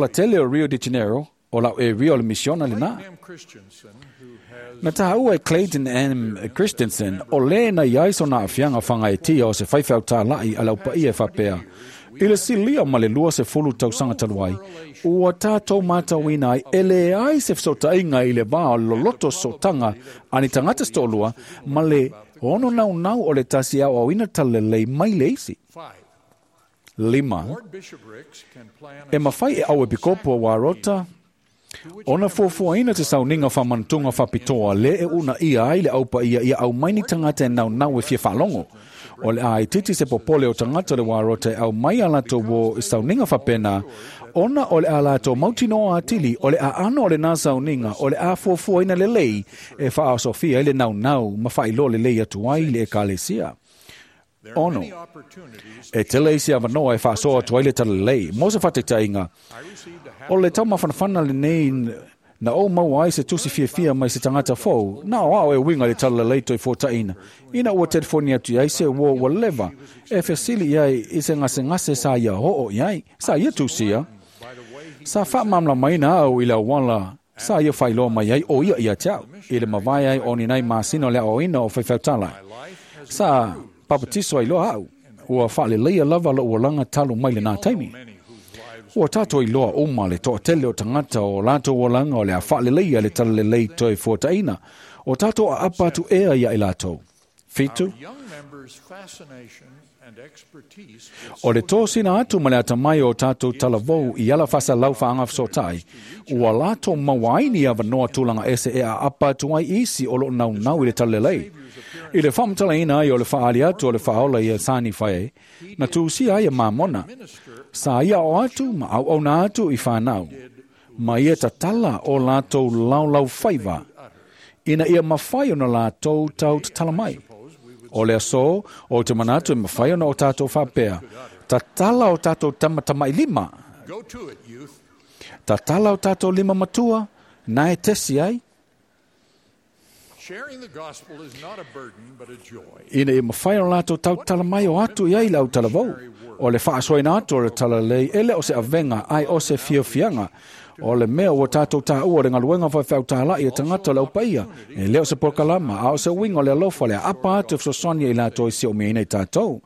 tele o Rio de Janeiro, o lau e Rio le misiona lenā. Na tāua e Clayton M. Christensen, o lē na iai sona aafiaga fagaetia o se faifeau tāla'i a le aupaia e faapea, i le silia ma le 20 tausaga talu ai, ua tatou matauina ai e leai se fesootaiga i le va o le loloto sootaga a ni tagata se toalua ma le ono naunau o le tasi e aoaoina talalelei mai le isi. 5. E mafai e auepikopo a Warota ona fuafuaina te sauniga faamanatunga faapitoa lē e uunaia ai le aupaia ia aumai ni tagata e naunau e fia faalogo. O le a itiiti se popole o tagata o le Warota e aumai a latou uō i sauniga faapena, ona o le a latou mautinoa atili o le aano o lenā sauniga o le a fuafuaina lelei e faaosofia ai le naunau ma faailoa lelei atu ai le Ekalesia. 6. E tele isi avanoa e faasoa atu ai le talalelei. Mo se faataitaiga, o le taumafanafana lenei Na ou maua ai se tusi fiafia mai se tagata fou, na o a'u e uiga i le Talalelei Toefuataiga, ina ua telefoni atu i ai se uo ua leva e fesili i ai i se gasegase sa ia oo i ai, sa ia tusia. Sa faamalamalamaina au i le auala sa ia faailoa mai ai o ia ia te au, i le mavae ai o ni nai masina o le aoaoina o faifeau Sa papatiso ai loa au, ua faaleleia lava lo'u olaga talu mai lenā taimi. Ua tatou iloa uma le toatele o tagata o latou olaga o le a faaleleia le Talalelei Toefuataiga, o tatou aapa atu ea ia i latou. 7. O le tosina atu ma le atamai o tatou talavou i ala faasalau faagafesootai, ua latou maua ai ni avanoa tulaga ese e aapa atu ai isi o loo naunau i le Talalelei. I le faamatalaina ai o le faaali atu o le Faaola ia sa Nifae ai, na tusia ai e Mamona. Sa ia oo atu ma auauna atu i fanau, ma ia tatala o latou laolao faiva, ina ia mafai ona latou tau tatala mai. O le aso, ou te manatu e mafai ona o tatou faapea, tatala o tatou tamatamailima, tatala o tatou lima matua, na e tesi ai, ina ia mafai ona latou tautala mai o atu i ai le autalavou. O le faasoaina atu o le Talalelei e le o se avega ai o se fiafiaga. O le mea ua tatou taua o le galuega faifeau tāla'i a tagata o le aupaia, e le o se polokalama, a o se uiga o le alofa le aapa atu e fesoasoani i latou e siumiaina i tatou.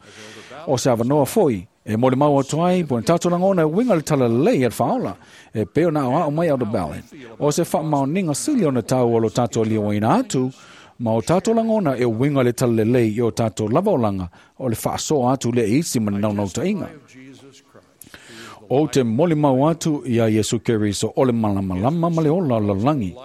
O se avanoa foi, e molimau atu ai, po o tatou lagona e uiga le Talalelei a le Faaola, e pei ona aoao mai Elder Ballin. O se faamaoniga sili ona taua o lo tatou liuaina atu, ma o tatou lagona e uiga le Talalelei i o tatou lava olaga, o le faasoa atu le isi ma le naunautaiga. Ou te molimau atu ia Iesu Keriso o le malamalama ma le ola o le lalolagi.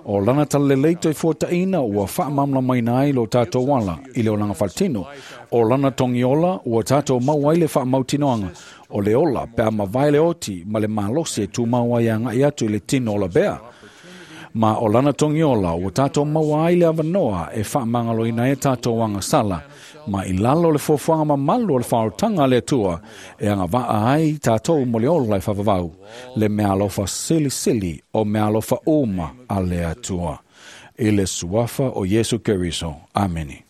O lana Talalelei Toefuataiga ua faamalamalamaina ai lo tatou ala i le olaga faletino. O lana togiola ua tatou maua ai le faamautinoaga o le ola pe a mavae le oti ma le malosi e tumau ai agai atu i le tino o lavea. Ma o lana togiola ua tatou maua ai le avanoa e faamagaloina ai tatou agasala, ma i lalo o le fuafuaga mamalu o le faaolataga a le Atua e agavaa ai tatou mo le ola e faavavau, le meaalofa silisili o meaalofa uma a le Atua. I le suafa o Iesu Keriso. Amene.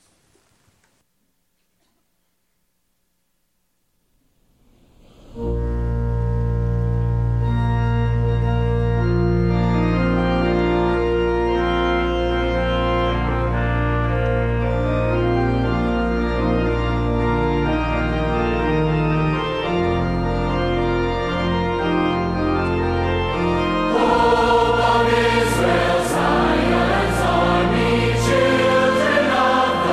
Hope of Israel, Zion's army, children of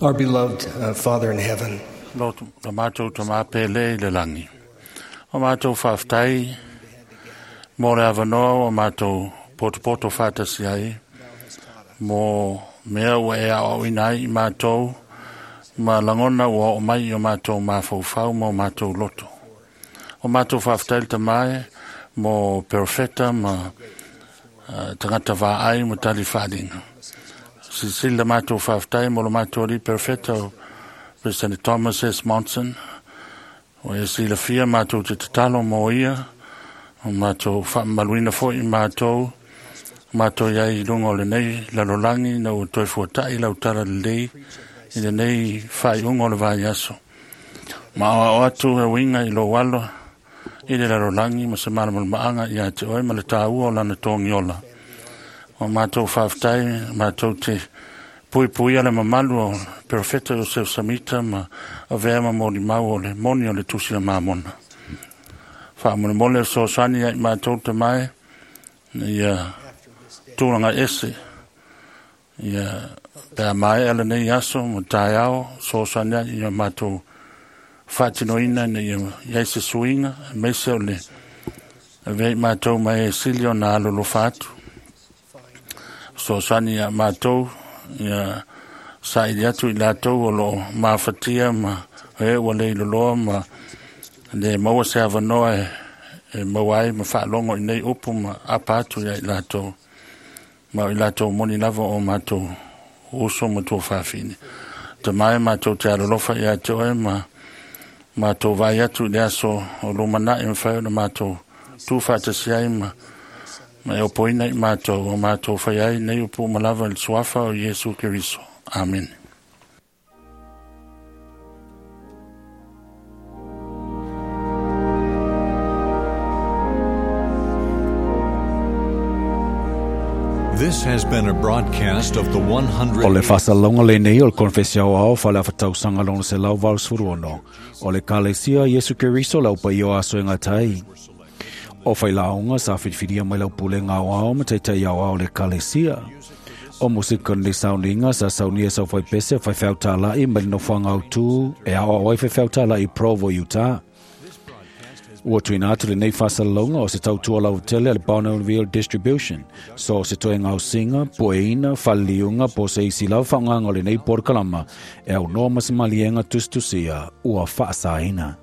Our beloved Father in heaven, Lo lo matou tamā pele i le lagi. O matou faafetai mo le avanoa ua matou potopoto faatasi ai mo mea ua e aoaoina ai i matou ma lagona ua oo mai i o matou mafaufau ma o matou loto. O matou faafetai le Tamā e mo perofeta ma tagata vaai ma tali faaaliga. Silasila le matou faafetai mo le matou alii perofeta o President Thomas S. Monson. Ua e silafia matou te tatalo mo ia, o matou faamamaluina foi i matou, matou i ai i luga o lenei lalolagi ina ua toe fuata'i lau talalelei i lenei faaiuga o le vaiaso. Ma aoao atu e uiga i lou alo i le lalolagi ma se malamalamaaga ia te oe ma le tāua o lana togiola. O matou faafetai, matou te puipuia le mamalu o Perofeta Iosef Samita ma avea ma molimau o le moni o le Tusi a Mamona. Faamolemole fesoasoani ia i matou Tamā e, ia tulaga ese, ia pe a maea lenei aso ma taeao, fesoasoani ai ia matou faatinoina ina ia i ai se suiga, aemaise o le avea i matou ma e sili ona alolofa atu. Fesoasoani ia matou, ia saili atu i latou o loo mafatia ma e ua leiloloa ma le maua se avanoa e maua ai ma faalogo i nei upu ma apa atu ia i latou. Ma o i latou moni lava o matou uso ma tuafafine. Tamā e matou te alolofa ia te oe ma matou vaai atu i le aso o lumanai mafai ona matou tuufaatasi ai ma e opoina i matou o matou fai ai nei upu uma lava i le suafa o Iesu Keriso. Amene. This has been a broadcast of the 100. O le faasalalauga lenei o le Konefesi Aoao faale-afatausaga lona 186 o le Ekalesia Iesu Keriso le Aupaia o Aso e Gata ai. O failaoga sa filifilia mai lau pulega aoao ma taitai aoao o le Ekalesia. O musika nei sauniga sa saunia sau faipese faifeau tāla'i mai le nofoaga autū e aoao ai faifeau tāla'i Provo, Utah. Ua tuuina atu lenei faasalalauga o se tautua lautele a le Bonneville Distribution. So se toe gaosiga, pueina, faleliuga po o se isi lava faaaogaga o lenei polokalama e aunoa ma se maliega tusitusia ua faasaina.